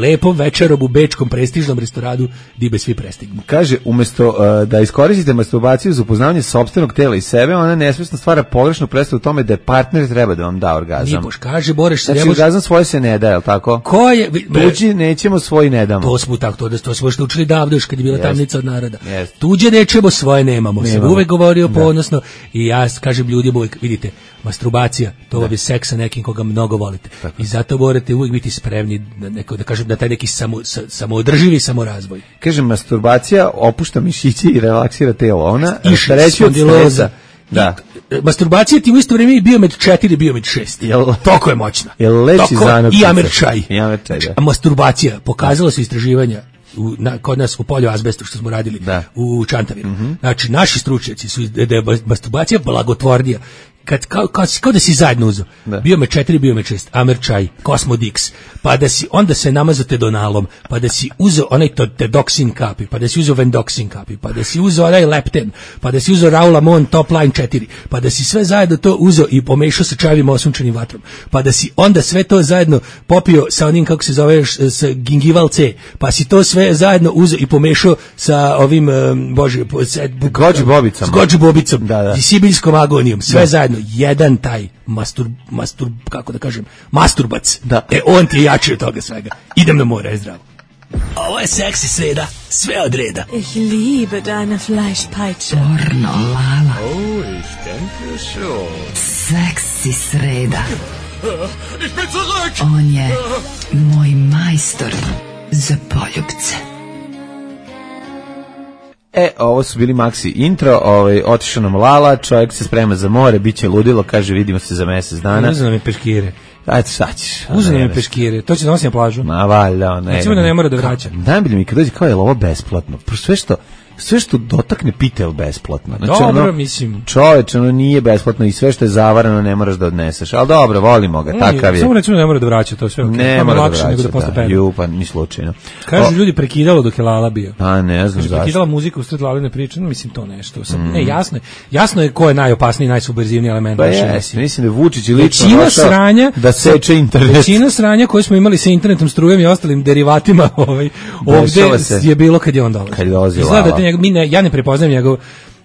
lepom večerom u bečkom prestižnom restoranu dibe svi prestignu. Kaže, umjesto uh, da iskoristite masturbaciju za upoznavanje sopstvenog tela i sebe, ona nesvjesno stvara pogrešnu predstavu u tome da je partner treba da vam da orgazam. Nije poš, kaže, boreš se. Znači, mož... orgazam svoje se ne da, je li tako? Ko je? Tuđi nećemo, svoj ne damo. To smo tako, to, da, to smo što učili davno još kad je bila yes. tamnica od naroda. Yes. Tuđe nećemo, svoje nemamo. Sam uvek govorio da. Ponosno i ja kažem ljudima uvek, vidite, masturbacija, to je seks sa nekim koga mnogo volite. Tako. I zato morate uvijek biti spremni na neko, da kažem, na taj neki samo, sa, samoodrživi samorazvoj. Kažem, masturbacija opušta mišiće i relaksira telo. Ona treći od stresa. Da. I, masturbacija ti u isto vrijeme bio med četiri, bio med šest. Jel, Toko je moćna. Jel leći zanoktice. I amerčaj. I amerčaj, da. A masturbacija, pokazalo se istraživanja u, na, kod nas u polju azbestu što smo radili da. U Čantaviru. Mm-hmm. Znači, naši stručnjaci su da je masturbacija blagotvornija. kad, kao, kao, kao da si zajedno uzeo. Bio me četiri, bio me šest, Amerčaj, Cosmodix, pa da si, onda se namazao Tedonalom, pa da si uzeo onaj Tedoxin kapi, pa da si uzeo Vendoxin kapi, pa da si uzeo onaj Lepten, pa da si uzeo Raulamon Top Line četiri, pa da si sve zajedno to uzeo i pomešao sa čajevim osunčanim vatrom, pa da si onda sve to zajedno popio sa onim, kako se zove, sa Gingival C, pa si to sve zajedno uzeo i pomešao sa ovim, um, bože, Gođi bobicama. S Gođi bobicom da, da. i sibiljskom agonijom, sve da. Zajedno, jedan taj mastur, mastur, kako da kažem, masturbac, da. E, on ti je jači od toga svega. Idem na more, zdravo. Ovo je seksi sreda, sve od reda. Ich liebe deine Fleischpeitsche. Pornolala. Oh, ich denke schon. Seksi sreda. Ich bin zurück. On je moj majstor za poljubce. E, ovo su bili Maxi intro, ovaj, otišao nam Lala, čovjek se sprema za more, bit će ludilo, kaže vidimo se za mesec dana. Uzeo nam je peškire. Ajde, šta ćeš? Uzeo nam je peškire, to će da nosi na plažu. Ma valjda, ne. Recimo da ne mora da vraća. Najbolje mi kad dođe kao je ovo besplatno, sve što sve što dotakne pitel besplatno. Znači, dobro, ono, mislim. Čoveče, ono nije besplatno i sve što je zavarano ne moraš da odneseš. Ali dobro, volimo ga, takav je. Samo recimo da ne mora da vraća, to sve okej. Okay. Ne mora da vraća, nego da posle pere. Ju, pa ni slučajno. Kažu ljudi prekidalo dok je Lala bio. A ne znam zašto. Prekidala muziku usred Laline priče, no, mislim to nešto. Sam, mm. Ne, jasno je. Jasno je ko je najopasniji, najsubverzivniji element. Pa jes, mislim da Vučić i lično većina sranja, da seče internet. Većina sranja koje smo imali sa internetom, strujom i ostalim derivatima, ovaj, ovde je bilo kad je on dolazio. Kad je dolazio Lala. Mi ne, ja ne prepoznajem njegov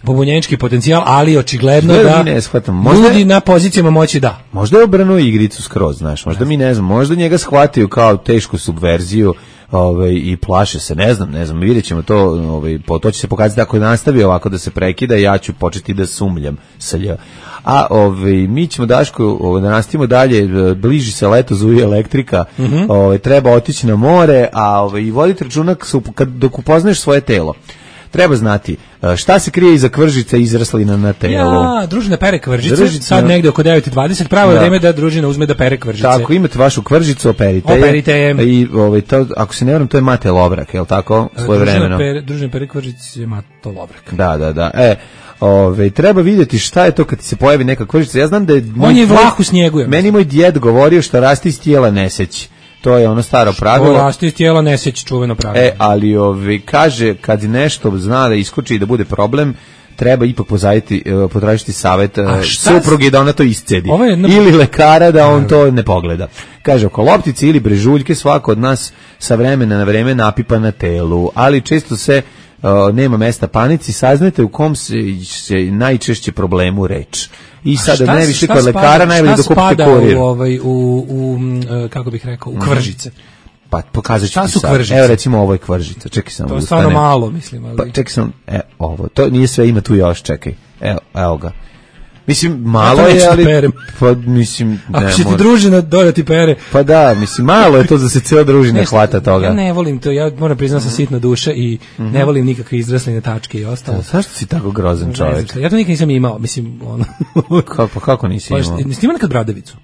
pobunjenički potencijal, ali očigledno da, da ne shvatam. Možda ljudi na pozicijama moći da. Možda je obrnuo igricu skroz, znaš, možda mi ne znam, možda njega shvatio kao tešku subverziju, ovaj, i plaše se, ne znam, ne znam, vidjet ćemo to, ovaj, po, to će se pokazati ako nastavi ovako da se prekida, ja ću početi da sumljam sa lj. A ovaj, mi ćemo, Daško, ovaj, da nastavimo dalje, bliži se leto, zuje elektrika, mm-hmm. ovaj, treba otići na more, a ovaj, i voditi računa kad, dok upoznaš svoje telo. Treba znati šta se krije iza kvržica izraslina na telu. Ja, družina pere kvržice, Druži, sad negde oko devet i dvadeset, pravo je vreme da družina uzme da pere kvržice. Tako, imate vašu kvržicu, operite je. Operite je. I, ovaj, to, ako se ne varam, to je Mate Lovrak, je li tako? Svoje vremeno. Pere, družina pere kvržice je Mato Lovrak. Da, da, da. E, ove, treba vidjeti šta je to kad ti se pojavi neka kvržica. Ja znam da je... On moj, je vlah u snijegu. Meni moj djed govorio šta raste iz tijela ne seći. To je ono staro pravilo. To raste iz tijela ne seći, čuveno pravilo. E, ali ovi, kaže, kad nešto zna da iskoči i da bude problem, treba ipak pozajiti, potražiti savjet supruge da ona to iscedi. Jedno... Ili lekara da on to ne pogleda. Kaže, oko loptice ili brežuljke svako od nas sa vremena na vreme napipa na telu, ali često se uh, nema mesta panici, saznajte u kom se, se najčešće problemu reč. I sada ne više kod lekara najbolje da kupite kurir. U, ovaj, u, u, kako bih rekao, u kvržice. Pa pokazat ću ti sad. Kvržice? Evo recimo ovo je kvržica. Čekaj samo. To je stvarno malo, mislim. Ali... Pa čekaj samo, e, ovo. To nije sve, ima tu još, čekaj. Evo, evo ga. Mislim, malo ja je, ali... Perem. Pa, mislim, ne, ako će ti družina dodati pere. Pa da, mislim, malo je to da se cijela družina ne, hvata toga. Ja ne volim to, ja moram priznati sam sitna duša i mm-hmm. ne volim nikakve izrasline tačke i ostalo. Zašto si tako grozan čovjek? Ja to nikad nisam imao, mislim, ono... kako, pa kako nisi imao? Nisi imao nekad bradavicu?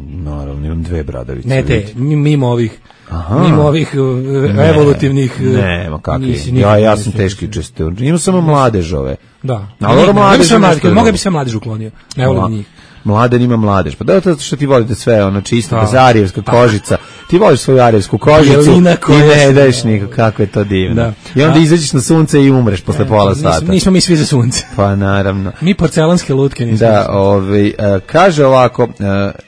Naravno, imam dve bradavice. Ne te, mimo ovih... Aha. Mimo ovih uh, evolutivnih... Ne, ma kakvi. Ja, ja sam teški česte. Imam samo mladežove. Da. Ali mladež mogu bi sve mladež uklonio. Ne volim njih. Mladen ima mladež. Pa da, to što ti volite sve, ono čisto, bez arijevska kožica. Ti voliš svoju arijevsku kožicu i ne daješ nikog, kako je to divno. Da. I onda izađeš na sunce i umreš posle pola sata. Nismo, nismo mi svi za sunce. Pa naravno. Mi porcelanske lutke nismo. Da, ovaj, uh, kaže ovako, uh,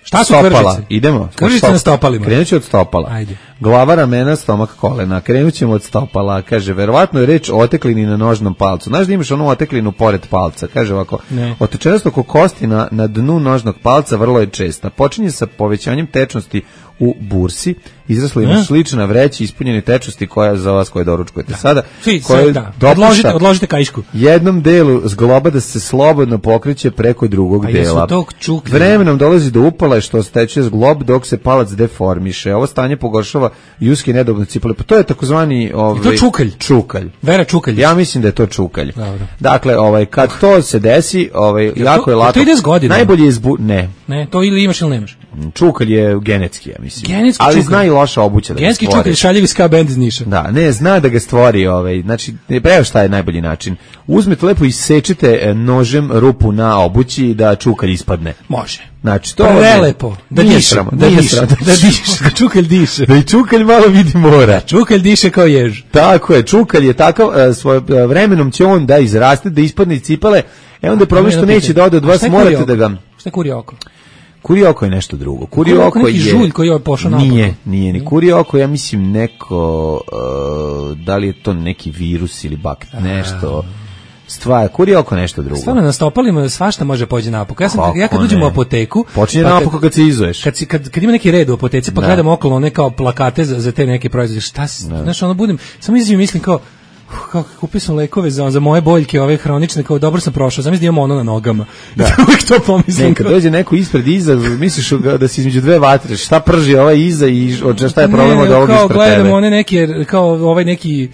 šta su stopala. Kvržice? Idemo. Kvržice na stopalima. Krenut ću od stopala. Ajde. Glava, ramena, stomak, kolena. Krenut ćemo od stopala. Kaže, verovatno je reč o oteklini na nožnom palcu. Znaš da imaš onu oteklinu pored palca? Kaže ovako, otečenost oko kosti na, na dnu nožnog palca vrlo je česta. Počinje sa povećanjem tečnosti u bursi, izrasla ima slična vreća ispunjene tečnosti koja za vas koje doručkujete da. Sada. Svi, koja da. Odložite, odložite kaišku. Jednom delu zgloba da se slobodno pokreće preko drugog a dela. Vremenom dolazi do upale što steče zglob dok se palac deformiše. Ovo stanje pogoršava ljudski nedobno cipale. Pa to je takozvani ovaj to čukalj. Čukalj. Vera čukalj. Ja mislim da je to čukalj. Dobro. Dakle, ovaj kad to se desi, ovaj ja, jako to, je lako. To ide s godinama. Najbolje je zbu... ne. Ne, to ili imaš ili nemaš. Čukalj je genetski, ja mislim. Genetski ali čukalj. zna i loša obuća da genetski ga stvori. Čukalj šaljivi ska bend iz Niša. Da, ne, zna da ga stvori, ovaj, znači, evo šta je najbolji način. Uzmete lepo i sečete nožem rupu na obući da čukalj ispadne. Može. Znači, to prelepo. Da diše, da diše, da diše, da čukalj diše. Da i čukalj malo vidi mora. Čukalj diše kao jež. Tako je, čukalj je takav, svojim vremenom će on da izraste, da ispadne iz cipele, e onda je problem što neće da ode od vas, morate da ga... Šta je kuri oko? Kuri oko je nešto drugo. Kuri oko, oko neki je žulj koji je pošao naopako. Nije, nije ni kuri oko, ja mislim neko uh, da li je to neki virus ili bakt, nešto. Stvar, kuri oko nešto drugo. Stvarno na stopalima svašta može pođe naopako. Ja sam Kako ja kad uđem u apoteku, počinje pa naopako kad se izuješ. Kad, kad kad ima neki red u apoteci, pa da. Gledam okolo one kao plakate za, za te neke proizvode. Šta si, znaš, ono budem, samo izađem i mislim kao Uh, kako kupio sam lekove za, za moje boljke, ove hronične, kao dobro sam prošao, znam da imam ono na nogama. Da. Uvijek to pomislim. Ne, kad dođe neko ispred iza, misliš da si između dve vatre, šta prži ovaj iza i šta je problem od ovog ispred tebe? Kao gledam one neke, kao ovaj neki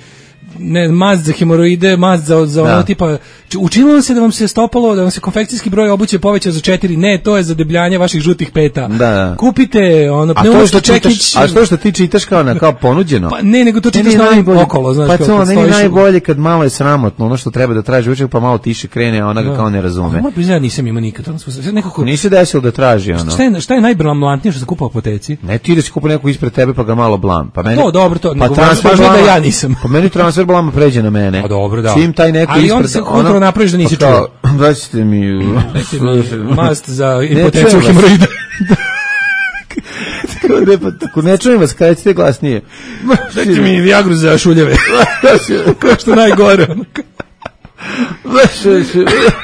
ne, mast za hemoroide, mast za, za ono tipa, učinilo se da vam se stopalo, da vam se konfekcijski broj obuće povećao za četiri, ne, to je za debljanje vaših žutih peta. Da, da. Kupite ono pneumatski čekić. A što što ti čitaš kao na kao ponuđeno? Pa ne, nego to čitaš na okolo, znaš. Pa to meni najbolje kad malo je sramotno, ono što treba da traži učak, pa malo tiše krene, a ona ga kao ne razume. Moram priznati, nisam imao nikad. Nekako nisi desilo da traži ono. Šta je šta je najblamantnije što se kupa u apoteci? Ne, ti da si kupi neko ispred tebe pa ga malo blam. Pa meni to dobro, to pa transfer da ja nisam. Pa meni transfer blama pređe na mene. A dobro, da. Čim taj neko ali ispred, on se kulturno napraviš da nisi čuo. Dajte mi, dajte mi mast za impotenciju hemoroida. Ne, pa tako ne čujem vas, kada ćete glasnije. Dajte mi Viagru za šuljeve. Kao što najgore.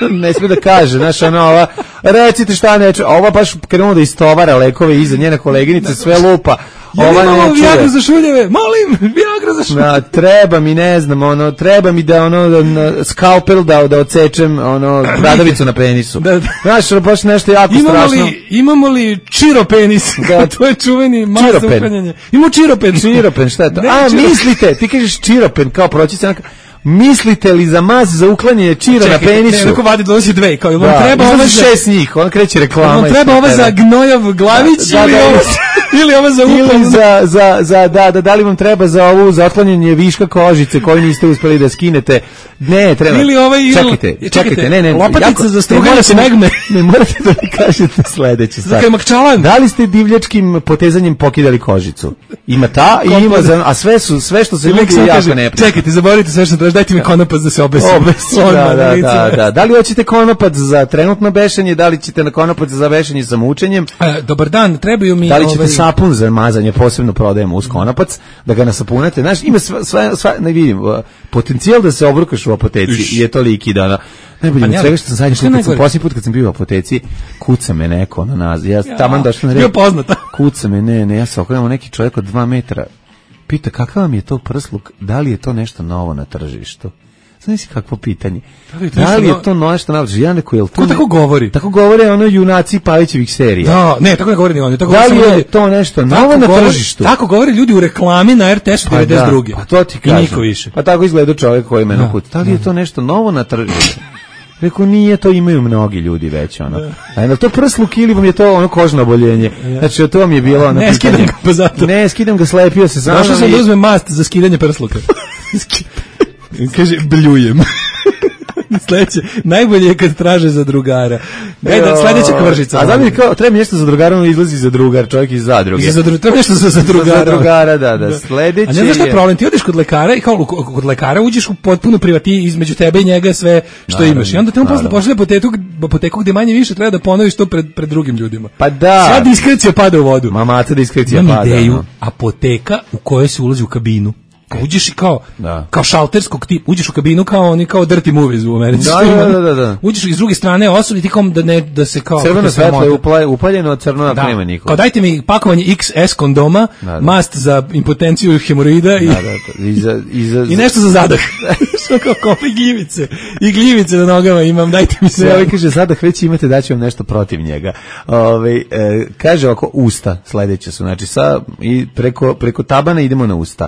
Ne smije da kaže, znaš, ono, ova, recite šta neče, ova baš krenuo da istovara lekove iza njene koleginice, sve lupa. Ja ova nemamo Viagra za šuljeve, molim, Viagra za šuljeve. Na, treba mi, ne znam, ono, treba mi da, ono, da, skalpel da, da odsečem, ono, bradavicu na penisu. Da, da. Znaš, baš nešto jako imamo strašno. Li, imamo li čiropenis? Da. To je čuveni masa uklanjanje. Imamo čiropen. Čiropen, šta je to? Ne, A, čiropen. mislite, ti kažeš čiropen, kao proći se neka... Mislite li za mas za uklanjanje čira na penisu? Ne, neko vadi donosi dve, kao ili vam da, treba ova za šest njih, on kreće reklama. Vam treba ova za gnojav glavić da, ili, da, ova, ili ova za upalnu. Ili za, za, za, da, da, da li vam treba za ovu za otklanjanje viška kožice koju niste uspeli da skinete? Ne, treba. Ili ovaj, ili, čekajte, čekajte, čekajte, ne, ne. Lopatica jako, za struganje smegne. Ne morate da mi kažete sledeće. Za makčalan. Da li ste divljačkim potezanjem pokidali kožicu? Ima ta i ima za, a sve su, sve što se nudi je jako neprijatno. Čekajte, zaboravite sve što traži, dajte mi konopac da se obesim. Obesim, da, da, da, da. Da li hoćete konopac za trenutno bešenje, da li ćete na konopac za bešenje sa mučenjem? E, dobar dan, trebaju mi... Da li ćete ovaj... sapun za mazanje, posebno prodajemo uz konopac, da ga nasapunate? Znaš, ima sve, sve, sve ne vidim, potencijal da se obrukaš u apoteci je toliki da... Najbolje od svega što sam zadnji put, kad sam posljednji put kad sam bio u apoteci, kuca me neko na nas. Ja taman došao na red. Bio poznata. Kuca me, ne, ne, ja se okrenemo neki čovjek od dva metra. Pita, kakav vam je to prsluk? Da li je to nešto novo na tržištu? Znaš kakvo pitanje? Da li je to nešto novo? Ja neko, je li to... Ko tako govori? Tako govore ono junaci Pavićevih serija. Da, ne, tako ne govori ni oni. Da li je to nešto novo na tržištu? Tako govore ljudi u reklami na R T S-u devedeset druge. Pa to ti kažem. I niko više. Pa tako izgleda čovjek koji me nakuti. Da li je to nešto novo na tržištu? Rekao, nije, to imaju mnogi ljudi već, ono. A je to prsluk ili vam je to ono kožno oboljenje? Znači, to vam je bilo ono... Ne, skidam ga pa zato. Ne, skidam ga, slepio se. Došao sam da uzmem mast za skidanje prsluka. Kaže, bljujem. Sledeće, najbolje je kad traže za drugara. Daj da sledeća kvržica. A znam mi kao, treba mi nešto za drugara, on izlazi za drugar, čovjek iz zadruge. Za drugar, treba nešto za, za drugara. Za drugara, da, da. Sledeće. A ne znaš šta je problem, ti odeš kod lekara i kao kod lekara uđeš u potpuno privati između tebe i njega sve što naravno, imaš. I onda te on posle pošalje apoteku, apoteku gde manje više treba da ponoviš to pred pred drugim ljudima. Pa da. Sva diskrecija pada u vodu. Mamata diskrecija pada. Ideju, no. Apoteka u kojoj se ulazi u kabinu. Uđeš i kao, da. Kao šalterskog tipa, uđeš u kabinu kao oni kao dirty movies u Americi. Da, da, da, da. Uđeš iz druge strane osobi ti kao da ne da se kao crveno svetlo je upaljeno, crno da nema niko. Kao dajte mi pakovanje iks es kondoma, da, da. Mast za impotenciju hemoroida i da, da, da. I, za, i, za, i nešto za zadah. Što kao kopa i gljivice. I gljivice na nogama imam, dajte mi sve. Ovaj kaže zadah već imate, daću vam nešto protiv njega. Ovaj e, kaže oko usta sledeće su, znači sa i preko preko tabana idemo na usta.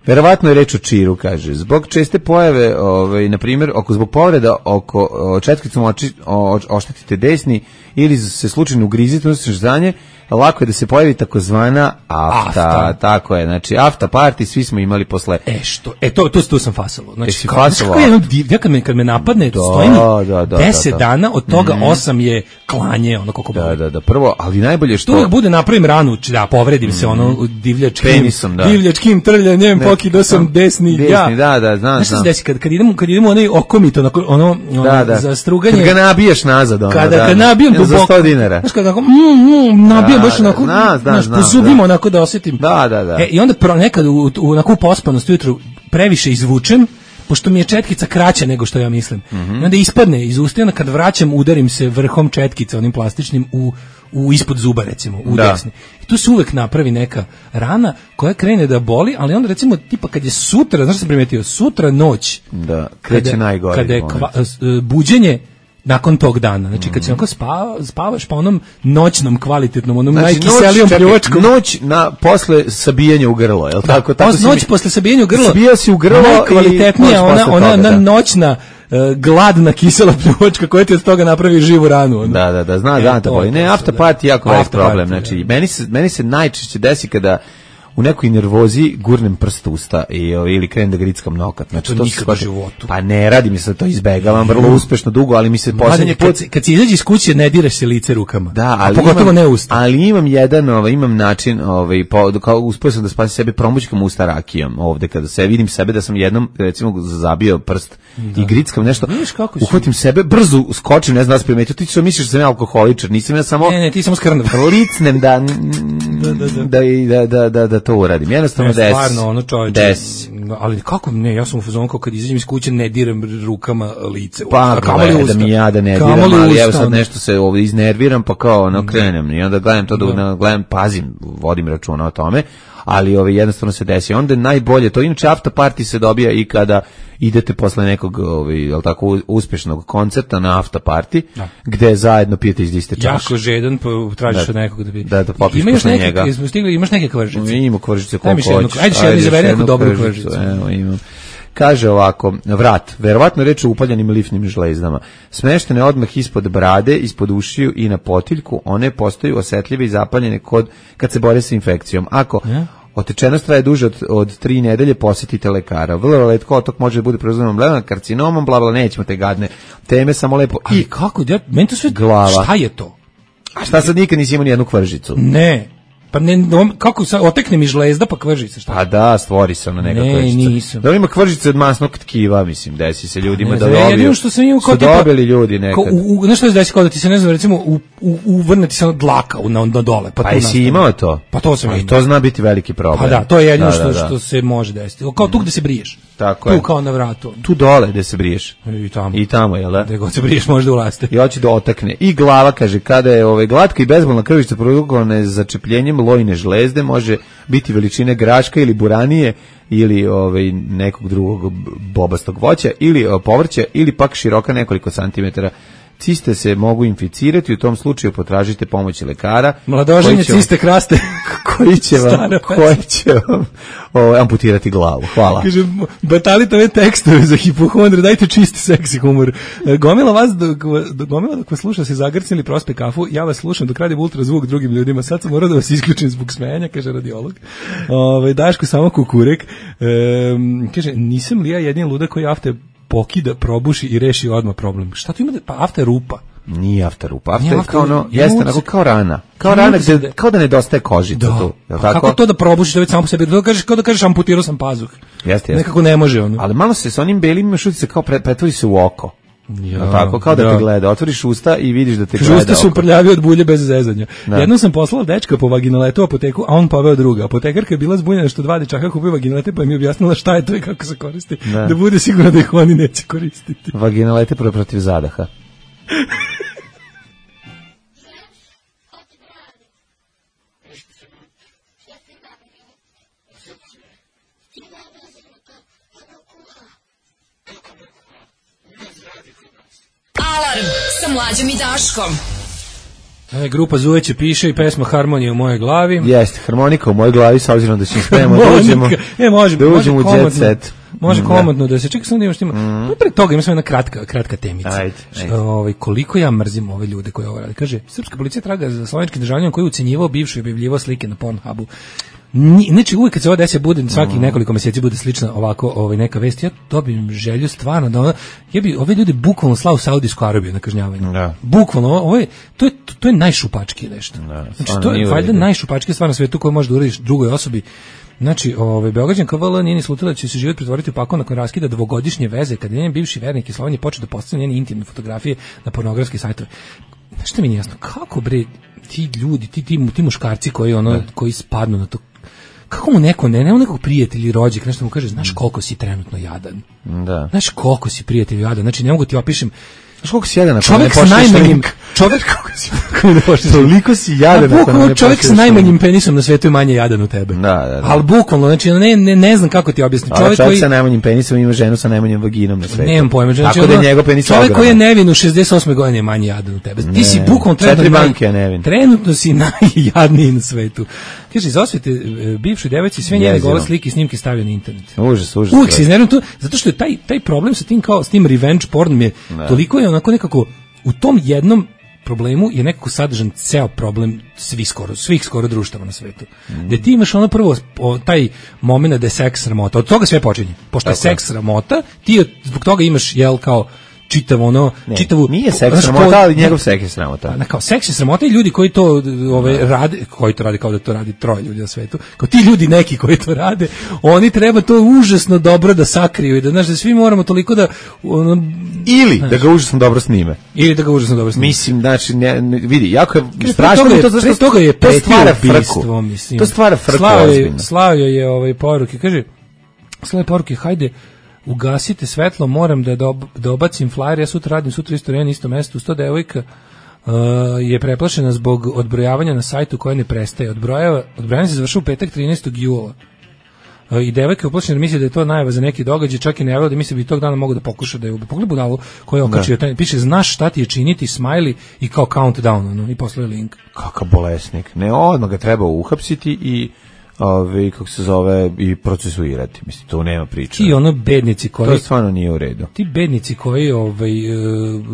Verovatno je reč o čiru, kaže. Zbog česte pojave, ovaj, na primjer, oko zbog povreda oko četkicom oči, o, oštetite desni ili se slučajno ugrizite, odnosno ždanje, lako je da se pojavi takozvana afta, Afta. tako je, znači afta party svi smo imali posle. E što, e to to tu sam fasalo. Znači Jesi kao, fasalo? kako je ono div- ja kad me kad me napadne, Da, stoji mi da, da, deset da, da. dana, od toga Mhm. osam je klanje, ono kako Da, boli. da, da, prvo, ali najbolje što Tu uvijek bude napravim ranu, č- da povredim se ono divljačkim, Penisom, da. divljačkim trljanjem, Ne, pokidao sam desni, desni, ja. da, da, znam, Znaš šta se znam. desi, kad, kad idemo, kad idemo onaj okomit, onako, ono, ono Da, da. za struganje. Kad ga nabiješ nazad, ono, Kada da, kad da. nabijem Za duboko. sto dinara. Znaš, kada onako, mm, mm, nabijem Da, baš da, onako, znam, znam, znaš, znam, po zubima da. onako da osjetim. Da, da, da. E, i onda pro, nekad u, u onako pospanost ujutru previše izvučem, pošto mi je četkica kraća nego što ja mislim. I onda ispadne iz usta i onda kad vraćam udarim se vrhom četkice onim plastičnim u, u ispod zuba recimo, u Da. desni. I tu se uvek napravi neka rana koja krene da boli, ali onda recimo tipa kad je sutra, znaš što sam primetio, sutra noć, Da, kreće najgore. kada je kva, s- e, buđenje nakon tog dana. Znači kad se onako spava, spavaš pa onom noćnom kvalitetnom, onom Znači, najkiselijom noć, čekaj, pljuvačkom. noć na, posle sabijanja u grlo, je li tako? tako Pos- si noć mi- posle sabijanja u grlo. Sabijao si u grlo najkvalitetnija, i noć ona, posle ona, toga, ona da. noćna e, gladna kisela pljuvačka koja ti od toga napravi živu ranu. ono. Da, da, da, zna E, da te to boli. je Ne, to, after da. party je jako velik After problem. party, Znači, meni se, meni se najčešće desi kada u nekoj nervozi gurnem prst u usta i, ovaj, ili krenem da grickam nokat. Znači, To to, nikad se baš- u životu. Pa ne radi mi se, to izbegavam vrlo uspešno dugo, ali mi se poslednji Mladen, kad, put... se- kad si izađe iz kuće ne diraš se lice rukama. Da, a ali pogotovo imam, ne usta. Ali imam jedan, ovaj, imam način, ovaj, po, kao uspio sam da spasim sebe promućkam usta rakijom ovde, kada se vidim sebe da sam jednom, recimo, zabio prst i grickam nešto, Vidiš kako si- uhvatim sebe, brzo skočim, ne znam da se primetio, ti što misliš da sam ja alkoholičar, nisam ja samo... Ne, ne, ti samo skrnav. licnem da da, da, da, da, da, da to uradim. Jednostavno Ne, desi. stvarno, ono čovječe. Desi. Ali kako ne, ja sam u fazonu kao kad izađem iz kuće ne diram rukama lice. Pa, a kamoli gle, usta. da mi ja da ne diram, Kamoli ali usta, evo sad ono. nešto se ovdje iznerviram, pa kao ono krenem i onda gledam to da, da. gledam, pazim, vodim računa o tome, ali ovaj, jednostavno se desi. Onda je najbolje, to inače after party se dobija i kada idete posle nekog ovaj, jel tako, uspješnog koncerta na after party, Da. gde zajedno pijete iz iste čaše. Jako žedan, pa tražiš Da. od nekog da bi... Da, da popiš Ima još posle neke, njega. jesmo stigli, imaš neke kvržice? Imamo kvržice Daj mi još koliko jednu- hoćeš. ajde još jednu, izaberi neku dobru kvržicu, kvržicu. Evo, imam. Kaže ovako, vrat, verovatno reč o upaljenim lifnim žlezdama. Smeštene odmah ispod brade, ispod ušiju i na potiljku, one postaju osetljive i zapaljene kod, kad se bore sa infekcijom. Ako Ja? otečenost traje duže od, od tri nedelje, posjetite lekara. Vrlo retko otok može da bude proizvodnom blevnom karcinomom, bla, bla, nećemo te gadne teme, samo lepo. I I kako, ja, meni to sve... glava. Šta je to? A šta sad nikad nisi imao ni jednu kvržicu? Ne. Pa ne, on- kako sa otekne mi žlezda pa kvržica, šta? Pa da, stvori se ona neka Ne, kvržica. nisam. Da li ima kvržice od masnog tkiva, mislim, desi se ljudima Ne da znam, ja dobiju. jedino što sam imao kao su tipa- dobili ljudi nekad. Kao, u, u, znaš što se desi kao da ti se ne znam, recimo, u, u, uvrne ti se ono dlaka u- na, na dole. Pa, Pa tu jesi nastane. imao to? Pa to sam A i imao. to zna biti veliki problem. Pa da, to je jedino Da, što, da, da. što se može desiti. Kao tu gde se briješ. Tako tu je. kao na vratu. Tu dole gde se briješ. I tamo. I tamo, jel da? Gde god se briješ može da ulaste. I hoće da otakne. I glava, kaže, kada je ovaj, glatka i bezbolna krvica produkovana začepljenjem lojne žlezde, može biti veličine graška ili buranije ili ovaj, nekog drugog bobastog voća ili o, povrća ili pak široka nekoliko santimetara. Ciste se mogu inficirati, u tom slučaju potražite pomoć lekara. Mladoženje koji će vam- ciste kraste. koji će vam, Stara koji će vam ovaj, amputirati glavu. Hvala. Kaže, batalite ove tekstove za hipohondre, dajte čisti seksi humor. E, Gomila vas, dok, dok, gomila dok vas sluša se zagrcili, prospe kafu, ja vas slušam dok radim ultrazvuk drugim ljudima, sad sam morao da vas isključim zbog smejanja, kaže radiolog. Ove, Daško samo kukurek. E, kaže, nisam li ja jedin luda koji afte pokida, probuši i reši odmah problem. Šta tu ima da, pa afte rupa. Nije after rupa. After Nije je after kao ono, rupa. jeste, Ja onako mogu- kao rana. Kao Ja rana mogu se gde, da- kao da nedostaje kožica tu. Je Pa li kako tako? to da probušiš da već samo po sebi, da kažeš, kao da kažeš amputirao sam pazuh. Jeste, jeste. Nekako ne može ono. Ali malo se s onim belim imaš utice kao pre, pretvori se u oko. Ja, Je li tako, kao da da. te gleda. Otvoriš usta i vidiš da te Kaže, gleda usta su oko. prljavi od bulje bez zezanja. Da. Jednom sam poslala dečka po vaginaletu u apoteku, a on poveo druga. Apotekarka je bila zbunjena što dva dečaka kupuju vaginalete, pa mi je objasnila šta je to i kako se koristi. Da. Da bude sigurno da ih oni neće koristiti. Vaginalete pro- protiv zadaha. Alarm sa Mlađom i Daškom. E, grupa Zuveće piše i pesma Harmonija u mojoj glavi. Jeste, harmonika u mojoj glavi, sa obzirom da ćemo spremamo da Harmonika. uđemo, E, može, da može uđemo u komotno. jet set. može komotno da se čeka samo da imaš tima. Mm. Pre toga ima samo jedna kratka, kratka temica. Ajde, ajde. Ovaj, koliko ja mrzim ove ljude koji ovo rade. Kaže, srpska policija traga za slovenski državljanin koji je ucenjivao bivšu i objavljivao slike na Pornhubu. Znači uvijek kad se ovo desi bude svaki mm. nekoliko mjeseci bude slična ovako ovaj neka vest, ja dobijem želju stvarno da ona, ja bi ove ljude bukvalno slao u Saudijsku Arabiju na kažnjavanje. Da. Bukvalno ovo je to je to je najšupačkije nešto. Da, znači to je valjda najšupačkije stvar na svetu koju možeš da uradiš drugoj osobi. Znači, ovaj Beograđanka V L nije ni slutila da će se život pretvoriti u pakao nakon raskida dvogodišnje veze kad je njen bivši vernik iz Slovenije počeo da postavlja njene intimne fotografije na pornografske sajtove. Što mi nije jasno, kako bre ti ljudi, ti ti, ti muškarci koji ono da. koji spadnu na to, kako mu neko, ne, nema nekog prijatelja ili rođaka, nešto mu kaže, znaš koliko si trenutno jadan. Da. Znaš koliko si prijatelj jadan, znači ne mogu ti opišem. Znaš koliko si jadan ako čovjek ne s najmanjim, čovjek kako si, toliko si jadan ako ne čovjek s najmanjim penisom na svetu je manje jadan od tebe. Da, da, da. Ali bukvalno, znači ne, ne, ne znam kako ti objasniti. Čovjek, čovjek koji sa najmanjim penisom ima ženu sa najmanjim vaginom na svetu. Nemam pojma, znači, tako da je njegov penis čovjek ogroman. Koji je nevin u šezdeset osme godine je manje jadan od tebe. Ne, ti si bukvalno trenutno, naj, trenutno si najjadniji na svetu. Kaže, za osvete bivšoj devojci sve njene gole slike i snimke stavio na internet. Užas, užas. Uvijek se iznervim tu, zato što je taj, taj problem sa tim kao s tim revenge pornom je toliko je onako nekako u tom jednom problemu je nekako sadržan ceo problem svih skoro, svih skoro društava na svetu. Mm. Gde ti imaš ono prvo o, taj moment da je seks sramota. Od toga sve počinje. Pošto je seks sramota, ti zbog toga imaš jel kao čitav ono, ne, čitavu... Nije seks sramota, ali njegov seks je sramota. Na, kao seks je sramota i ljudi koji to ove, rade, koji to rade kao da to radi troje ljudi na svetu, kao ti ljudi neki koji to rade, oni treba to užasno dobro da sakriju i da, znaš, da svi moramo toliko da... Ono, ili znaš, da ga užasno dobro snime. Ili da ga užasno dobro snime. Mislim, znači, ne, ne, vidi, jako je strašno je, to, zašto toga je to stvara frku. Mislim. To stvara frku Slavio ozbiljno. Slavio je ovaj poruke, kaže, Slavio poruke, hajde, ugasite svetlo, moram da dob, dobacim flyer, ja sutra radim, sutra isto na isto mesto, sto devojka uh, je preplašena zbog odbrojavanja na sajtu koje ne prestaje. Odbrojava, odbrojavanje se završava u petak trinaestog jula. Uh, I devojka je uplašena, misli da je to najava za neki događaj, čak i ne da misli da bi tog dana mogu da pokuša da je ubi. Pogledaj budalu koja je okačio, piše, znaš šta ti je činiti, smiley i kao countdown, ono, i poslao je link. Kakav bolesnik. Ne, odmah ga treba uhapsiti i Ove, kako se zove, i procesuirati. Mislim, to nema priče. I ono bednici koji... To stvarno nije u redu. Ti bednici koji ovaj,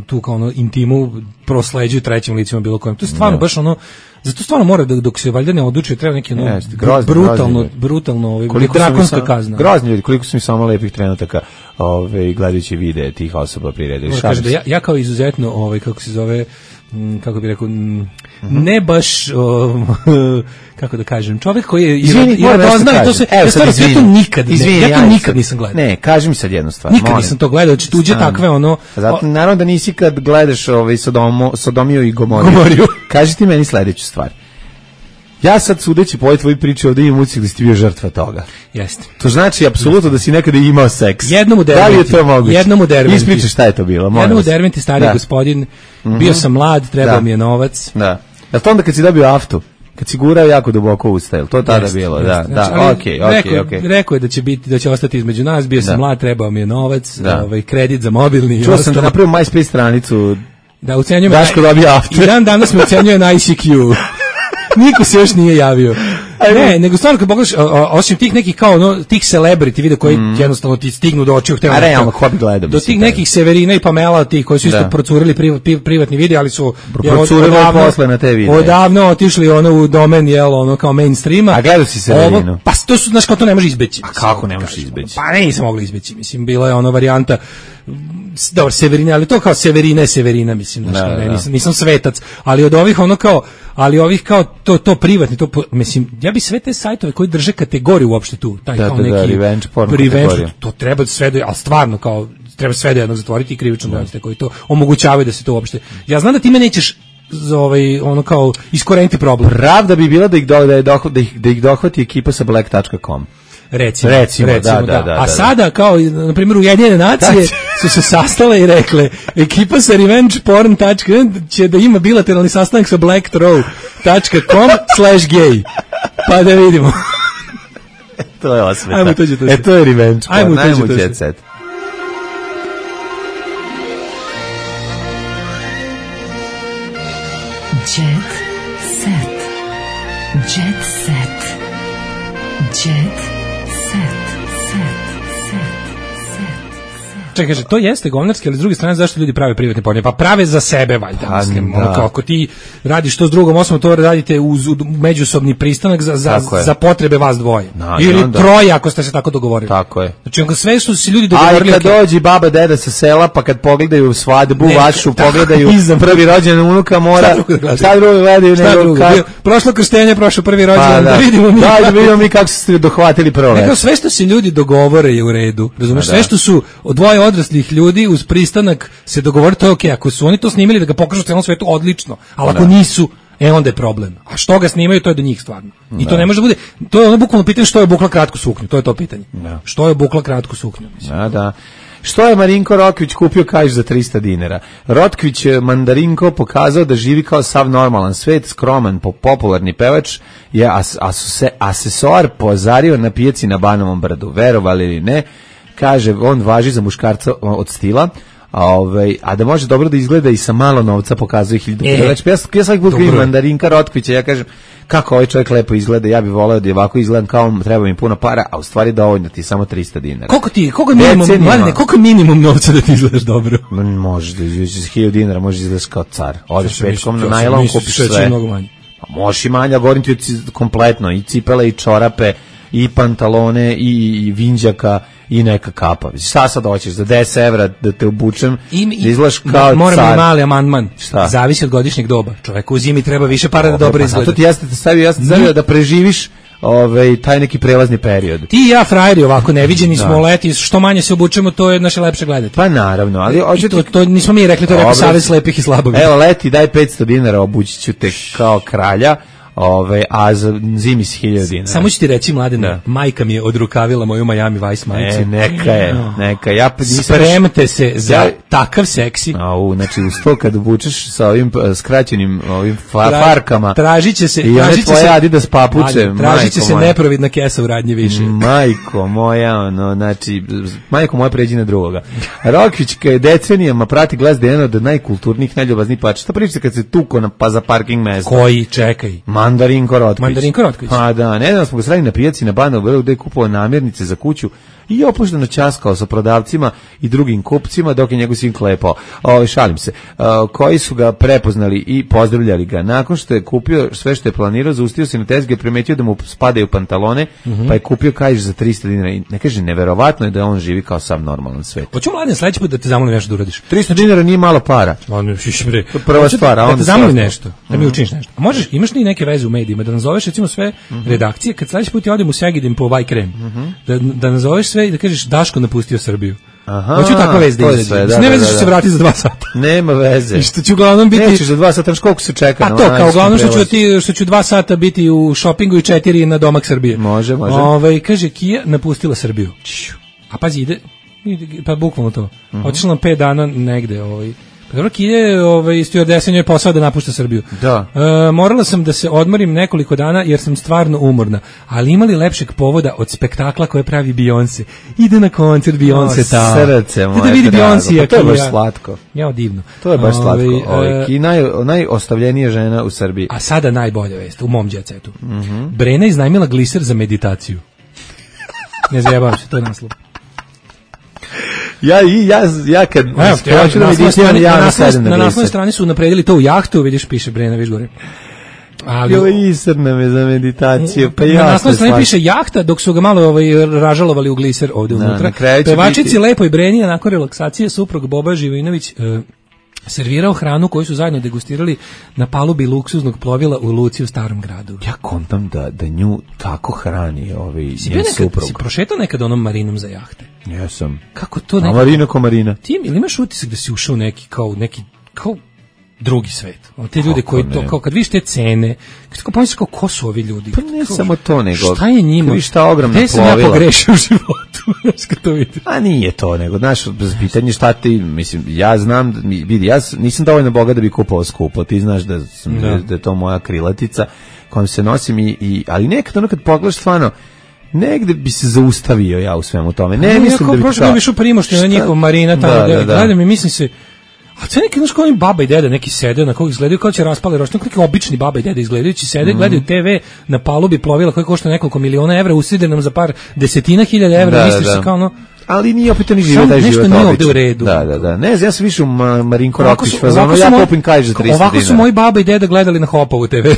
tu kao ono intimu prosleđuju trećim licima bilo kojem. To je stvarno no. baš ono... Zato stvarno mora, da, dok se valjda ne odlučuje, treba neki ono yes, grozni, brutalno, grozni brutalno ovaj, drakonska sam, kazna. Grozni ljudi, koliko su mi samo lepih trenutaka ovaj, gledajući videe tih osoba priredili. Kaže da ja, ja kao izuzetno, ovaj, kako se zove, kako bih rekao, ne baš, um, kako da kažem, čovjek koji je izvini, i radozna i to se, evo, ja stvarno sve to nikad, izvini, ja to ja nikad nisam gledao. Ne, kaži mi sad jednu stvar. Nikad molim. nisam to gledao, znači tuđe takve ono... Zato, naravno da nisi kad gledaš ovaj, Sodomo, Sodomiju i Gomoriju. Gomoriju. Kaži ti meni sledeću stvar. Ja sad sudeći po ovoj tvojoj priči ovdje imam ucik da si ti bio žrtva toga. Jeste. To znači apsolutno da si nekada imao seks. Jednom u Derventi. Da li je to moguće? Jednom u Derventi. Ispričaj šta je to bilo. Jednom u Derventi, stari gospodin, mm-hmm. bio sam mlad, trebao da. mi je novac. Da. Jel to onda kad si dobio aftu? Kad si gurao jako duboko usta, jel to tada jest, bilo? Jest. Da, znači, da, okej, okej, okej. Rekao, rekao je da će biti, da će ostati između nas, bio sam da. mlad, trebao mi je novac, da. ovaj, kredit za mobilni. Čuo sam da napravio MySpace stranicu. Da, ucenjujem. Daško dobio aftu. I dan danas me ucenjuje na I C Q. Niko se još nije javio. Ne, nego stvarno kad pogledaš, osim tih nekih kao ono, tih celebrity video koji mm. jednostavno ti stignu do očiju, a realno ko bi gledao do tih nekih Severina i Pamela, tih koji su isto procurili priv, priv, privatni video, ali su procurili posle na te videe. Odavno otišli ono u domen jel ono kao mainstreama. A gledao si Severinu? Ovo, pa to su, znaš, kao to ne može izbeći. A kako ne možeš izbeći? Pa ne, nisam mogla izbeći, mislim, bila je ona varijanta dobro, Severina, ali to kao Severina je Severina, mislim, znači, da, ne, nisam, nisam svetac, ali od ovih ono kao, ali ovih kao to, to privatni, to, mislim, ja bi sve te sajtove koji drže kategoriju uopšte tu, taj da, kao da, neki, da, revenge porn revenge, to treba sve do, ali stvarno kao, treba sve do jednog zatvoriti i krivično goniti koji to omogućavaju da se to uopšte, ja znam da ti me nećeš za ovaj, ono kao, iskoreniti problem. Pravda bi bila da ih, do, da, doh, da ih, da ih dohvati ekipa sa black dot com. Recimo, recimo, recimo da, da, da, da, a da, sada kao na primjer Ujedinjene nacije su se sastale i rekle ekipa sa revenge porn tačka će da ima bilateralni sastanak sa blackthrow tačka com slash gay pa da vidimo. To je osveta. Ajmo tuđe to. E to je revenge porn. Ajmo Ajmo jet set. Jet set. Jet set. Jet set, set, set. čekaj, kaže, to jeste govnarski, ali s druge strane zašto ljudi prave privatne pornije? Pa prave za sebe, valjda, Pa, mislim. da. Ono, kao, ako ti radiš to s drugom osobom, to radite uz uz međusobni pristanak za, za, za potrebe vas dvoje. No, ili onda. troje, ako ste se tako dogovorili. Tako je. Znači, ako sve što se ljudi A dogovorili... i kad ok. dođe baba, deda sa sela, pa kad pogledaju svadbu Ne, vašu, tako, pogledaju iza- prvi rođen unuka mora, Šta drugo da gledaju? šta drugo gledaju Šta nego drugo? kako- Bio- Prošlo krštenje, prošlo prvi rođendan, Pa, da vidimo mi. Da, da vidimo mi kako ste dohvatili prvo Nekao, veče. sve što se ljudi dogovore je u redu. Razumeš? Pa, Sve da. što su dvoje odraslih ljudi uz pristanak se dogovore, to je okej. Ako su oni to snimili da ga pokažu celom svetu, odlično. Ali ako Da. nisu, e onda je problem. A što ga snimaju, to je do njih stvarno. I to Da. ne može da bude, to je ono bukvalno pitanje što je obukla kratku suknju, to je to pitanje. Da. Što je obukla kratku suknju? Mislim. Da, da. Što je Marinko Rokvić kupio kažeš za trista dinara? Rotkvić je Mandarinko pokazao da živi kao sav normalan svet, skroman, po popularni pevač je as, asuse, asesoar pozario na pijaci na Banovom brdu. Verovali ili ne, kaže, on važi za muškarca od stila, a, ovaj, a da može dobro da izgleda i sa malo novca pokazuje hiljadu. E, Znači, ja, ja svaki put dobro vidim je. Mandarinka Rotkvića, ja kažem, kako ovaj čovjek lepo izgleda, ja bih voleo da je ovako izgledam kao treba mi puno para, a u stvari dovoljno ti samo trista dinara. Koliko ti, koliko je minimum, Decenijama. mladine, koliko je minimum novca da ti izgledaš dobro? Možeš da izvučeš za hiljadu dinara, možeš da izgledaš kao car. Odeš Šta si petkom na mislio? najlon, Misliš kupiš da će sve. mnogo manje? Pa možeš i manje, a govorim ti ci- kompletno, i cipele, i čorape, i pantalone, i, i vinđaka, i neka kapa. Šta sad hoćeš, za deset evra da te obučem, I, da izgledaš kao moram car. i mali amandman. Šta? Zavisi od godišnjeg doba. Čoveku u zimi treba više para da dobro Pa izgleda. zato ti jeste te stavio, ja sam te stavio da preživiš ovaj, taj neki prelazni period. Ti i ja frajeri ovako neviđeni smo Da. leti, što manje se obučemo, to je naše lepše gledati. Pa naravno, ali I hoćete... to, to nismo mi rekli, to je rekao Dobro. Savez slepih i slabovih. Evo leti, daj petsto dinara, obući ću te kao kralja, ovaj, a za zimi si hiljadu dinara. Samo ću ti reći, Mladene, Da. majka mi je odrukavila moju Miami Vice majicu. E, neka je, neka. Ja pa nisam- Spremte se za Ja- takav seksi. Au, znači uz to kad obučeš sa ovim eh, skraćenim ovim fa- Tra- farkama. Tražit će se, i one tražit će tvoje se- Adidas papuče, Mladen, tražit će majko se moja. neprovidna kesa u radnje više. Majko moja, ono, znači, majko moja pređi na drugoga. Rokvić je decenijama prati Glas da je jedan od najkulturnijih, najljubaznijih pača. Šta pričate kad se tuko na, pa za parking mesta? Koji, čekaj. Mandarinko Rotkvić. Mandarinko Rotkvić. Pa da, nedavno smo ga sreli na pijaci na Banovom brdu gde je kupovao namirnice za kuću i opušteno ćaskao sa prodavcima i drugim kupcima dok je njegov sin klepao. O, šalim se. O, koji su ga prepoznali i pozdravljali ga. Nakon što je kupio sve što je planirao, zaustio se na tezge i primetio da mu spadaju pantalone, Mhm. pa je kupio kažeš za trista dinara. I ne kaže, neverovatno je da on živi kao sam normalan svet. Hoću, Mladen, sledeći put da te zamolim nešto da uradiš. trista dinara nije malo para. On šiš bre. To je prva Hoću stvar, a da, da onda te zamolim sve nešto, ostalo. da mi Mhm. učiniš nešto. A možeš, imaš li neke veze u medijima da nazoveš recimo sve redakcije kad sledeći put ja odem u Segedin po Vaj krem. Da da nazoveš sve i da kažeš Daško napustio Srbiju. Aha, Hoću takva vez da to je izađe. sve, da, Mislim, ne da, veze da, što da. se vrati za dva sata. Nema veze. I što ću uglavnom biti... Nećeš za dva sata, znaš koliko se čeka. Pa na to, onaj kao uglavnom što ću, prelaz. ti, što ću dva sata biti u šopingu i četiri na domak Srbije. Može, može. Ovaj kaže, Kia napustila Srbiju. A pazi, ide, ide pa bukvalno to. Mhm. Otišla nam pet dana negde. Ovaj. Pa dobro, Kia je ovaj, stewardesa njoj posao da napušta Srbiju. Da. E, morala sam da se odmorim nekoliko dana jer sam stvarno umorna. Ali imali lepšeg povoda od spektakla koje pravi Beyoncé. Ide na koncert Beyoncé O, ta. srce moje Da vidi drago. Beyoncé. Pa to je baš Kia. slatko. Ja, divno. To je baš slatko. Ovaj, Ovaj, e, I naj, najostavljenija žena u Srbiji. A sada najbolja vest u mom djecetu. Mhm. Brena iznajmila gliser za meditaciju. Ne zajebavam se, to je naslov. Ja i ja ja kad Evo, hoću da na meditiram, naslovnoj strani- ja na na naslovnoj- sedem na na naslovnoj gliser. strani su napredili to u jahtu, vidiš, piše Brena, viš gore. Ali Gliser nam je za meditaciju, pa na ja naslovnoj strani piše jahta, dok su ga malo ovaj, ražalovali u gliser ovde Da, unutra. na kraju će Pevačici biti- Lepoj Breni, a nakon relaksacije, suprug Boba Živinović e, servirao hranu koju su zajedno degustirali na palubi luksuznog plovila u luci u Starom gradu. Ja kontam da, da nju tako hrani ovaj Si bio njen nekad, suprug. si prošetao nekad onom marinom za jahte? Jesam. Kako to A nekako? Marina ko Marina. Ti ili imaš utisak da si ušao u neki kao neki kao drugi svet. Ono, te ljude Kako koji ne? to kao kad vidiš te cene, kad kao pomisliš kao ko su ovi ljudi? Pa ne Kao, samo to, nego- Šta je njima? kad vidiš ta ogromna Gde sam ja plovila? pogrešio u životu? Znaš kad to vidiš? A nije to, nego, znaš, pitanje šta ti, mislim, ja znam, da mi- vidi, ja s- nisam dovoljno bogat da bi kupovao skupo, ti znaš da, sam, Da. da. da je to moja krilatica kojom se nosim, i, i, ali nekad ono kad pogledaš stvarno, negde bi se zaustavio ja u svemu tome. Ne, Ne, mislim da bi... prošlo mi išao Primošte na Šta? njihov marina tamo, Da, da, da, da. gledam i mislim se, a sve neki, znaš, kao oni baba i deda neki sede, na kog izgledaju kao će raspale rošne, neki obični baba i deda izgledajući sede, Mhm. gledaju te ve na palubi plovila koje košta nekoliko miliona evra, uside nam za par desetina hiljada evra, Da, misliš da. se kao ono, ali nije opet ni život taj život. Nešto nije ovde u redu. Da, da, da. Ne znam, ja sam više u Marinko Ovako Rokvić su- fazonu, ovako su ja moj- kupim kajš za trista dinara. Ovako su moji baba i deda gledali na Hopovu te ve.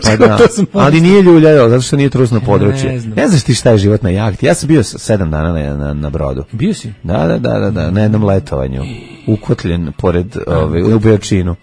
Pa da, To sam ali pomislio. nije ljuljao, zato što nije trusno područje. Ne znam. Ne znaš ti šta je život na jahti. Ja sam bio s- sedam dana na, na, na brodu. Bio si? Da, da, da, da, da, na jednom letovanju. Ukotljen pored ove, u Beočinu.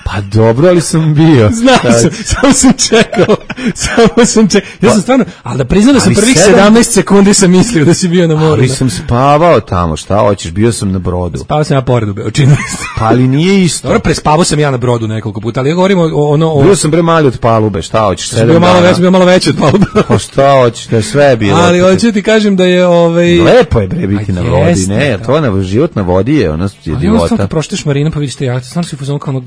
Pa dobro, ali sam bio. Znam sam, samo sam čekao, samo sam čekao. Ja sam stvarno, ali da priznam da sam Ali prvih sedam- sedamnaest sekundi sam mislio da si bio na moru. Ali da. sam spavao tamo, šta hoćeš, bio sam na brodu. Spavao sam ja pored u Beočinu. Pa ali nije isto. Dobro, prespavao sam ja na brodu nekoliko puta, ali ja govorim o ono... O, Bio sam bre mali od palube, šta hoćeš, sam sedam bio malo dana. veći, bio malo veći od palube. Pa šta hoćeš, da je sve bilo. Ali hoću ti kažem da je ovaj... Lepo je bre biti A na vodi, jeste, ne, to na život na vodi je, ono je Ali ono divota. stvarno kad prošteš marina pa vidiš te jahte, stvarno si u fazonu kao onog...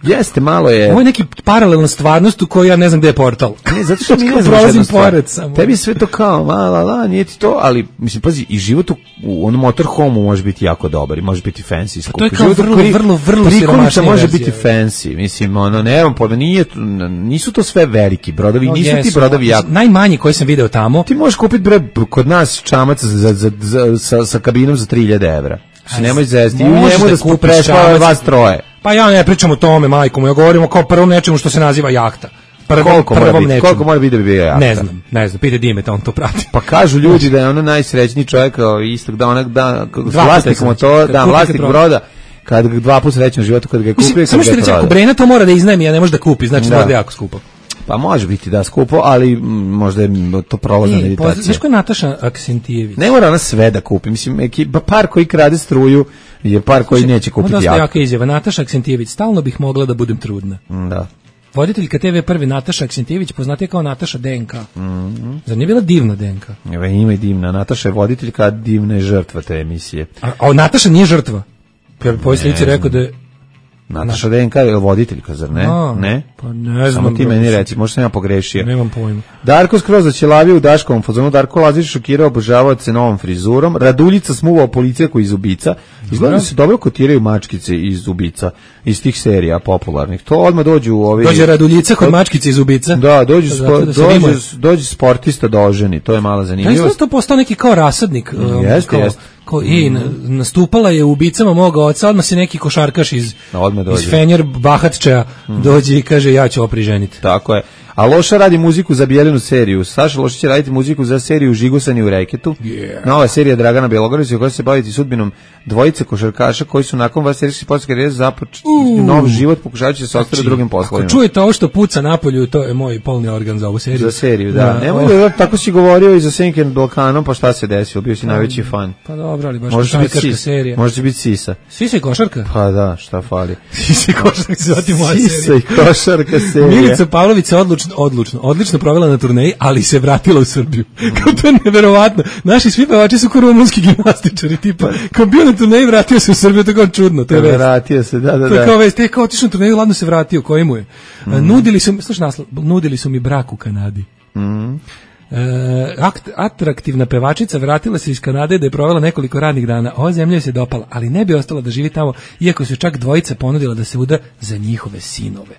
Jeste, malo je. Ovo je neki paralelna stvarnost u kojoj ja ne znam gde je portal. Ne, zato što mi ne Kao znam prolazim jednu stvar. pored samo. Tebi je sve to kao, la, la, la, nije ti to, ali, mislim, pazi, i život u, u onom motorhomu može biti jako dobar i može biti fancy. Skup. to je kao Život u vrlo, pri- vrlo, vrlo prikolica siromašnija može verzija. biti fancy, mislim, ono, nemam pojma, nije, nisu to sve veliki brodovi, No, nisu ti jesu, brodovi jako. najmanji koji sam video tamo. Ti možeš kupiti, bre, kod nas čamac za, za, za, sa, sa kabinom za tri hiljade evra. Mislim, nemoj zesti, i u Možeš njemu da da smo kupiš prespava čamac. vas troje. Pa ja ne pričam o tome, majko moja, govorimo kao prvom nečemu što se naziva jahta. Prvom, Koliko mora prvom biti, nečemu. koliko mora biti da bi bio jahta? Ne znam, ne znam, pite Dimeta, on to prati. Pa kažu ljudi da je ono najsrećniji čovjek kao istog da onak da Dva vlasnik puta motora, kad da kupi, vlasnik kad broda kad ga dva puta srećan u životu kad ga je kupio i Mislim, kad samo što ga je recimo, ako prodao. Brena to mora da iznajmi, a ne može da kupi, znači Da. da. mora da je jako skupo. Pa može biti da skupo, ali mm, možda je to prolazna E, meditacija. poz- znaš ko je Nataša Aksentijević? Ne mora ona sve da kupi. Mislim, ekipa, par koji krade struju je par koji neće kupiti Dosta jako. jaka izjava. Nataša Aksentijević, stalno bih mogla da budem trudna. Da. Voditeljka te ve prvi Nataša Aksentijević, poznatija kao Nataša D N K. Mhm. Zar nije bila divna D N K? Evo, ima i divna. Nataša je voditeljka, a divna je žrtva te emisije. A, a Nataša nije žrtva. Ja bih po ovoj Ne slici znam. rekao da je... Nataša D N K je voditeljka, zar ne? A, ne? pa ne znam, Samo ti bro, meni mislim. reci, možda sam ja pogrešio. Nemam pojma. Darko skroz začelavio u Daškovom fazonu. Darko Lazić šokirao obožavaoce novom frizurom. Raduljica smuvao policijako iz Ubica. Izgleda da se dobro kotiraju mačkice iz Ubica, iz tih serija popularnih. To odmah dođu u ovi... Dođe Raduljica kod mačkice iz Ubica. Da, dođe, Zato spo, da se dođe, rimuje. dođe sportista da oženi, to je mala Ja zanimljivost. izgleda to postao neki kao rasadnik. um, Jeste, kao, jeste. Kao, ej, na- nastupala je u Ubicama moga oca, odmah se neki košarkaš iz, Odmah dođe. iz Fenjer Bahatčeja dođe i kaže ja ću opriženiti. Tako je. A Loša radi muziku za Bijeljinu seriju. Saša Loša će raditi muziku za seriju Žigosani u reketu. Yeah. Nova serija Dragana Bjelogorića koja će se baviti sudbinom dvojice košarkaša koji su nakon vas serijskih sportske karijere započeli nov život pokušavajući se ostati u drugim Ako poslovima. čujete ovo što puca napolju, to je moj polni organ za ovu seriju. Za seriju, da. Da, Nemoj ovo- da tako si govorio i za Senken Balkanom, pa šta se desilo? Bio si najveći fan. Pa dobro, ali baš Može biti košarkaška Sis. serija. Može će biti Sisa. Sisa i košarka? Pa da, šta fali. Sisa i košarka se zvati moja Sisa serija. i košarka serija. Milica Pavlović se odlučno, odlučno, odlično provela na turneji, ali se vratila u Srbiju. Kao to je neverovatno. Naši svi pevači su kao rumunski gimnastičari, tipa, kao bio na turneji, vratio se u Srbiju, to je kao čudno, to je vest. Vratio se, da, da, To je da. kao vest, te kao otišao na turneju, ladno se vratio, koji mu je. Mm. Nudili su mi, slušaj naslov, nudili su mi brak u Kanadi. Mhm. E, akt, atraktivna pevačica vratila se iz Kanade da je provela nekoliko radnih dana. Ova zemlja joj se dopala, ali ne bi ostala da živi tamo, iako su čak dvojica ponudila da se uda za njihove sinove.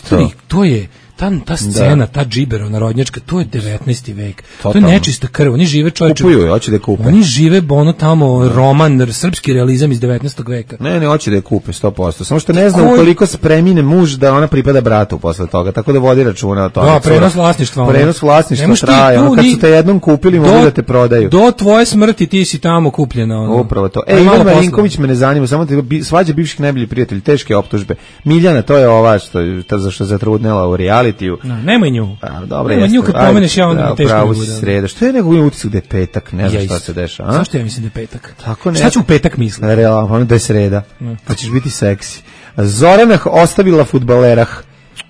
To je, to je ta, ta scena, ta džibero narodnjačka, to je devetnaesti vek. To Totalno. je nečista krv. Oni žive čovječe. Kupuju je, hoće da je kupe. Oni žive ono tamo roman, srpski realizam iz devetnaestog veka. Ne, ne, hoće da je kupe sto posto. Samo što ne zna Koji- ukoliko se premine muž da ona pripada bratu posle toga, tako da vodi računa o tome. Da, prenos vlasništva. ono. Prenos Ne vlasništva možeš ti traje. tu Ono, kad ni- su te jednom kupili, do- mogu da te prodaju. Do tvoje smrti ti si tamo kupljena. Ono. Upravo to. Aj, E, malo Ivan posla. Marinković me ne zanima, samo te bi, svađa bivših najboljih prijatelji, teške optužbe. Miljana, to je ova što je ta za što je zatrudnela u realitiju. No, nemoj nju. A, dobro, Nema jeste. nju kad Ajde, pomeneš, ja onda da, teško pravo mi si bude. sreda. Što je nego imam utisak da je petak, ne znam Ja šta isto. se dešava. a? Zašto ja mislim da je petak? Tako ne. Šta ću u petak misliti? Realno, ono da je sreda. Pa ćeš biti seksi. Zoranah ostavila fudbalerah.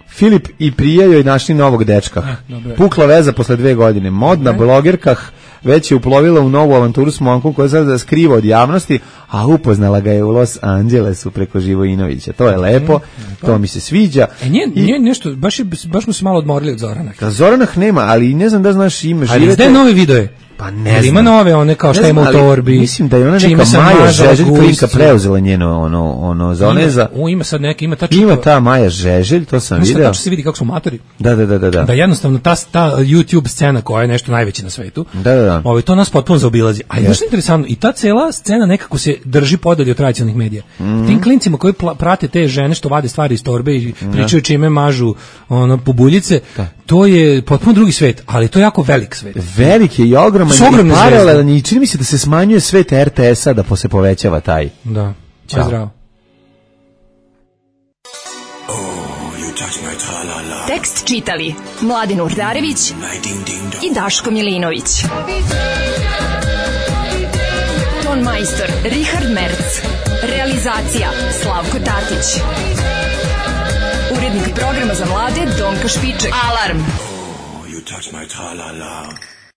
Filip i prija joj našli novog dečka. dobro je. Pukla veza posle dve godine. Modna blogerkah već je uplovila u novu avanturu s momkom koja sada skriva od javnosti, a upoznala ga je u Los Angelesu preko Živojinovića. To je lepo, to mi se sviđa. E, nije, I- nije nešto, baš, je, baš smo se malo odmorili od Zorana. Da Zoranah nema, ali ne znam da znaš ime Ali živete. izdaje nove videe. Pa ne znam. Ima nove one kao šta ima u torbi. Mislim da je ona neka Maja Žeželj klinka preuzela njeno ono ono za one za. U ima sad neka ima tačno. Ima ta Maja Žeželj, to sam video. Tačno se vidi kako su matori. Da, da, da, da, da. Da jednostavno ta ta YouTube scena koja je nešto najveće na svetu. Da, da, da. Ovaj to nas potpuno zaobilazi. A je što interesantno i ta cela scena nekako se drži podalje od tradicionalnih medija. Mm-hmm. Tim klincima koji prate te žene što vade stvari iz torbe i pričaju čime mažu ono pubuljice, da. To je potpuno drugi svet, ali to je jako velik svet. Velik je i ogroman i paralelan i čini mi se da se smanjuje svet er te esa da se povećava taj. Da, ćao. Zdravo. Tekst čitali Mladin Urdarević i Daško Milinović. Ton majstor Richard Merc. Realizacija Slavko Tatić. Urednik programa za mlade Donka Špiček. Alarm! Oh, you touch my tra-la-la.